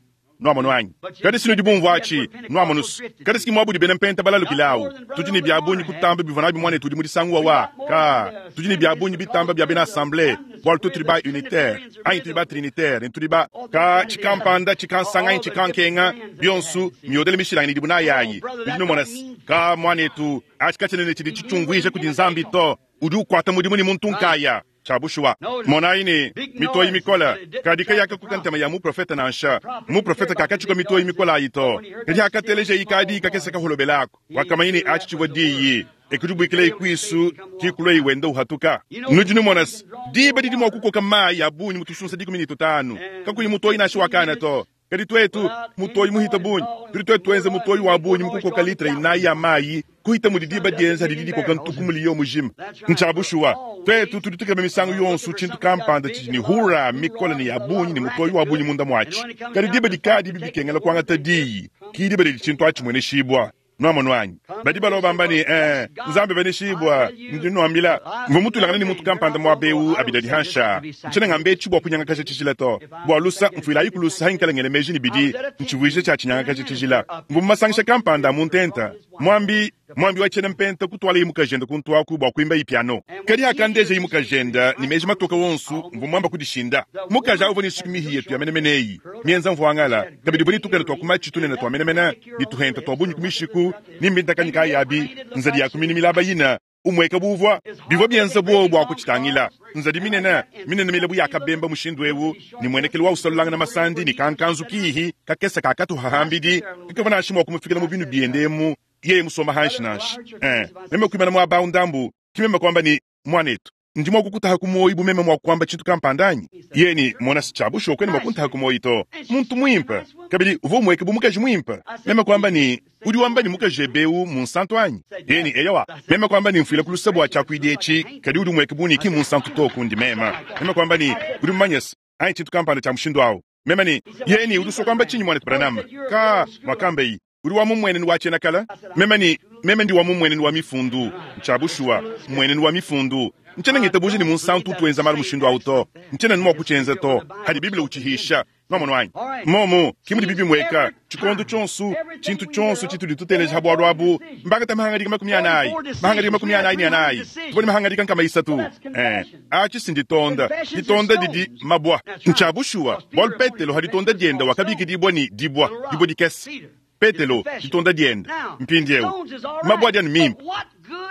nuamonu anyi kadi sinu dibumvu atshi nuamonu kadi siki muabudi bena mpenta balalukilawu tudi ni bia bungi kutamba bivua nabi muanetu udi mu disanguwa wa ka tudi ni bia bungi bitamba bia bena assemblée bualu tu tudi ba unitaire anyi tudi ba trinitaire ni tudi ba ka tshikampanda tshikansanga anyi tshikankenga bionsu miodele mishilangane idibu nayayi nudi numona ka muanetu atshi katshinene tshidi tshitshiunguija kudi Nzambi to udi ukwata mudimu ni muntu nkaya chabushuwa monayi ni mitoyi mikola kadi kayaka kukantema ya muprofeta nansha muprofeta kakatshika mitoyi mikola ayi to kadi akateleja ikadi kakesa kaholobelako wakamanya ni atshi tshivua diyi Ekudibuikila ikwisu kikuloi wenda uhatuka. Nudi numona se diba didi mua kukoka mayi ya bungi mu tusunsa dikumi ne tutanu kakuyi mutoyi nansha wakana to. Kadi twetu mutoyi muhita bungi tudi twetu twenza mutoyi wa bungi mukukoka litra inayi ya mayi kuhita mudi diba dienza didi dikoka ntuku muliyo mujima. Ntshabushuwa twetu tudi tukeba misangu yonso tshintu kampanda tshidi ne hura mikola ne ya bungi ne mutoyi wa bungi munda mwatshi. Kadi diba dikadi bibikengela kuangata diyi ki diba didi tshintu atshi mueneshibwa. Nwamonu anyi badi baloba bamba ne eh Nzambi beneshibwa ndi nwambila mvua mutulangana ne muntu kampanda muaba abidadi hansha ntshina ngambe tshi bua kunyangakaja tshijila to bua lusa mfuilayi kulusa hankalengele meji ne bidi ntshivuije tshia tshinyangakaja tshijila mvua mumasangisha kampanda mu ntenta mwambi mwambi wa tshiena mpenta kutwala imukajenda kuntwaku bua kuimba ipiano kadi akandeja imukajenda ni meji matoka wonsu mvua mwamba kudishinda mukaja uvua ne sukumihi yetu ya menemeneyi mienza mvuangala kabidi vua nitukana twa kumachi tunene twa menemene nituhenta twa bunyi kumishiku nimbintakanyi kayabi nzadi ya kumini milaba yina umweka buvwa bivwa byenza bwowo bwa kuchitangila nzadi minene minene milabu yakabemba mushindu ewu ni mwenekelo wa usalulanga na masandi ni kankanzu kihi kakesa kakatuhahambidi kakava nashi mwa kumufikila mu binu biendemu yeye musoma hanshi nanshi eh meme kuimana mwa baundambu kimeme kwamba ni mwanetu ndi mwa kukutaha kumoyi bumeme mwa kwamba chintu kampandanyi yeni mona sichabusho kwene mwakuntaha kumoyi to muntu mwimpa kabili uvo mweke bumukaji mwimpa meme kwamba ni udi wamba ni mukaji ebeu munsantu anyi yeni eyawa meme kwamba ni mfuila kulusa bwa chakwidi echi kadi udi mweke buniki munsantu to kundi mema meme kwamba ni udi mmanyesa anyi chintu kampanda cha mushindu awo meme ni yeni udi uswa kwamba chinyi mwanetu Branham ka mwakambe yi uri wa mumweneni wa chenakala meme ni meme ndi wa mumweneni wa mifundu nchabushuwa mweneni wa mifundu nchena ngitabuji ni munsantu tuenza mali mushindu auto nchena nimwa kuchenza to hadi biblia uchihisha nomono wanyi momo kimudi bibi mweka chikondo chonsu chintu chonsu chituli tuteleja habwaru abu mbanga tamahangadika makumi anayi mahangadika makumi anayi ni anayi tubone mahangadika nkama isatu eh achi sinditonda ditonda didi mabwa nchabushuwa bwalu petelo haditonda dienda wakabikidibwa ni dibwa dibwa dikesi Petelo ditonda dienda mpindiewu mabwa dianu mimpa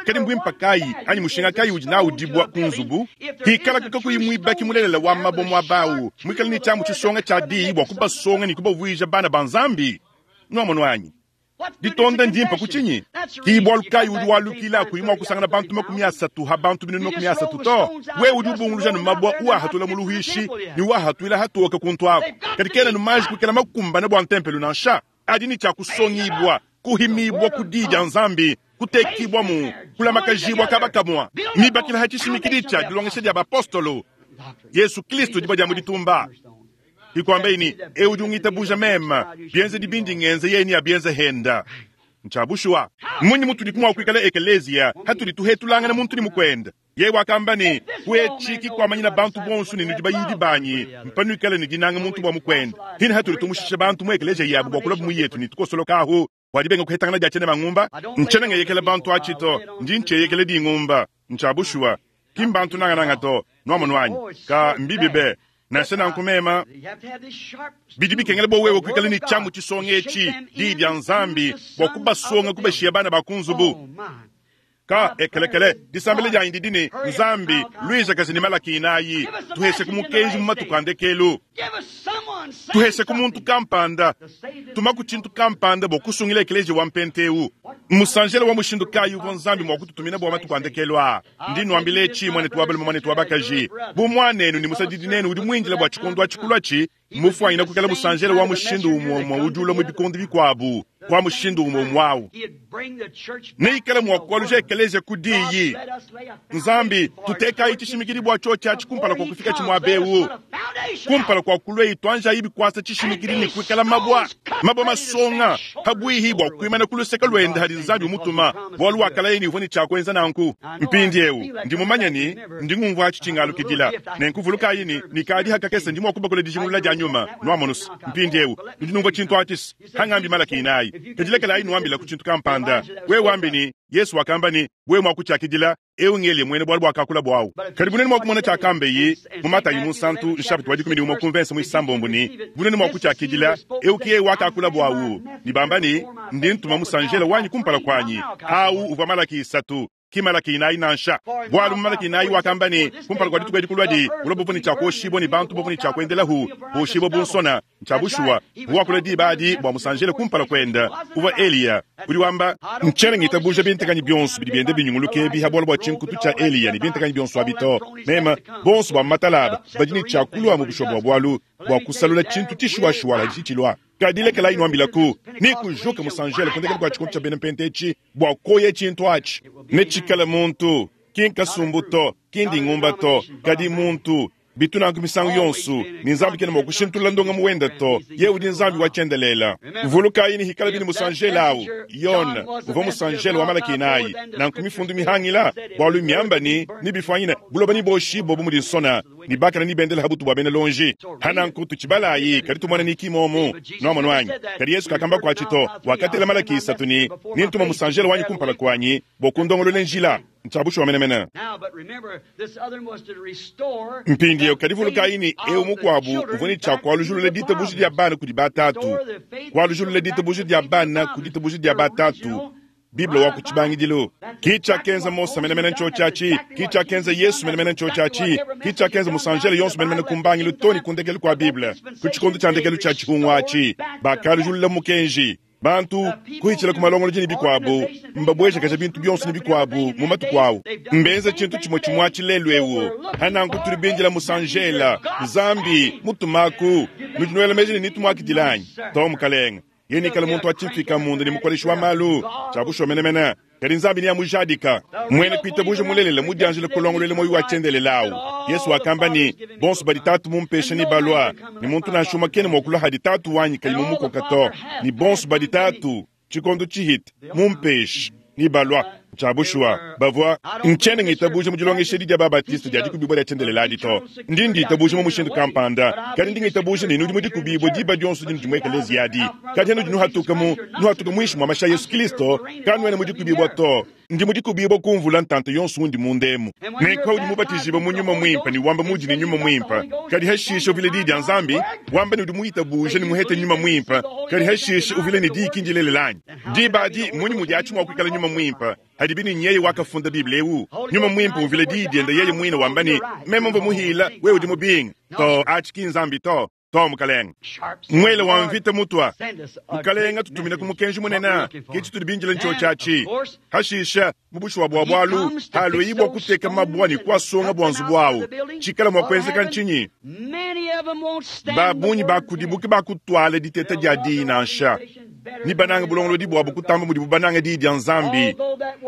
kadi mbwimpa kayi anyi mushinga kayi udi nawu dibwa kunzubu hikala kakakuyi mwibaki mulelela wa mabwa mwabawu mwikala ni chamu chisonga cha diyi bwa kubasonga ni kubavwija bana ba Nzambi nwamonu anyi ditonda ndimpa kuchinyi kibwalu kayi udi walukila kuyi mwa kusangana bantu makumi asatu ha bantu binunu makumi asatu to we udi ubunguluja numabwa uwahatula muluhishi ni uwahatwila hatoka kuntu ako kadi kena numaji kukela makumbana bwa ntempelo nansha adi ni cha kusongibwa kuhimibwa kudija Nzambi kutekibwa mu kulamakajibwa kabakamwa mibakila hachishimikili cha dilongesha dia bapostolo Yesu Kristo dibwa dia muditumba ikwambeini eudi ungitabuja mema bienze dibindi ngenze yeni abienze henda nchabushuwa munyi mutuli kumwa kuikala ekelezia hatuli tuhetulangana muntu ni mukwenda ye wakamba ni kuechiki kwamanyina bantu bonsu ni nudi bayidi banyi mpanuikala ni dinanga muntu bwa mukwenda hini hatuli tumushisha bantu mu ekelezia yabo bwa kulabu muyetu ni tukosolokaho wadibenga kuhetangana dia chene mangumba nchene ngeyekela bantu achito ndi ncheyekele dingumba nchabushuwa kimbantu nangananga to nwamonu wanyi ka mbibi be nashe nankumema bidi bikengela bo wewe kuikala ni chamu chisonga echi diyi dia Nzambi bwa kubasonga kubashiya bana bakunzubu ka ekelekele disambele dia indi dini Nzambi luiza kazi ni malaki inayi tuhese kumukenji mu matuku andekelu tuhese kumuntu kampanda tumaku chintu kampanda bwa kusungila ekelezi wa mpenteu musanjela wa mushindu kayi uvua Nzambi mwa kututumina bwa matuku andekelu a ndi nwambile echi mwanetu wa balume mwanetu wa bakaji bu mwanenu ni musadidi nenu udi mwinjila bwa chikondo achikulwa chi mufwanyina kukela musanjela wa mushindu umwe umwe udi ula mu bikondo bikwabu kwa mushindu umwe umwawu neikala mwakwaluja ekelezia kudiyi Nzambi tutekayi chishimikili bwa cho chachi kumpala kwa kufika chimwabewu kumpala kwa kulweyi twanjayi bikwasa chishimikili ni kuikala mabwa mabwa masonga habwihi bwa kuimana kuluseka lwenda hadi Nzambi umutuma bwalu wakalaye uvua ni chakwenza nanku mpindiewu ndi mumanya ni ndi ngumvwa achi chingalukidila nenkuvulukayi ni nikadi hakakese ndi mwakubakula dijingulula dia nyuma nwamonusa mpindiewu ndi numvwa chintu achisi hangambi malaki inayi kadilekelayi nuambila ku chintu kampanda we wambi ni Yesu wakamba ni we mwakuchakidila ewu ngeli mwene bwalu bwakakula bwawu kadi bunene mwakumona chakambe mu Matayi munsantu nshapita wa dikumi ni umwe kumvensa mwisambombo ni bunene mwakuchakidila ewu kiye wakakula bwawu ni bamba ni ndi ntuma musanjela wanyi kumpala kwanyi awu uvwa malaki isatu Ki Malaki inayi nansha. Bwalu mu Malaki inayi wakamba ne, kumpala kua dituku edi kulwadi, buloba buvua ne tshia kuoshibua ne bantu bavua ne tshia kuendelahu, boshibua bu nsona. Ntshia bushuwa, uvua diba adi bua musanjele kumpala kuenda, uvua Eliya. Udi wamba, ntshiena ngitabuja bintekanyi bionso bidi bienda binyunguluka ebi ha bualu bua tshinkutu tshia Eliya ne bintekanyi bionso abi to. Mema, bonso bua matalaba, badi ne tshia kulua mu bushuwa bua bualu, bua kusalula tshintu tshishuwashuwa la tshitshilwa. Kadi lekelayi nwambilaku, ni kujuka musanjele kundekela kua tshikondo tshia bena mpente etshi, bua koya tshintu atshi. Ne tshikala muntu, ki nkasumbu to, ki ndingumba to, kadi muntu. Bitu nanku misangu yonso, ni Nzambi kena mua kushintulula ndonga muwenda to, ye udi Nzambi wa tshiendelela. Vulukayi ni hikala bini musanjele awu, Yona, uvua musanjele wa Malaki inayi, nanku mifundu mihangila, bualu miamba ni, ni bifwanyina, buloba ni boshi bobu mudi nsona, ni bakana ni bendela habutu bua bena lonji. Hananku tuchibalayi, kadi tumona ni kimomu, nomo nwanyi. Kadi Yesu kakamba kwa chito, wakatela Malaki isatu ni, ni ntuma musanjele wanyi kumpala kwanyi, bokundongolole njila. Ntshia bushuwa menemene. Mpindieu kadi vulukayi ni eu mukuabu uvua ne tshia kualujulula ditabuja dia bana kudi batatu. Kualujulula ditabuja dia bana kudi ditabuja dia batatu. Bible wa ku tshibangidilu. Ki tshiakenza Mose menemene ntsho tshiatshi, ki tshiakenza Yesu menemene ntsho tshiatshi, ki tshiakenza musanjele yonso menemene ku mbangilu to ne ku ndekelu kua Bible. Ku tshikondo tshia ndekelu tshia tshihungu atshi, bakalujulula mukenji. Bantu kuhitshila ku malongolodi ne bikuabu, mbabwejakaja bintu bionso ne bikuabu mu matuku awu. Mbenza tshintu tshimue tshimue atshi lelu ewu. Hananku tuli bindila musanjela, Nzambi mutumaku, nudi nuela meji ne nitumwakidila anyi? To mukalenga. Ye nikala muntu atshimfika munda ne mukoleshi wa malu, tshia bushuwa menemene. Kadi Nzambi ni amujadika. Mwene kuitabuja mulelela mudianjile kulongolwela moyo wa tshiendelelawu. Yesu wakamba ni, bonso badi tatu mumpesha ni balwa, ni muntu nansha umue kena mua kulua hadi tatu wanyi kayi mumukoka to. Ni bonso badi tatu, tshikondo tshihita, mumpesha ni balwa. Tshia bushuwa, bavua ntshiena ngitabuja mu dilongesha edi dia Babatiste dia dikubibua dia tshiendeleladi to. Ndi nditabuja mu mushindu kampanda, kadi ndi ngitabuja ne nudi mu dikubibua diba dionso dinu dimue ekelezia adi. Kadi nudi nuhatuka mu, nuhatuka muinshi mua mashi a Yesu Kristo, kanuena mu dikubibua to. Ndi mu dikubibua kumvula ntanta yonso undi mundemu. Nenku udi mubatijibua mu nyuma muimpe ne wamba mudi ne nyuma muimpe. Kadi hashisha uvile diyi dia Nzambi, wamba ne udi muitabuja ne muhete nyuma muimpe. Kadi hashisha uvile ne diyi kindilelela anyi. Diba adi munyi mudi atshi mua kuikala nyuma muimpe? Hadi bini nyeye wakafunda Bible ewu. Nyuma muimpe uvile diyi diende yeye mwine wamba ne, meme mvua muhila, wewe udi mubinga. To atshi ki Nzambi to. To mukalenga. Mwele wa mvita mutwa. Mukalenga tutumina ku mukenji munene, ke tshitudi bindila ntsho tshiatshi. Hashisha mu bushuwa bua bualu, halwe bua kuteka mabua ne kuasonga bua nzubu awu. Tshikala mua kuenzeka ntshinyi? Babunyi bakudibuke bakutwala diteta dia diyi nansha. Ni bananga bulongolodi buabu kutamba mudibu bananga diyi dia Nzambi.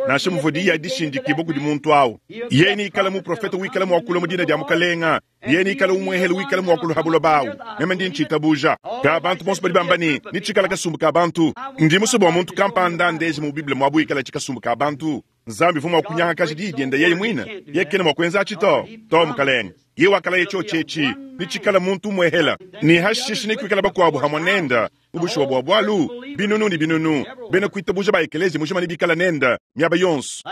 Nansha muvua diyi adishindikibua kudi muntu awu. Ye ni ikala muprofeta wikala muakula mu dina dia mukalenga. Ye ni ikala umwehele wikala muakula ha buloba awu. Meme ndi ntshitabuja. Ka bantu bonso badi bamba ne, ni tshikala kasumbu ka bantu. Ndi musue bua muntu kampanda ndeje mu Bible muabu ikala tshikasumbu ka bantu. Nzambi vua mua kunyangakaja diyi diende yeye mwine. Ye kena mua kuenza atshi to. To mukalenga. Ye wakala ye tsho tshetshi. Ni tshikala muntu umwehela. Ni hashisha ni kuikala bakuabu hamwe nenda. Ubushuwa bua bualu, binunu ni binunu. Bena kuitabuja ba ekelezi mujima ni bikala nenda, miaba yonso.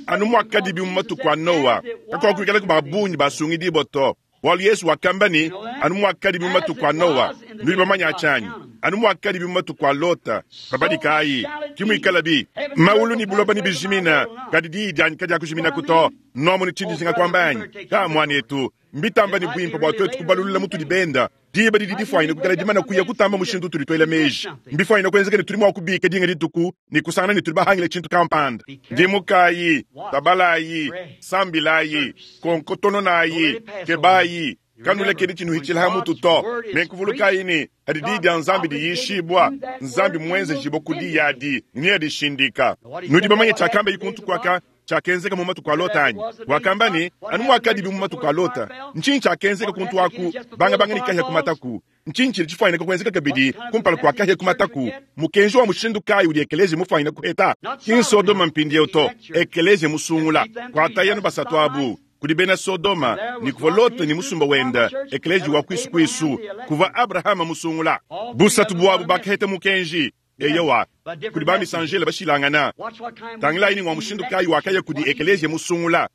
Anu mwakadi mu matuku a Noa, kakuakuikala ku babunyi basungidibua to. Bualu Yesu wakamba ni, anu mwakadi mu matuku a Noa, nudi bamanya tshianyi. Anu mwakadi mu matuku a Lota, babadikayi, kimuikala bi. Maulu ni buloba ni bijimina, kadi diyi dianyi kadiakujimina kuto. Nomu ni tshindi zinga kwamba anyi. Ka mwanetu, mbitamba ni bwimpa bua twetu kubalulula mutudi benda. Diba didi difwanyine kukala dimana kuya kutamba mushindu tuli twela meji. Mbifwanyine kwenzeka ne tuli mua kubika dinga dituku, ne kusangana ne tuli bahangile tshintu kampanda. Ndimukayi, tabalayi, sambilayi, konkotononayi, kebayi, kanulekedi tshinuhitshila ha mutu to. Nenkuvulukayi ne, hadi diyi dia Nzambi diyishibua, Nzambi muenzejibua ku diyi adi, ne adishindika. Nudi bamanye tshiakamba ikuntu kwaka, tshiakenzeka mu matuku a Lota anyi? Wakamba ne, anu mwakadi bi mu matuku a Lota. Ntshinyi tshiakenzeka kuntu aku, banga banga ni kahia ku mataku. Ntshinyi tshidi tshifwanyine kuenzeka kabidi kumpala kua kahia ku mataku. Mukenji wa mushindu kayi udi ekelezi mufwanyine kuheta? Ki Sodoma mpindieu to, ekelezi musungula. Kuatayanu basatu abu, kudi bena Sodoma, ni kuvua Lota ni musumba wenda, ekelezi wa kwisu kwisu, kuvua Abrahama musungula. Busatu buabu bakaheta mukenji. Eyowa, kudi ba misanjele bashilangana. Tangilayi ni ngwa mushindu kayi wakaya kudi ekelezi musungula.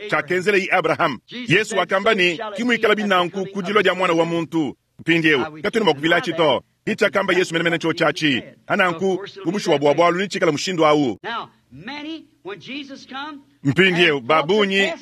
Tshiakenzela yi Abraham. Yesu wakamba ne, kimuikala binanku kudilwa dia mwana wa muntu. Mpindieu, katwena mua kuvilatshi to. Ichakamba Yesu menemene cho chachi ananku bubushuwa bwa bwalu nichikala mushindu awu. Mpindiewu babunyi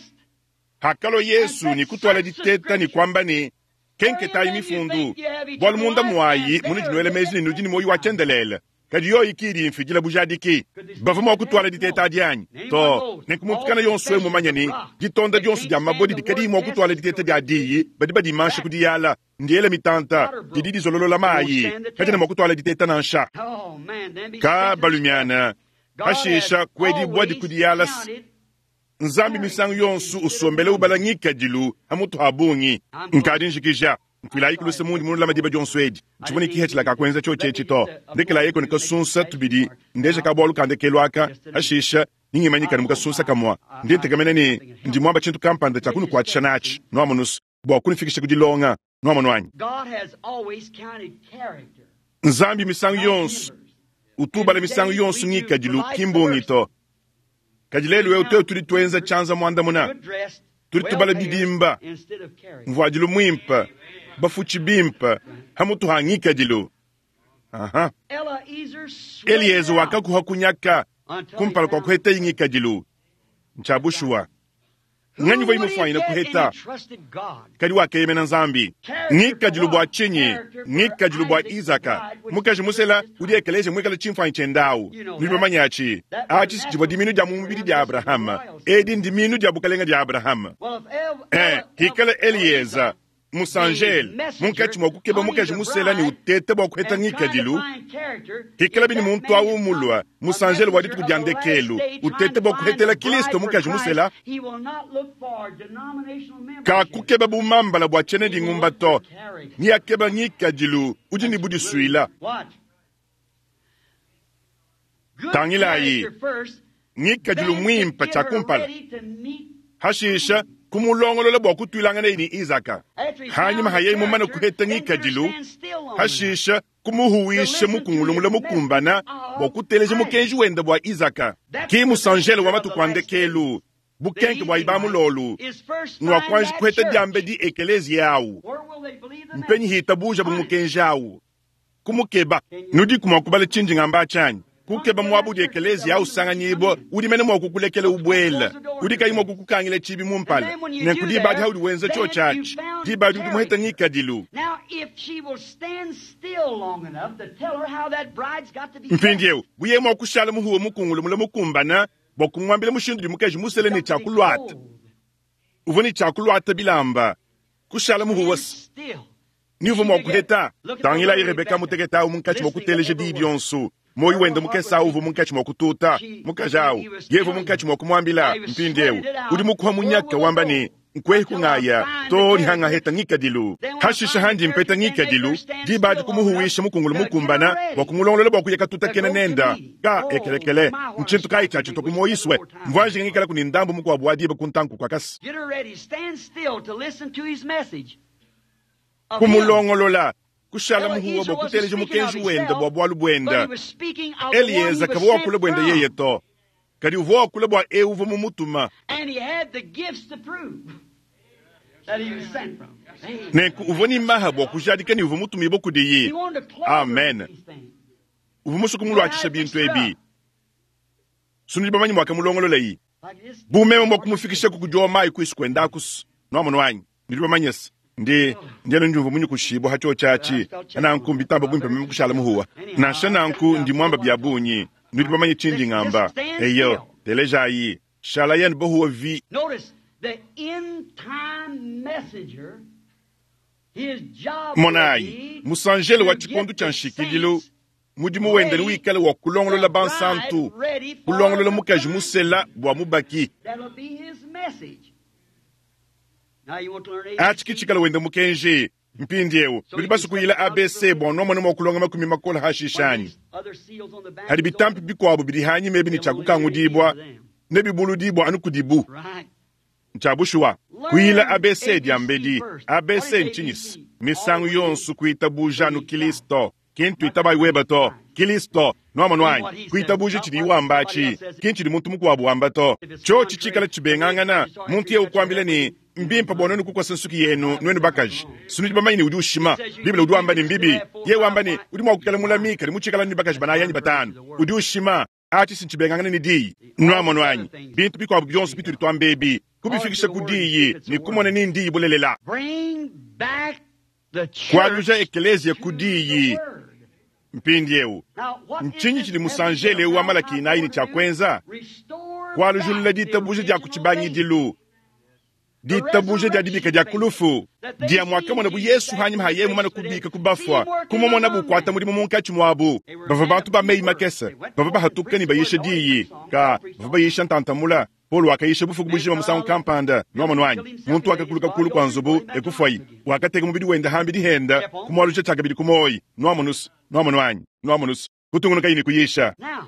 hakalo Yesu ni kutwala diteta ni kwamba ni kenketayi mifundu bwalu munda mwayi munujinwele mezi ni nudi ni moyo wa chendelele kadi yoyi kidi mfijila bujadiki bava mwa kutwala diteta dyanyi to nenkumutukana yonso emumanya ni ditonda dionso dia mabodi dikadi mwa kutwala diteta dia diyi badi badimansha kudiyala ndiele mitanta didi dizololola mayi kadina mwa kutwala diteta nansha ka balumiana hashisha kwedi bwadi kudiyala nzambi misangu yonso usombele ubala ngikadilu hamutu habungi nkadi njikija nkuilayi kuluse mundi munulama diba dionso edi ntshivua kihethela kakwenza tshio tshetshi to ndekelayi koni kasunsa tubidi ndeja kabwalu kandekelu aka hashisha ningimanyikani mukasunsa kamwa ndi ntekamene ni ndi mwamba tshintu kampanda tshia kunukuatshisha natshi nuamunusu bua kunifikisha kudilonga nuamonu anyi nzambi misangu yonso utubala misangu yonso ngikadilu kimbungi to kadi lelu eu teu tudi tuenza tshianza muandamuna tudi tubala bidimba mvuadilu muimpe bafutshi bimpe hamutu ha ngikadilu. Aha. Eliezer wakakuha kunyaka kumpala kwa kuheta ingikadilu ntshabushuwa nganyi voi mufwanyina kuheta kadi wakeyemena nzambi ngikadilu bua tshinyi ngikadilu bua Izaka mukaji musela udi ekeleje mwikala tshimfanyi tshendawu nudi bamanya atshi atshi tshivua diminu dia mu mubidi dia Abrahama edi ndiminu dia bukalenga dia Abrahama eh hikala Elieza musanjele munkatshi mwa kukeba mukaji musela ni utete bua kuheta ngikadilu hikala bini muntu awu mulwa musanjele wa dituku dia ndekelu utete bua kuhetela Kristo mukaji musela kakukeba bumambala bua tshiene dingumba to ni akeba ngikadilu udi ni budisuila tangilayi ngikadilu muimpe tshia kumpala hashisha kumulongolola bua kutuilangana ni Izaka hanyuma hayeyi mumana kuheta ngikadilu hashisha kumuhuwisha mukungulungula mukumbana bua kuteleja mukenji wenda bua Izaka ki musanjele wa matuku a ndekelu bukenke bua ibamulolu nwakuanji kuheta diambe di ekelezi yawu mpenyi hitabuja bu mukenji awu kumukeba nudi kumua kubala tshindi ngamba tshanyi kukeba muabu di ekelezi yawu sanganyibwa udi mene mua kukulekela ubwela udi kayi mua kukukangila tshibi mumpala nenku diba adi haudi wenza tshio tshatshi diba adi udi muheta ngikadilu. Mpindiewu buye mua kushala muhuwa mukungulu mule mukumbana bua kumuambila mushindu di mukaji musele ne tshiakuluata uvua ne tshiakuluata bilamba kushala muhuwa niuvua mua kuheta tangilayi Rebeka muteketa awu munkatshi mua kuteleja diyi dionso moyo wenda mukesa awu uvua munkatshi mua kututa mukaji awu yevu munkatshi mua kumuambila mpindiewu udi mukuha munyaka wamba ne nkwehi kungaya to nihangaheta ngikadilu hashisha handi mpeta ngikadilu diba adi kumuhuwisha mukungulu mukumbana bua kumulongolola bua kuya katuta kena nenda ka ekelekele ntshintu kayi tshatshi tokumoyiswe mvuanjinga ngikala kuni ndambu mukuabu wa diba kuntanku kwakasi kumulongolola kushala muhuwa bua kuteleja mukenji wenda bua bualu buenda Elieza kavua wakula buenda yeye to kadi uvua wakula bua eu uvua mumutuma nenku uvua ni maha bua kujadika ni uvua mutumibue kudiyi. Amen. Uvua musue kumuluatshisha bintu ebi sunudi bamanyi muakamulongololayi bumeme bua kumufikisha kukudiwa mayi kuisu kuendakusu nuamonu anyi nudi bamanyese ndi ndienu ndiumvua munyukushibwa ha tshio tshatshi nanku mbitamba bwimpe meme kushala muhuwa nansha nanku ndi mwamba bya bunyi nudi bamanye tshindi ngamba eyo telejayi shala yenu bohuwa vi. Monayi musanjele wa tshikondu tshia nshikidilu mudimu wenda ni wikale wa kulongolola bansantu kulongolola mukaji musela bua mubaki atshi kitshikala wenda mukenji mpindiewu nudi basukuyila A B C bua nomona mua kulonga makumi makola hashishanyi hadi bitampi bikuabu bidi hanyi mebi ni tshakukangudibwa ne bibuludibwa anu kudibu ntshabushuwa kuyila A B C diambedi A B C ntshinyisi misangu yonso kuitabuja anu Kristo kintu itabayi weba to Kristo nuamonu anyi kuitabuja tshidi wamba atshi kintu tshidi muntu mukuabu wamba to tshio tshitshikala tshibengangana muntu ye ukuambila ni Mbimpe bua nuenu kukosa nsuki yenu nuenu bakaji. Sinudi bamanye ne udi ushima. Bible udi wamba ne mbibi. Yeye wamba ne udi mua kuikala mulami kadi mutshikala ne bakaji banayi anyi batanu. Udi ushima. Achi sinchibengangana ne diyi. Nwamonu anyi. Bintu bikuabu bionso bitudi tuamba ebi. Kubifikisha ku diyi ne kumona ne ndiyi bulelela. Bring back the church Kualuja ekelezia ku to the diyi. word. Mpindiewu. Now, what is Ntshinyi this tshidi message musanjele of wa Malachi Malaki inayi ne tshia kwenza? Restore Kualujulula back the ditabuja dia ku original tshibangidilu. Ditabuja dia dibika dia kulufu. Dia mwakamona bu Yesu hanyuma ha yeye mumane kubika ku bafua. Kumumona bukwata mudimu munkatshi muabu. Bavua bantu ba meyi makese. Bavua bahatuka ne bayisha diyi. Ka bavua bayisha ntantamula. Paul wakayisha bufuku bujima musangu kampanda. Nwamonu anyi. Muntu wakakuluka kulu kwa nzubu ekufuayi. Wakateka mubidi wenda hambi dihenda. Kumwaluja tshakabidi kumoyi. Nwamonusu. Nwamonu anyi. Nwamonusu. Kutungunuka yini kuyisha. Now,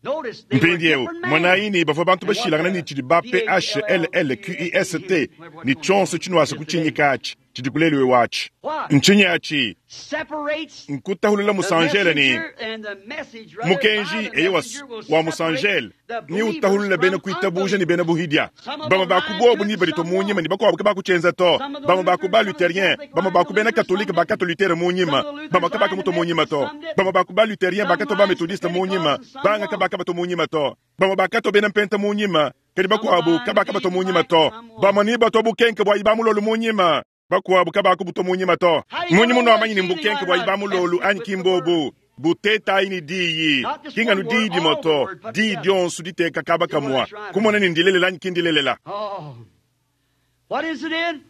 notice they were Mpindiewu different men. mwanaini bavua bantu bashilangana ne tshidi ba P H L L Q I S T ni tshonso tshinuasa kutshinyika atshi tshidi kuleliwe watshi ntshinyi atshi Separates nkutahulula the musanjele ni messenger and the message, rather, mukenji by the eye wa, messenger will wa separate musanjele the ni believers utahulula bena from kuitabuja ni unbelievers. bena buhidia Some of bamwe them bakubobu lie ni to balito some munyima won't. ni bakuabu kabakutshenza to Some of the bamwe baku ba Lutherans, some of the luthérien Catholic bamwe baku bena Lutherans, some katolika didn't. bakatolithere munyima Some of the bamwe Lutherans kabaka lined muto the munyima to Methodists, some didn't. bamwe baku ba luthérien Some bakato ba lined the methodiste munyima Pentecostals, some banga won't. kabaka bato munyima to bamwe bakato bena mpenta munyima kadi Some bakuabu lined kabaka the bato munyima East to like, some won't. bamwe ni bato bukenke bwa ibamulolu munyima bakuabu kabaku buto munyima to How you munyi gonna muno know amanyi ni what's cheating mbukenke or bwa not? ibamulolu Test it anyi with the kimbobu word. butetayi ni diyi Not just kinganu one diyi word, all the dimoto word put diyi together. dionso diteka kaba See whether kamwa it's right or kumona not. ni ndilelela anyi kindilelela Oh. What is it in?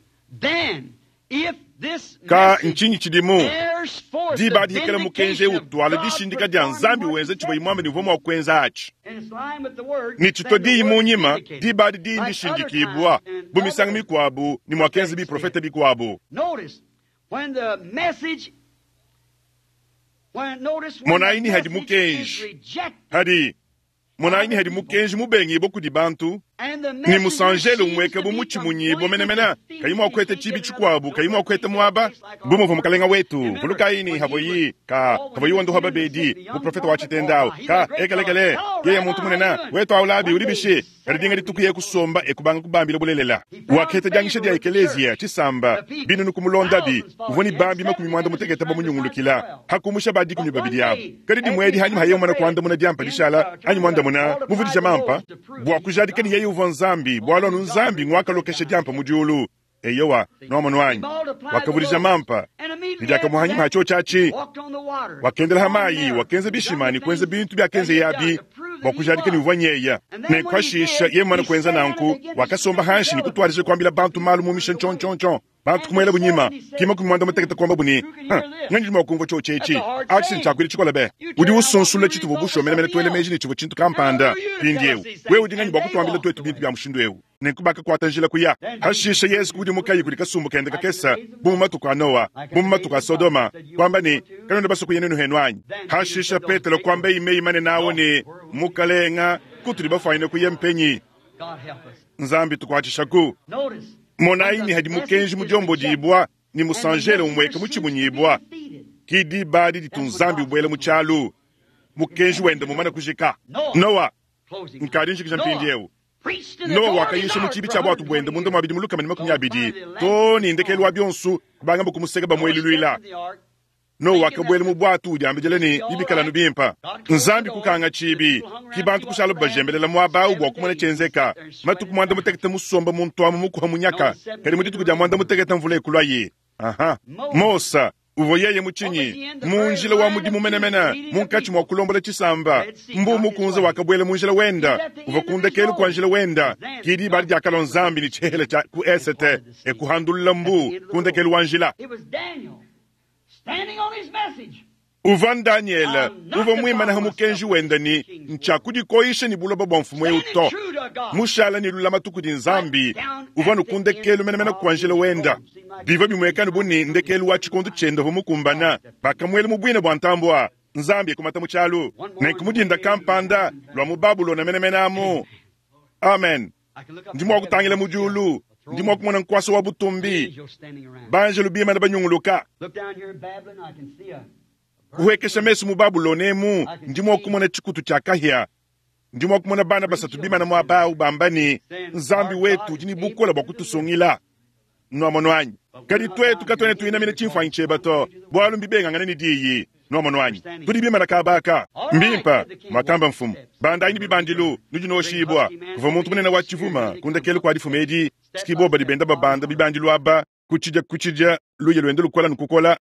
Then, if this ka message ntshinyi tshidimu bears forth the diba dihikala mukenji vindication of utwala God dishindika dia performing nzambi what he wenza said tshivua imwamba ni uvua mua kuenza atshi and it's line with the word, ni tshito then the diyi word is munyima vindicated. diba adi diyi Like other ndishindikibwa times and bu misangu other mikuabu ni muakenza prophetic biprofete statements. bikuabu Notice when the message when notice when the monayi hadi message is mukenji rejected hadi by monayi the hadi people mukenji mubengibwa kudi bantu and the ni messenger musanjele seems umweka to bu be mutshimunyibwa completely menemena defeated, kayi mua he kueta can't tshibi get another tshikuabu kayi door, mua kueta can't get a muaba place like bu all muvua the mukalenga wetu Remember vulukayi ni when he was havoyi ka oh when havoyi he was wanduha healing the sick, babedi the young muprofeta wa prophet, oh tshitendawu my, he's a ka great fellow. ekelekele Hello, yeye Rabbi, muntu how you munene doing? wetu aulabi One uli day he bishi sat kadi dinga down and dituku ye began to kusomba ekubanga kubambila bulelela He found wakheta diangisha favor dia with the ekeleziya church, tshisamba the people. binu nukumulondabi Thousands followed uvua ni him. He had bambi makumi seven mwanda ministers mutekete trying besides bamunyungulukila twelve. hakumusha badikumi But one babidi abu day, kadi as he dimwedi had hanyuma haye umana bread kuandamuna diampa and dishala uh, anyi turned to mwandamuna multiplied muvudisha the mampa loaves to prove bua that he was kujadika ni God. yeye uvua nzambi bwalo Only anu God nzambi raised bread ngwakalokesha down diampa of mu heaven. diulu eyowa See, nwamonu he wanyi multiplied the wakavudisha loaves, mampa and immediately after nidakamuhanyuma that, hacho he chachi walked on the water, wakendela on hamayi Mary, wakenza done the bishima ni kwenza things bintu that byakenze he had done yabi to prove bua that he kujadika ni was. uvua nyeya And then when he nenkwashisha did, ye mwana he kwenza sat down and nanku began to wakasomba speak to hanshi tell ni the kutwalije people. kwambila bantu He malu turned mumisha away. nchonchoncho bantu And kumwela he said, bunyima and he said, kima kumwanda mutekete kwamba buni who can Ha, hear this? nganji mwa kumva That's chochechi a hard achi saying. nchakwili chikola be You udi tear down what we usunsula really chituvo thought was busho menemene something twele else. meji ni chivo chintu Now kampanda who are you to tell us pindiewu these wewe things? udi nganyi And bwa they kutwambila walked twetu bintu away. bya mushindu ewu nenkuba kakwata njila kuya Then hashisha Jesus yesu kudi mukayi kudi kasumbu kende like in the kakesa days of bu mu Noah, matuku a nowa like bu in mu the matuku days a of Sodom, sodoma said you kwamba will ni go too. kanonda basuku yenenu henu anyi Then Peter hashisha said those petelo great kwamba words, imeyi mane nawo Lord, ni where will we go? mukalenga kutuli bafwanyine kuya mpenyi God help us. nzambi tukwachishaku Notice when monayi the ni hadi message mukenji is mudyombo rejected dibwa ni and the musanjele messenger umweka seems to be muchimunyibwa defeated. kidi badi ditu That's what nzambi God's ubwele doing. muchalu His mukenji message wenda is mumana over. kujika Noah, nowa closing now. nkadi njikija Noah mpindiewu preached to the nowa door of his wakayisha mu ark chibi for cha bwatu bwenda one hundred twenty munda years. mwa bidi mulukama ni makumi Till abidi finally the to last ni ndekelu wa storm. byonsu kubanga mbukumuseka Noah bamwelulwila stepped in the ark, nowa thinking that wakabwela mu bwatu udyambijele ni it'd be all bibikalanu right. bimpa God closed the nzambi door. kukanga The chibi people hung around ki to see bantu what kushala would happen. bajembelela mwabawu bua Seven kumona days they sat chenzeka there and matuku sweated mwanda it out. mutekete musomba muntu amu mukuha And on munyaka the seventh kadi day mu dituku the dia rain mwanda came. mutekete mvula ekulwaye aha Moses, mosa uvua yeye what was muchinyi he in? The mu very njila wa line of mudimu duty, menemene leading the munkatshi mwa people. kulombola tshisamba Red Sea mbu got his mukunze way. wakabwela mu njila He's wenda at the uva end of his kundekelu kwa road. njila wenda Then kidi bali God diakalwa with nzambi ni the tshihela tsha ku and esete parted the sea. ekuhandulula At the mbu end of the road. kundekelu wa njila It was Daniel standing on his message. uva daniele I'm not uva mwimana defile ha myself mukenji with this wenda ni king's world. ntsha ni buloba bwa mfumu eu Standing to true to God. mushala ni lulama tuku di Right nzambi down uva at the end nukundekelu menemene of kwa njila his wenda road. Seemed like biva it was bimwekani time buni to ndekelu wa tshikondu tshienda uvua mukumbana God stepped in. bakamwela mu bwina bwa ntambua nzambi ekumata mu tshialu One morning, nenkumudinda way kampanda lwa mu babulona menemene amu amen I can look up ndi to mwa heaven kutangila and mu see a, diulu a ndi mwa throne, kumona nkwasa wa butumbi angels standing around. banjelu bimana banyunguluka Look down here in Babylon, I can see a, a burning kuhwekesha bush. mesu mu babulona emu I can ndi mwa see kumona tshikutu tshia kahia Ndi mua kumona bana basatu bimana muaba awu bamba ne, Nzambi wetu udi ne bukole bua kutusungila. Nuamono anyi? Kadi tuetu katuena tuinamina tshimfuanyi tshiebe to, bualu mbibengangane ne diyi. Nuamono anyi? Tudi bimana kabaka. Mbimpa, mwakamba mfumu. Bandayi ne bibandilu, nudi noshibwa. Kuvua muntu munene wa tshivuma, kundekelu kua difuma edi, tshikibo badi benda babanda bibandilu aba, kutshidia kutshidia, luya luende lukola nukukola.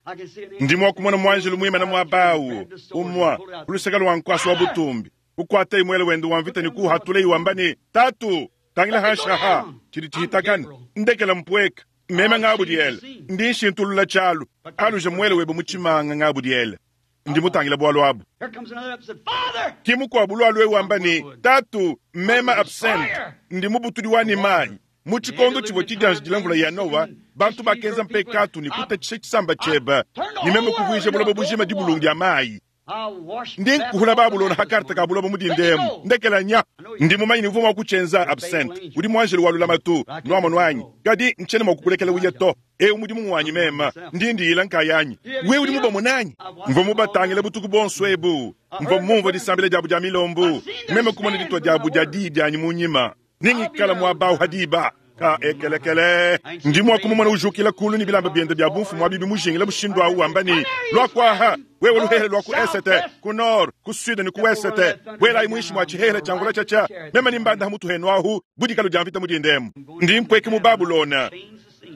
Ndi mua kumona mwanjelu muimana muaba awu, umua, ku luseke lwa nkuasa wa butumbi. Kukwata imwele wende wa mvita ne kuhatula iwamba ne, Tatu, tangila hanshaha, tshidi tshihitakana, ndekela mpweka. Meme ngabudiele, ndi nshintulula tshialu, aluja mwele webe mu tshimanga ngabudiele. Ndi mutangila bwalu abu. Here comes another up and said, Father! Ki mukuabu lwalu ewu wamba ne, Tatu, meme absent, ndi mubutudi wa ne mayi. Mu tshikondo tshivua tshidianjidila mvula ya Nowa, bantu bakenza mpekatu ne kutatshisha tshisamba tshiebe, ne meme kuvuija buloba bujima dibulungu dia mayi. I'll wash Ndi nkuhula Babulona ha karta ka buloba mudindemu, ndekela nya. Ndi mumanyi ne uvua mua kutshienza absent, udi muanjelu wa lulamatu, nuamono anyi. Kadi ntshiena mua kukulekela uya to. Ewu mudimu wanyi mema, ndi ndiyila nkayanyi. Wewe udi mubamona anyi? Mvua mubatangile butuku bonso ebu. Mvua mumvua disambila diabu dia milombu. Meme kumona ditua diabu dia diyi dianyi mu nyima. Ningikala muaba awu hadiba. Ka ekelekele. Ndi mua kumumona ujukila kulu ne bilamba biende bia bumfumu abi bimujingila mushindu awu wamba ne, Lua kuaha, wewe luhehele lua ku esete, ku nord, ku sud ne ku wesete. Bwelayi muinshi mua tshihehele tshia mvula tshatsha. Meme ni mbanda ha mutu henu ahu, budikalo dia mvita mudindemu. Ndi mpweke mu Babulona.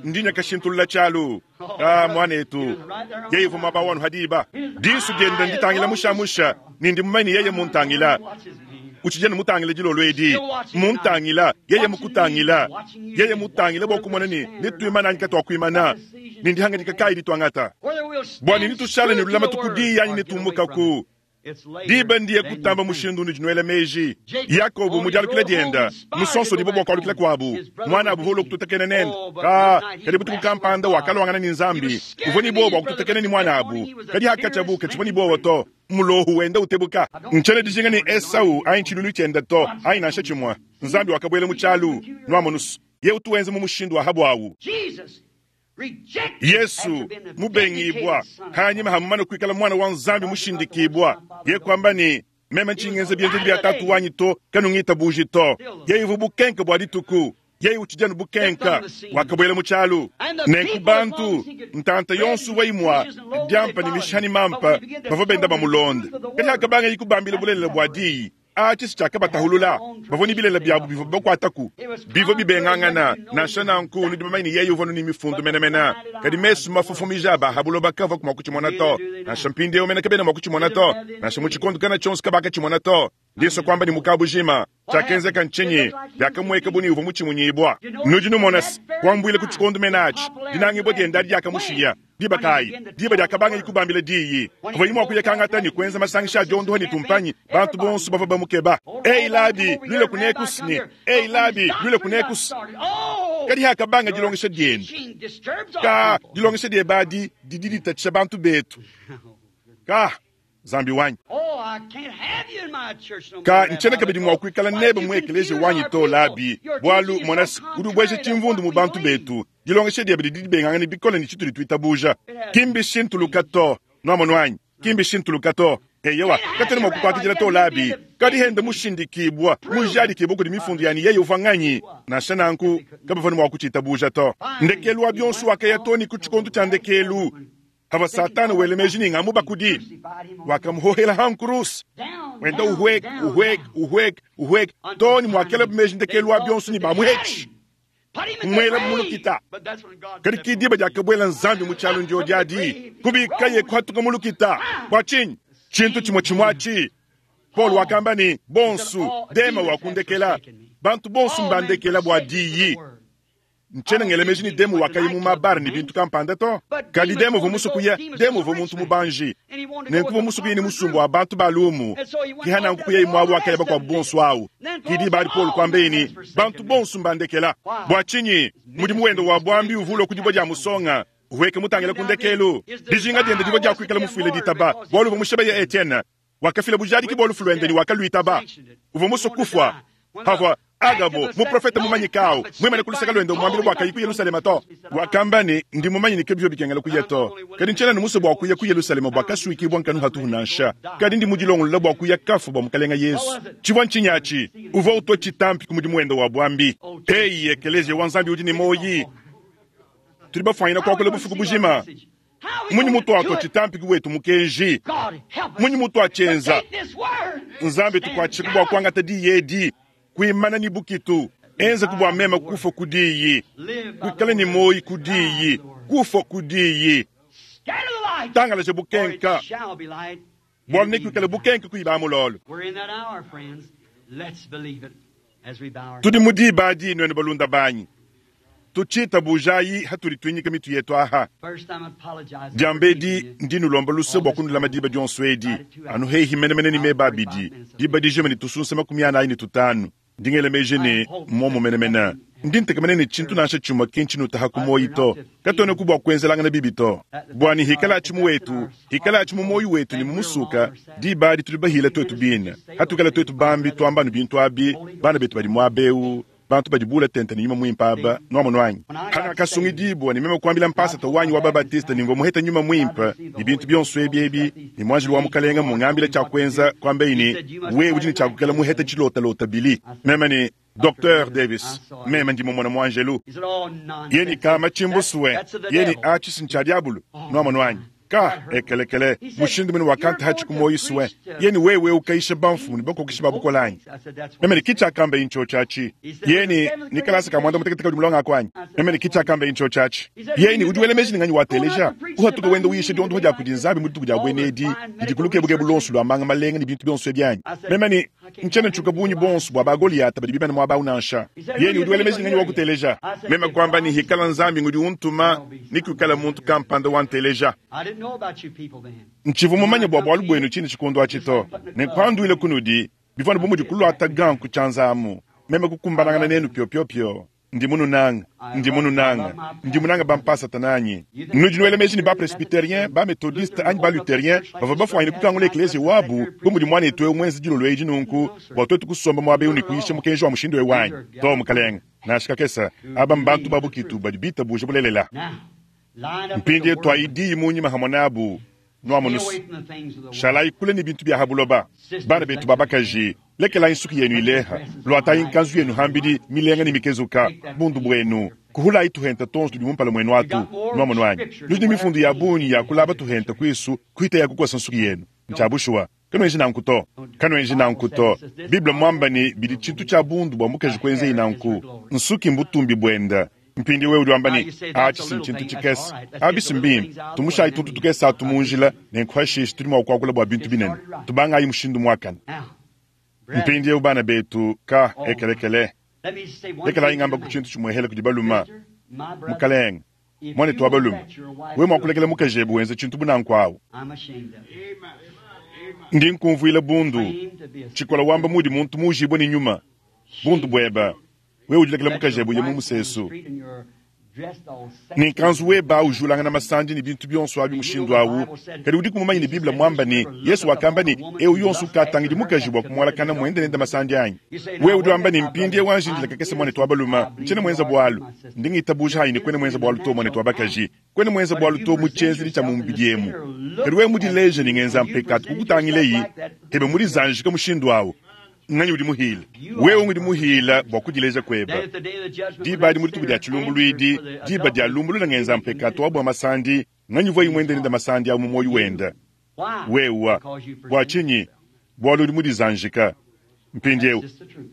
Ndi nyakashintulula tshialu. Ah, mwanetu. Yeye uvua muaba wanu hadiba. Disu diende nditangila mushamusha, ni ndi mumanyi yeye muntangila. Watches me. Utshijene mutangile dilolo edi. Muntangila, yeye mukutangila. Yeye mutangila bua kumona ne, netuimana anyi katuakuimana. Ni ndihangadika kayi dituangata. Whether we'll stand Bua ni nitushale ne true to lulama the word tukudiyi anyi or get away from netumbukaku. it. It's later Diba ndiye than you kutamba think. mushindu unudi meji. Yakobo mudialukila dienda, musonso dibo bua kualukila kuabu. Mwana abu volo kututekene nende. Ka, kadi butuku kampanda wakalwangana ni Nzambi. Uvua ni bobo kututekene ni mwana abu. Kadi hakachabu kachibwa ni bobo to. Mulohu wenda utebuka. Nchele dijinga ni Esau ayi nchilulu tshiende to, ayi nansha tshimue. Nzambi wakabwela mu tshialu, nwamonusu. Ye utuwenze mu mushindu wa habu awu. Jesus rejected Yesu after being the mubengibwa dedicated son of hanyuma hamumana kuikala mwana wa Nzambi mushindikibwa. Ye kwamba ni meme nchingenze bienzedi bia tatu wanyi to kanungita buji to. Ye ivu bukenke bua dituku. Ye utshijanu bukenka wakabwela mu tshialu. Nenku bantu ntanta yonso waimwa diampa ne mishani mampa bavua benda bamulonda. Kadi akabanga yikubambila bulelela bua diyi. Atshi tshiakabatahulula bavua ni bilela biabu bivua bakuataku bivua bibengangana nansha nanku nudi bamanye ne yeye uvua ni mifundu menemene kadi mesu mafofomija aba habuloba kava kuma kutshimona to nansha mpindieu mene kabena mua kutshimona to nansha mu tshikondo kana tshionso kabakatshimona to ndiso kwamba ni mukabujima tshiakenzeka ntshinyi biakamueka buni uvua mutshimunyibwa nudi numona se kuambuile ku tshikondo menatshi dinangibwa dienda diakamushiya diba kayi diba diakabanga ikubambila diyi kuvua imua kuyakangata ni kuenza masangisha a diondoha ni tumpanyi bantu bonso bavua bamukeba ei labi lwile kunekusini ei labi lwile kunekusi Oh! kadi hakabanga dilongesha diende Teaching disturbs our ka people. dilongesha diebadi didi ditatshisha bantu betu ka Nzambi wanyi Oh, I can't have you in my church no ka more, Rabbi. ntshiena kabidi mua kuikala Why nebe you mu ekeleziya confuse wanyi our to people? labi Your bualu teaching is mona so udi ubwesha contrary to tshimvundu mu what we bantu believe. betu dilongesha diebe didi dibengangana bikole ne tshitudi tuitabuja kimbi shintuluka to nuamono anyi kimbi shintuluka to eyewa katena mua kukwakidila to labi kadi hende mushindikibwa mujadikibwa kudi mifundu yani yeye uvua nganyi nansha nanku kabavua ne mua kutshitabuja to ndekelu wa bionso wakaya to ni ku tshikondo tshia ndekelu hava satana wele meji ni ngamu bakudi wakamuhohela hankurusi Down, wenda down, uhweka down, uhweka down. uhweka uhweka to ni mwakela meji ndekelu wa bionso ni bamuhetshi Put him in the Mwela grave. mulukita. But that's when God kadi stepped kidiba diakabwela Nzambi mu tshialu ndio diadi kubikaye kuhatuka mulukita bua tshinyi tshintu tshimue tshimue atshi Paul wakamba ni bonsu dema wakundekela bantu bonsu mbandekela bua diyi ntshiena ngela meji ni demu wakayi mu mabare ni bintu kampanda to kadi demu uvua musukuya demu uvua muntu mubanji nenku uvua musukuya ni musumbu wa bantu balumu kihana nkukuya imwabu wakaya bakuabu bonsu awu kidi bali Paul kwambeni bantu bonsu mbandekela bua tshinyi mudimu wende wa bwambi uvulwa ku dibua dia musonga uweke mutangila ku ndekelu dijinga diende divua dia kuikala mufuile ditaba bualu uvua mushebeya Etienne wakafila bujadiki bua lufu luende ni wakaluitaba uvua musue kufua havua Agabo, muprofete mumanyike awu, muimane ku luseke luende umuambila bua kayi ku Yerusalema to. Wakamba ne, ndi mumanye ne ke bivua bikengela kuya to. Kadi ntshiena ne musue bua kuya ku Yerusalema bua kasuikibua nkanu hatuhu nansha. Kadi ndi mudilongolola bua kuya kafu bua mukalenga Yesu. Tshivua ntshinyi atshi? Uvua utua tshitampi ku mudimu wende wa buambi. Eyi, ekeleziya wa Nzambi udi ne muoyi. Tudi bafuanyina kuakula bufuku bujima. Munyi mutuatua tshitampi ku wetu mukenji? Munyi mutuatshienza? Nzambi tukuatshike bua kuangata diyi edi, kuimana ne bukitu. Enza ku bua meme kufa ku diyi, kuikala ne muoyi ku diyi, kufa ku diyi. Tangalaja bukenka, bualu nekuikale bukenka kuiba mulolo. Tudi mu diba adi nuenu balunda banyi. Tutshiitabujayi hatudi tuinyika mitu yetu aha. Diambedi ndi nulomba luse bua kunulama diba dionso edi, anu hehi menemene ne meba abidi, diba dijima ne tusunsa makumi anayi ne tutanu. Ndi ngela meji ne muomu menemene. Ndi ntekemena ne tshintu nansha tshimue ki ntshinutaha ku muoyi to. Katuena ku bua kuenzelangana bibi to. Bua ne hikala atshi mu wetu, hikala atshi mu muoyi wetu ne mu musuka, diba adi tudi bahila tuetu bine. Hatukala tuetu bambi tuamba anu bintu abi, bana betu badi muaba eu, bantu badi bula tente ne nyuma muimpe aba, nuamonu anyi? Hanakasungidibua ne meme kuambila mpasata wanyi wa Babatiste ne mvua muheta nyuma muimpe ne bintu bionso ebi ebi, ne muanjelu wa mukalenga mungambila tshia kuenza, kuambei ne, wewe udi ne tshia kukala muheta tshilotalota bili. Meme ne Docteur Davis, meme ndi mumona muanjelu. Yeni kama chimbuswe, yeni atshi ntsha diabulu, nuamonu anyi? Ka ekelekele mushindu mene wakanta hatshi ku moyi suwe. Yeni wewe ukaisha bamfumu ne bakokeshi ba bukola anyi? Meme ne kitshakamba incho tshatshi. Yeni ni kalasa ka mwanda mutekete kadi mulonga akwanyi. Meme ne kitshakamba incho tshatshi. Yeni udi wela meji ne nganyi wa teleja. Uhatuka wenda uyisha diondo dia kudi Nzambi mu dituku dia bwene edi, didi kulukebuke bulonso lwa manga malenga ne bintu bionso ebyanyi. Meme ne ntshiena ntshuka bungi bonso bua ba Goliata badi bimane muaba awu nansha. Yeni udi wela meji ne nganyi wa kuteleja. Meme kuamba ne hikala Nzambi ngudi untuma, ni kuikala muntu kampanda wa nteleja. Ntshivu mumanye bua bualu buenu tshine tshikondo atshi to. Nenkuanduile kunudi, bivua bu mudi kulwata ganku tshianzamu. Meme kukumbanangana nenu piopiopio. Ndi mununanga, ndi mununanga, ndi munanga bampasata nanyi. Nudi nuela meji ne ba presbyterien, ba methodiste anyi ba lutherien bavua bafuanyine kukangula ekleziya wabu bu mudi muanetu eu muenze dilolo edi nunku bua tuetu kusomba muaba eu ne kuyisha mukenji wa mushindu eu wanyi. To mukalenga, nansha kakesa, aba mbantu ba bukitu badi bitabuja bulelela. Mpindie twaidiyi munyima hamwe nabu, nuamunusu. Shalayi kule ne bintu bia ha buloba. Bana betu ba bakaji, lekelayi nsuki yenu ileha, lwatayi nkanzu yenu hambidi milenga ne mikezuka, bundu bwenu. Kuhulayi tuhenta tonso tudi mumpala mwenu atu, nuamonu anyi. Nudi ne mifundu ya bungi ya kulaba tuhenta kwisu, kuhita ya kukosa nsuki yenu. Ntsha bushuwa. Kanuenji nanku to. Kanuenji nanku to. Bible mwamba ne bidi tshintu tshia bundu bua mukaji kuenzeyi nanku. Nsuki mbutumbi buenda. Mpindi wewe udi wamba ne, atshi si ntshintu tshikese. Abisi mbimpe, tumushayi tuntu tukese atu mu njila, nenkuhashishe tudi mua kuakula bua bintu binene. Tubangayi mushindu muakane. Mpindi eu bana betu ka ekelekele. Lekelayi ngamba ku tshintu tshimuehele kudi baluma. Mukalenga, mwanetu wa balume, wewe mua kulekela mukaji ebu wenza tshintu bunanku awu. Ndi nkumvuila bundu. Tshikola wamba mudi muntu mujibwe ne nyuma. Bundu bweba. Wewe udilekela mukaji ebu ye mu musesu. Ne nkanzu weba ujulangana masandi ne bintu bionso abi mushindu awu. Kadi udi kumumanya ne Bible mwamba ne Yesu wakamba ne eu yonso ukatangidi mukaji bua kumualakana mwende nende masandi anyi. Wewe udi wamba ne mpindie wanjindila kakese mwanetu wa baluma, ntshiena mwenza bualu. Ndi ngitabuja hayi ne kwena mwenza bualu to mwanetu wa bakaji. Kwena mwenza bualu to mu tshienzedi tshia mu mubidi emu. Kadi wewe mudileje ne ngenza mpekatu kukutangileyi, hebe mudizanjika mushindu awu. Nganyi udi muhila? Wewe udi muhila bua kudileja kweba. Diba adi mu dituku dia tshilumbuluidi, diba dia lumbulula ngenza mpekatu wa bua masandi, nganyi uvua imwende nende masandi awu mu muoyo wenda. Wewa, bua tshinyi? Bualu udi mudizanjika. Mpindiewu,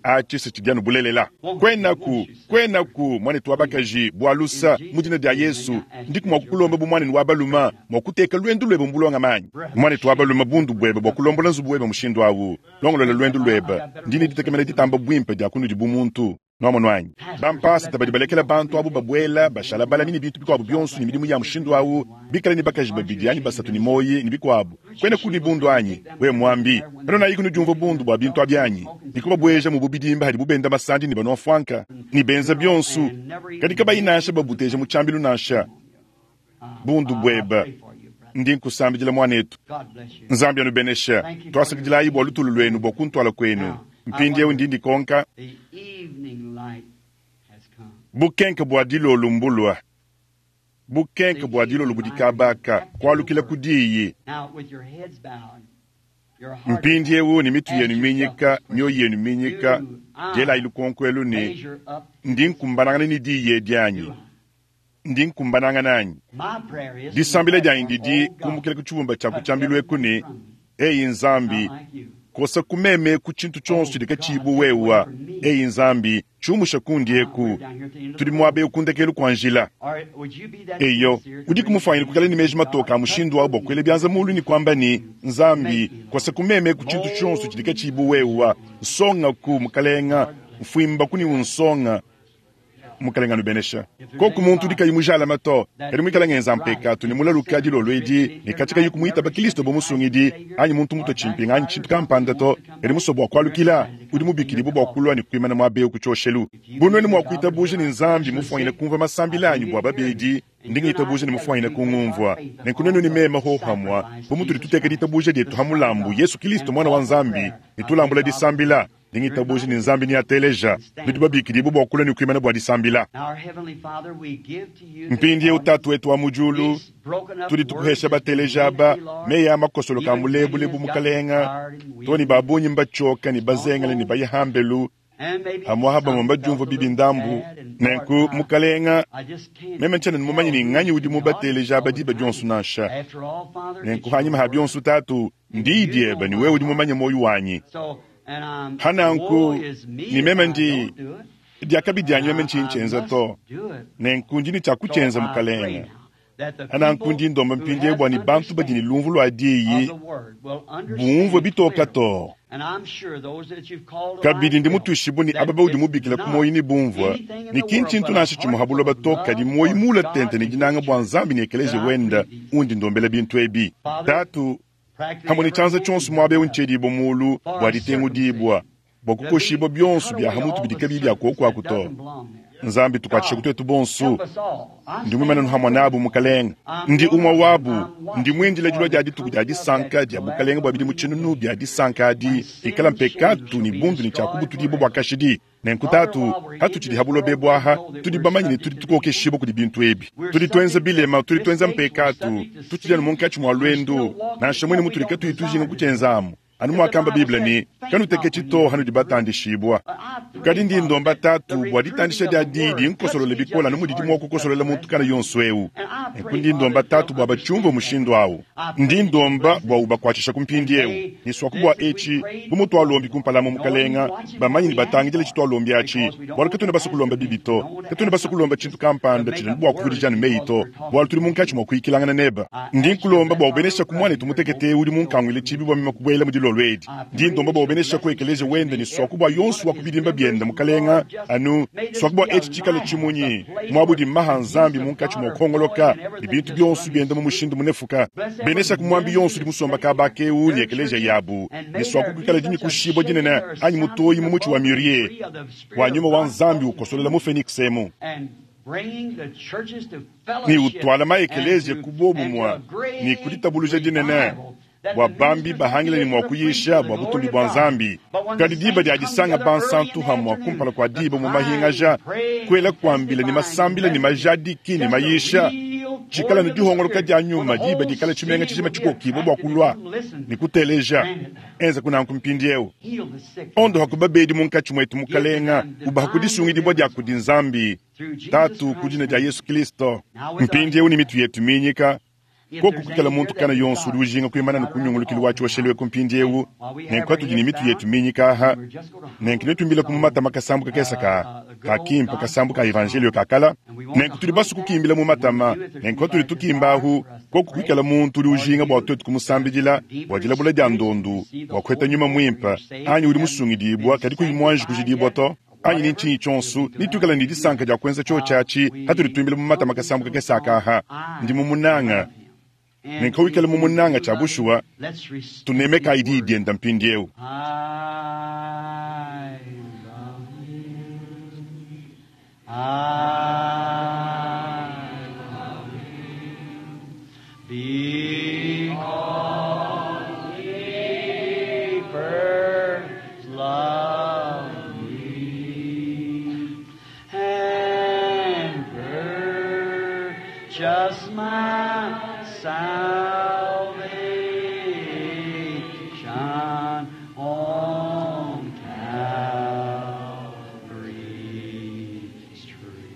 atshi si tshidi anu bulelela. Kwenaku, kwenaku, mwanetu wa bakaji, bua lusa, mu dina dia Yesu, ndiku mua kukulomba bu mwanenu wa baluma, mua kuteka lwendu lwebe mu bulonga manyi. Mwanetu wa baluma bundu bwebe bua kulombola nzubu webe mushindu awu, longolola lwendu lwebe, ndi ne ditekemena ditamba bwimpe dia kunudi bu muntu. Nuamonu anyi? Bampasata badi balekela bantu abu babwela, bashala balami ne bintu bikuabu bionso ne midimu ya mushindu awu, bikale ne bakaji babidi anyi basatu ne moyi ne bikuabu. Kwena kuni bundu anyi? Wewe mwambi, kano nayi kunu diumvua bundu bua bintu abi anyi? Nikubabueja mu bubidimba hadi bubenda masandi ne banua mfuanka, ne benza bionso, kadi kabayi nansha babuteja mu tshiambilu nansha. Bundu bweba. Ndi nkusambidila mwanetu. Nzambi anubenesha. Twasakidilayi bua lutulu lwenu bua kuntwala kwenu. Mpindieu ndi ndikonka bukenke bua dilolo mbulwa bukenke bua dilolo budi kabaka kualukila ku diyi. Mpindieu ne mitu yenu minyika, mioyo yenu minyika, dielayi lukonko elu ne ndi nkumbanangana ne diyi edi anyi? Ndi nkumbanangana anyi? Disambila dianyi didi kumbukila ku tshibumba tshia ku tshiambilu eku ne eyi Nzambi, kosa kumeme ku tshintu tshionso tshidi katshiyi wewa. Eyi Nzambi, tshiumusha kundi eku. Tudi muaba ewu ku ndekelu kua njila. Eyo, udi kumufanyina kukala ne meji matoka a mushindu wa bua kuela bianza mulu ne kuamba ne Nzambi, kosa kumeme ku tshintu tshionso tshidi katshiyi wewa. Nsonga ku mukalenga, mfuimba ku ni unsonga. Mukalenga nubenesha. Koku muntu udi kayi mujalama to, kadi muikala ngenza mpekatu ne mulaluka dilolo edi, ne katshika yi kumuitaba Kristo bo musungidi, anyi muntu mutue tshimpinga anyi tshintu kampanda to, kadi musue bua kualukila, udi mubikidibue bua kulua ne kuimana muaba eu ku tshioshelu. Bu nuenu mua kuitabuja ne Nzambi mufuanyine kumvua masambila anyi bua babedi, ndi ngitabuja ne mufuanyine kungumvua. Nenku nuenu ne meme hohamua, bu mutudi tuteka ditabuja dietu ha mulambu Yesu Kristo mwana wa Nzambi, ne tulambula disambila. Ndi ngitabuja ne Nzambi ni ateleja, nudi babikidibue bua kulua ne kuimana bua disambila. Mpindieu Tatu wetu wa mu diulu, tudi tukuhesha bateleja aba meyi a makosolo ka mulebulebu mukalenga, to ne babunyi mbatshioka ne bazengele ne bayihambelu, amwaha bamwe mbadiumvua bibi ndambu. Nenku mukalenga, meme ntshiena mumanye ne nganyi udi mubateleja aba diba dionso nansha. Nenku hanyima ha bionso Tatu, ndiyi diebe ne wewe udi mumanye moyo wanyi. Hananku ni meme ndi diakabi dianyi meme ntshintshenza to. Nenku ndi ne tshia kutshenza mukalenga. Hananku ndi ndomba mpindieu bua ne bantu badi ne lumvu lua diyi bumvue bitoka to. Kabidi ndi mutuishibue ne aba baudi mubikila ku moyo ne bumvua ne ki ntshintu nansha tshimue ha buloba to, kadi moyo mula tente ne dinanga bua Nzambi ne ekeleje wenda undi ndombela bintu ebi. Tatu, hamwe ne tshianza tshionso muaba eu ntshiedibua mulu bua ditengudibua, bua kukoshibua bionso bia hamutu bidi kabiyi bia kuokuaku to. Nzambi tukuatshishe kutuetu bonso. Ndi muimane hamwe nabu mukalenga, ndi umwe wabu, ndi muindila dilua dia dituku dia disanka dia bukalenga bua bidimu tshinunu bia disanka adi, ikala mpekatu ne bundu ne tshia kubutudibua bua kashidi. Nenku Tatu, hatutshidi ha buloba ebu aha, tudi bamanye ne tudi tukokeshibua kudi bintu ebi. Tudi tuenza bilema, tudi tuenza mpekatu, tutshidi anu munkatshi mua lwendu, nansha mwene mutudi katuyi tujinga kutshienzamu. Anu muakamba Bible ne kanuteketshi to hanudi batandishibua. Kadi ndi ndomba Tatu bua ditandisha dia diyi nkosolole bikola anu mudidi mua kukosolola muntu kana yonso eu. Nenku ndi ndomba Tatu bua batshiumvue mushindu awu. Ndi ndomba bua ubakuatshisha ku mpindieu. Ne suaku bua etshi, bu mutualombi kumpala mu mukalenga, bamanyi ne batangidile tshitualombi atshi. Bualu katuena basue kulomba bibi to. Katuena basue kulomba tshintu kampanda tshidi bua kuvudija ne meyi to. Bualu tudi munkatshi mua kuyikilangana neba. Ndi nkulomba bua ubenesha ku muanetu mutekete udi munkanguile tshibi bua meme kubuela mu dilolo edi. Ndi ndomba bua ubenesha ku ekeleje wende ne suaku bua yonso wa kubidimba biende mukalenga, anu suaku bua etshi tshikale tshimunyi muabudi maha Nzambi munkatshi mua kuhongoloka ne bintu bionso biende mu mushindu munefuka. Benesha ku muambi yonso udi musomba kaba keu ne ekeleje yabu, ne suaku kuikala dinyikushibua dinene anyi mutoyi mu mutshi wa mûrier wa nyuma wa Nzambi ukosolola mu Phoenix emu. Ni utwala maekeleje ku bobumwa ni kuditabuluja dinene bua bambi bahangile ne mua kuyisha bua butumbi bua Nzambi. Kadi diba dia disanga bansantu hamwa kumpala kua diba mu mahingaja, kuela kuambila ne masambila ne majadiki ne mayisha, tshikala ne dihongoloka dia nyuma diba dikala tshimenga tshijima tshikokibua bua kulua ne kuteleja. Enza kunanku mpindieu. Ondo hakubabedi munkatshi mwetu mukalenga, ubaha kudisungidibua dia kudi Nzambi Tatu ku dina dia Yesu Kristo. Mpindieu ne mitu yetu minyika, koku kukala muntu kana yonso udi ujinga kuimana ne kunyungulukilo wa tshioshelu eku mpindieu, nenku atudi ne mitu yetu minyika aha, nenku netumbile ku matama kasambu kakesa ka kakimpa kasambu ka evangelio kakala, nenku tudi basu kukimbila mu matama, nenku atudi tukimba ahu, koku kukala muntu udi ujinga bua tuetu kumusambidila, bua dilabula dia ndondu, bua kuheta nyuma muimpa, anyi udi musungidibua kadi kuyi muanji kujidibua to. Anyi ni ntshinyi tshionso, nitukala ne disanka dia kuenza tshio tshiatshi, hatudi tuimbila mu matama kasambu kakesa akaha. Ndi mumunanga. Nenku wikale mumunanga tshia bushuwa, tunemeka idi dienda mpindieu. I love him. I love him. Because he first loved Purchased my salvation on Calvary's tree.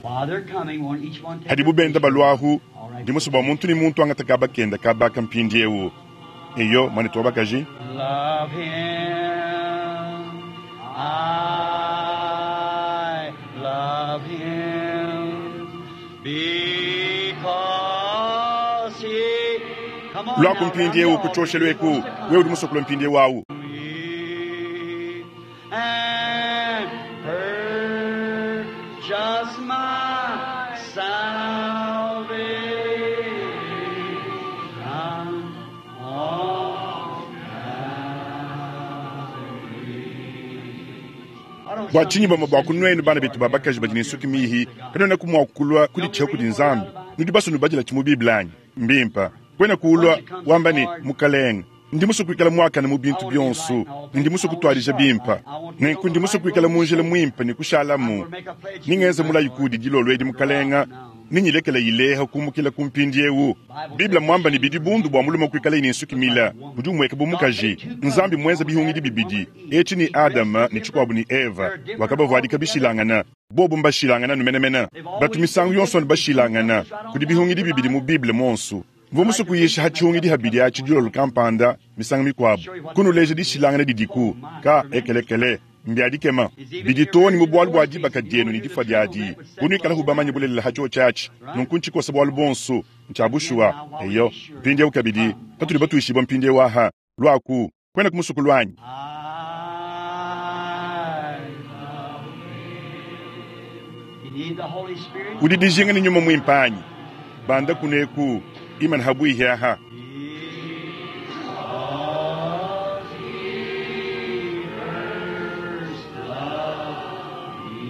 While they're coming, won't each one take hadibu benda balwahu All right. ndi musu bua muntu ni muntu angata kaba kenda kabaka mpindiewu eyo mwanetu wa bakaji Love him. I love him because he. Come on lwaku now, mpindiewu round kuchoshelo eku the wewe udi musokolo mpindiewu awu and purchase my salvation on Calvary. bua tshinyi bamue bua kunuenu bana betu ba bakaji badi ne nsuki mihi kanuena kumua kulua kuditshiha kudi nzambi nudi basue nubadila tshi mu biblia anyi mbimpa kuena kulua wamba ne mukalenga ndi musue kuikala muakane mu bintu bionso ndi musue kutuadija bimpa nenku ndi musue kuikala mu njila muimpe ne kushalamu ningenza mulayi kudi dilolo edi mukalenga ninyilekela ileha kumukila ku mpindiewu biblia mwamba ne bidi bundu bua mulume kuikala ne nsuki mila udi umueka bu mukaji nzambi mwenza bihungidi bibidi etshi ni adama ne tshikuabu ni eva wakabavuadika bishilangana bobu mbashilangana numenemene batu misangu yonso bashilangana kudi bihungidi bibidi mu bible monsu mvua musue kuyisha ha tshihungidi habidi atshi dilolo kampanda misangu mikuabu kunuleja dishilangana didiku ka ekelekele mbiadikema bidi too ne mu bualu bua dibaka dienu ne difua diadi kunuikala bamanye bulelela ha tshio tshiatshi nunku ntshikosa bualu bonso ntshia bushuwa eyo mpindiewu kabidi patudi batuishibua mpindiewu aha lwaku kwena kumusuku lwanyi I love him. You need the Holy Spirit? udi dijinga ne nyuma muimpe anyi banda kuneku imana habuihi aha Because he first loved me.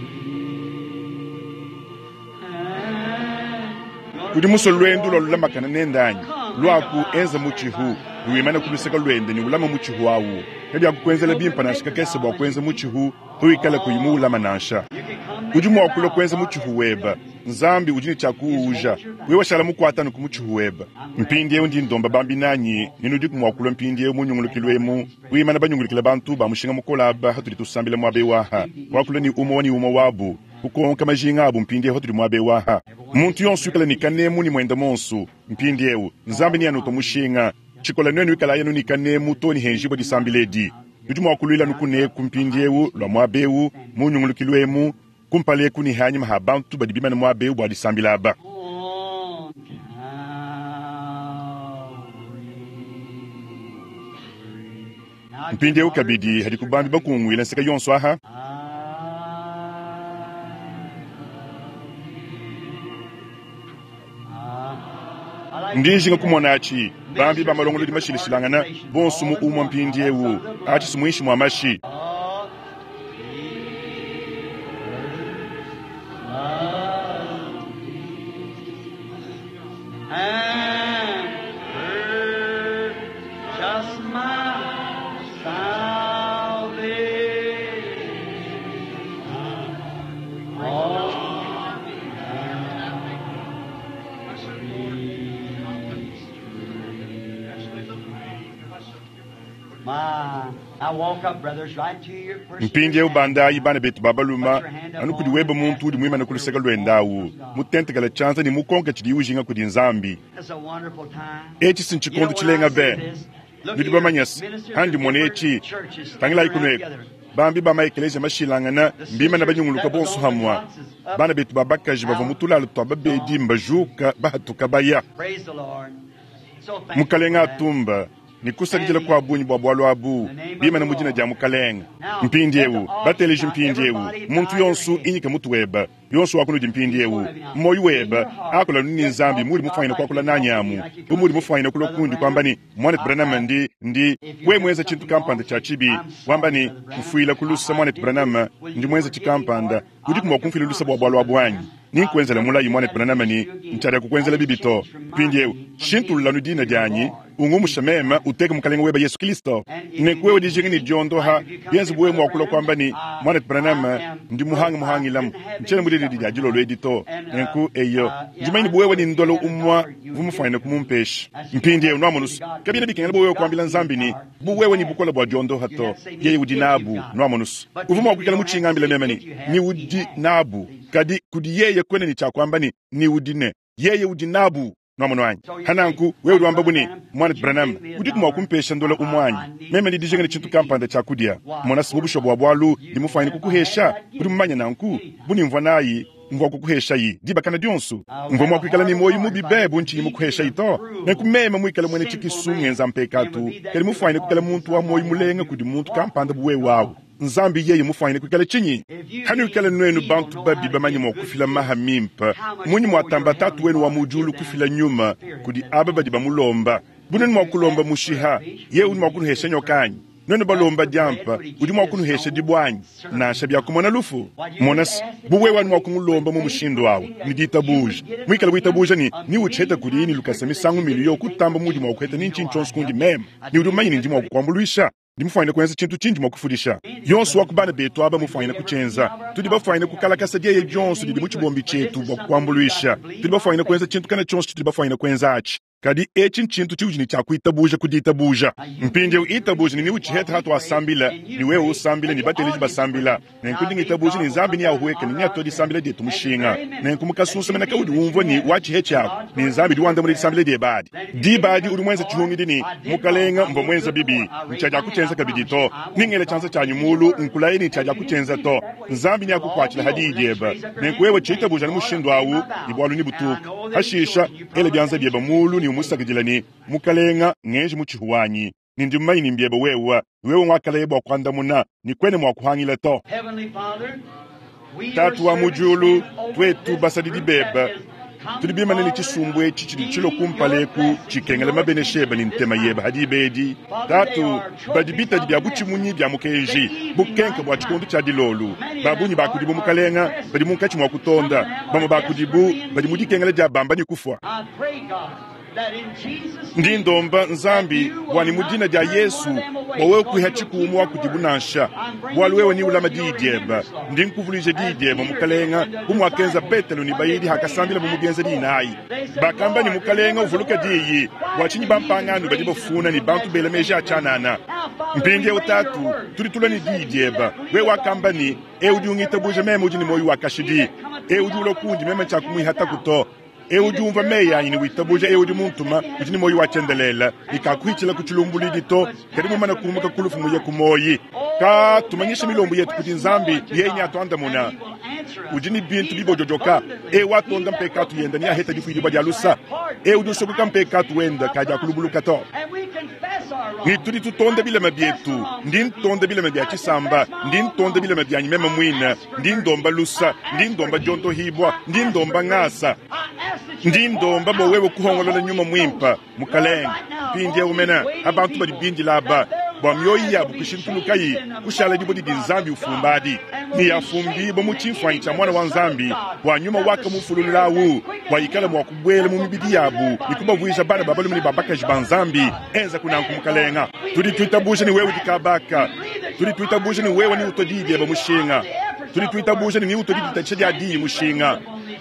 And udi musue lwendu lwa lulamakana nendanyi lwaku enza mutshihu niwimana kuluseka lwende ni ulama mutshihu awu kabyakukwenzela bimpa nansha kakese bua kuenza mutshihu tuikala kuyi muulama nansha You can come udi mua kulua kuenza mutshihu weba nzambi udi ne tshia kuuja wewe washala mukuatanu ku mutshihu weba mpindiewu ndi ndomba bambi nanyi ninu mua kulua mpindiewu munyungulukilu emu wimana banyungulukila bantu ba mushinga mukola aba hatudi tusambila muaba ewu aha kuakula ni umue ni umue wabu kukonka majinga abu mpindiewu hatudi muaba ewu aha muntu yonso ikala ni kanemu ni mwenda monsu mpindiewu nzambi ni anuta mushinga tshikola nuenu ikala yenu ni kanemu to ni henjibwa disambila edi nudi mua kuluila nukuneku mpindiewu lua muaba ewu munyungulukilu emu kumpala ni hanyima ha bantu badi bimana muaba ewu bua disambila aba on Calvary. Now mpindiewu kabidi hadi kubambi bakunguila nseka yonso aha ndi njinga kumona atshi bambi ba malongolodi mashilashilangana bonso mu umue mpindiewu atshi simuinshi mua mashi And purchase my salvation. On My, I walk up, brothers, right to your person. mpindiewu bandayi bana betu ba baluma anu kudi weba muntu udi muimane ku luseka lwendawu mutentekela tshianza ne mukonka tshidi ujinga kudi nzambi It's a wonderful time. etshi sintshikondu tshilenga be nudi bamanyasi handi mona etshi tangilayi kunueku bambi ba maekelesia mashilangana mbimana banyunguluka bonso hamwa bana betu ba bakaji bavua mu tulalo tua babedi mbajuka bahatuka baya Praise the Lord. So thankful mukalenga for that. atumba ni kusakidila kua bunyi bua bualu abu bimana mu dina dia mukalenga mpindiewu bateleji mpindiewu muntu yonsu inyika mutu weba yonsu wakunudi mpindiewu mmoyi weba akula nuni nzambi muli mufanyina kuakula nanyi amu bu muli mufanyina kulua kundi kwamba ni mwanetu Branham ndi ndi we mwenza tshintu kampanda tshia tshibi wamba ni mfuila kulusa mwanetu Branham ndi mwenza tshikampanda udi kumua kumfila lusa bua bualu abu anyi ninkuenzela mulayi mwanetu Branham ni ntshadia kukuenzela bibi to mpindiewu shintululanu dina dianyi Ungumusha meme uteke mukalenga weba Yesu Kristo. Nenku wewe dijinga ne diondoha bienze buwe mwakula kwamba ni mwana Branham ndi muhanga muhangilamu nchena mudidi dia dilolo edi to. Nenku eyo ndimanyi buwewe ni ndolo umwa vumufanyine kumumpesha mpindiewu nwamonusu kabina bikengela buwewe kuambila Nzambi ni buwewe ni bukola bua diondoha to yeye udi nabu nwamonusu uvu mwakuikala muchingambila meme ni ni udi nabu kadi kudi yeye kwene ni chakwamba ni ni udi ne yeye udi nabu nwamono wanyi hananku wewe udi wamba buni mwana Branham udiku mwa kumpesha ndola umwanyi meme ndi dijinga ni chintu kampanda cha kudia mona sibu bwa bwalu ndi mufanyine kukuhesha udi mumanya nanku buni mvwa nayi mvwa kukuhesha yi dibakana dionsu mvwa mwa kuikala ni moyo mubi bebu nchinyi mukuhesha ito nenku meme muikala mwene chikisu ngenza mpekatu kadi mufanyine kukala muntu wa moyo mulenga kudi muntu kampanda buwe wawu Nzambi yeye mufanyine kuikala chinyi hani wikala nwenu bantu babi bamanye mwa kufila maha mimpa munyi mwatamba tatu wenu wa mujulu kufila nyuma kudi aba badi bamulomba bunenu mwa kulomba mushiha ye udi mwa kunuhesha nyokanyi nwenu balomba diampa udi mwa kunuhesha dibwanyi nansha byakumona lufu monasi buwe wanu mwa kumulomba mu mushindu awu ni ditabuja mwikala witabuja ni ni ucheta kudi ni lukasa misangu miliyo kutamba mudi mwa kuheta ni nchintu chonse kundi meme ni udi umanye ni ndi mwa kukwambulwisha ndi mufanyine kuenza chintu chinji mwakufundisha yonso wakubana betu aba mufanyine kuchenza tudi bafanyine kukalakasa dieye dionso didi mu chibombi chetu bwa kukwambulwisha tudi bafanyine kuenza chintu kana chonso tudi bafanyine kuenza achi kadi echi nchintu chiuji ni chakuitabuja kudiitabuja mpindiewu itabuja ni niuchiheta hatu asambila ni wewe usambila ni bateleji basambila nenku ndingitabuja ni nzambi ni ahuweka ni niato disambila dietu mushinga nenku mukasusa mena kaudi umvwa ni wachihe chako ni nzambi diwandamula disambila diebadi dibadi udi mwenza chihungidi ni mukalenga mva mwenza bibi nchaja kuchenza kabidi to ningele chanza chanyu mulu nkulaye ni nchaja kuchenza to nzambi ni akukwachila hadi dieba nenku wewe chiitabuja ni mushindu awu ni bwalu ni butuka hashisha ele byanza byeba mulu ni umusakidila ni mukalenga ngenji muchihuwanyi nindi mmanyi mbyeba wewa wewe mwakalaye bwa kwandamuna ni kwene mwakuhangila to tatu wa mujulu twetu basadidi beba tudi bimane ni chisumbu echi chidi chilo kumpaleku chikengela mabenesheba ni ntema yeba hadi ibedi tatu badi bitadi bya buchimunyi bya mukenji bukenke bwa chikundu cha dilolu babunyi bakudibu mukalenga badi munkatshi mwa kutonda bamwe bakudibu badi mudikengela dia bamba ni kufwa ndi ndomba nzambi bwani mudina dia Yesu bwawewe kwiha chikumu wakudibu nansha bwalu wewe ni ulama diyi dieba ndi nkuvuluija diyi dieba mukalenga bumwakenza Petelo ni bayidi hakasambila bumubienza dinayi bakamba ni mukalenga uvuluka diyi bwachinyi bampanganu badi bafuna ni bantu bela meji achanana mpindiewu tatu tudi tulwa ni diyi dieba we wakamba ni e udi ungitabuja meme udi ni moyo wakashidi e udi ulwa kundi meme nchakumwihata kuto e udi umva meyi anyi ni witabuja e udi muntuma udi ni moyi wachendelela ikakuhichila kuchilumbulidi to kadi mumana kumuka kulufu muye kumoyi ka tumanyisha milombo yetu kuti nzambi yenye atuandamuna udi ni bintu bibojojoka e watonda mpekatu yenda ni aheta difuidibwa dia lusa e udi usokoka mpekatu wenda kadi akulubuluka to ni tudi tutonda bilema byetu ndi ntonda bilema bya chisamba ndi ntonda bilema byanyi meme mwina ndi ndomba lusa ndi ndomba diontohibwa ndi ndomba ng'asa ndi ndomba bowewe kuhongolola nyuma mwimpa mukalenga mpindiewu mena abantu badi bindila aba bwa mioyi yabu kushintulukayi kushala dibo didi nzambi ufumbadi ni yafumbibwa mu chimfwanyi cha mwana wa nzambi bwa nyuma waka mufulululawu bwa ikala mwa kubwela mu mibidi yabu nikubavuisha bana babalume ni babakaji ba nzambi enza kunanku mukalenga tudi tuitabusha ni wewe dikabaka tudi tuitabusha ni wewe ni utodidieba mushinga tudi tuitabusha ni utodiditatsha dia diyi mushinga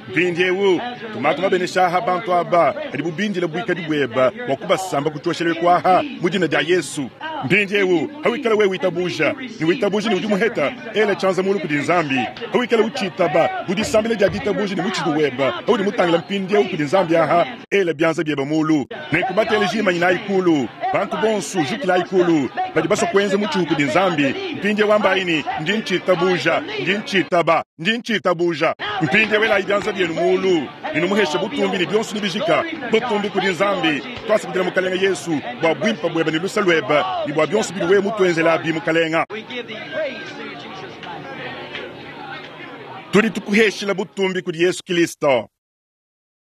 mpindiewu tumatu mabeneshaha bantu aba adi bubindila buikadi bweba bwa kubasamba kuchoshelewe kwaha mu dina dia Yesu mpindiewu hawikala wewe witabuja ni witabuja ni udi muheta ela chanza mulu kudi nzambi hawikala uchitaba budisambile dia ditabuja ni muchidu weba haudi mutangila mpindiewu kudi nzambi aha ela byanza byeba mulu nekubatele jimanyi na ikulu bantu bonsu jukila ikulu badi baswa kuenza muchihu kudi nzambi mpindiewu ambaini ndi nchitabuja ndi nchitaba ndi nchitabuja mpindiewu ela ibyanza byenu mulu ninumuhesha butumbi ni byonso nibijika butumbi kudi nzambi twasakidila mukalenga Yesu bwa bwimpa bweba ni lusa lweba ni bwa byonso bili wewe mutwenzela bi mukalenga tudi tukuheshila butumbi kudi Yesu Kristo.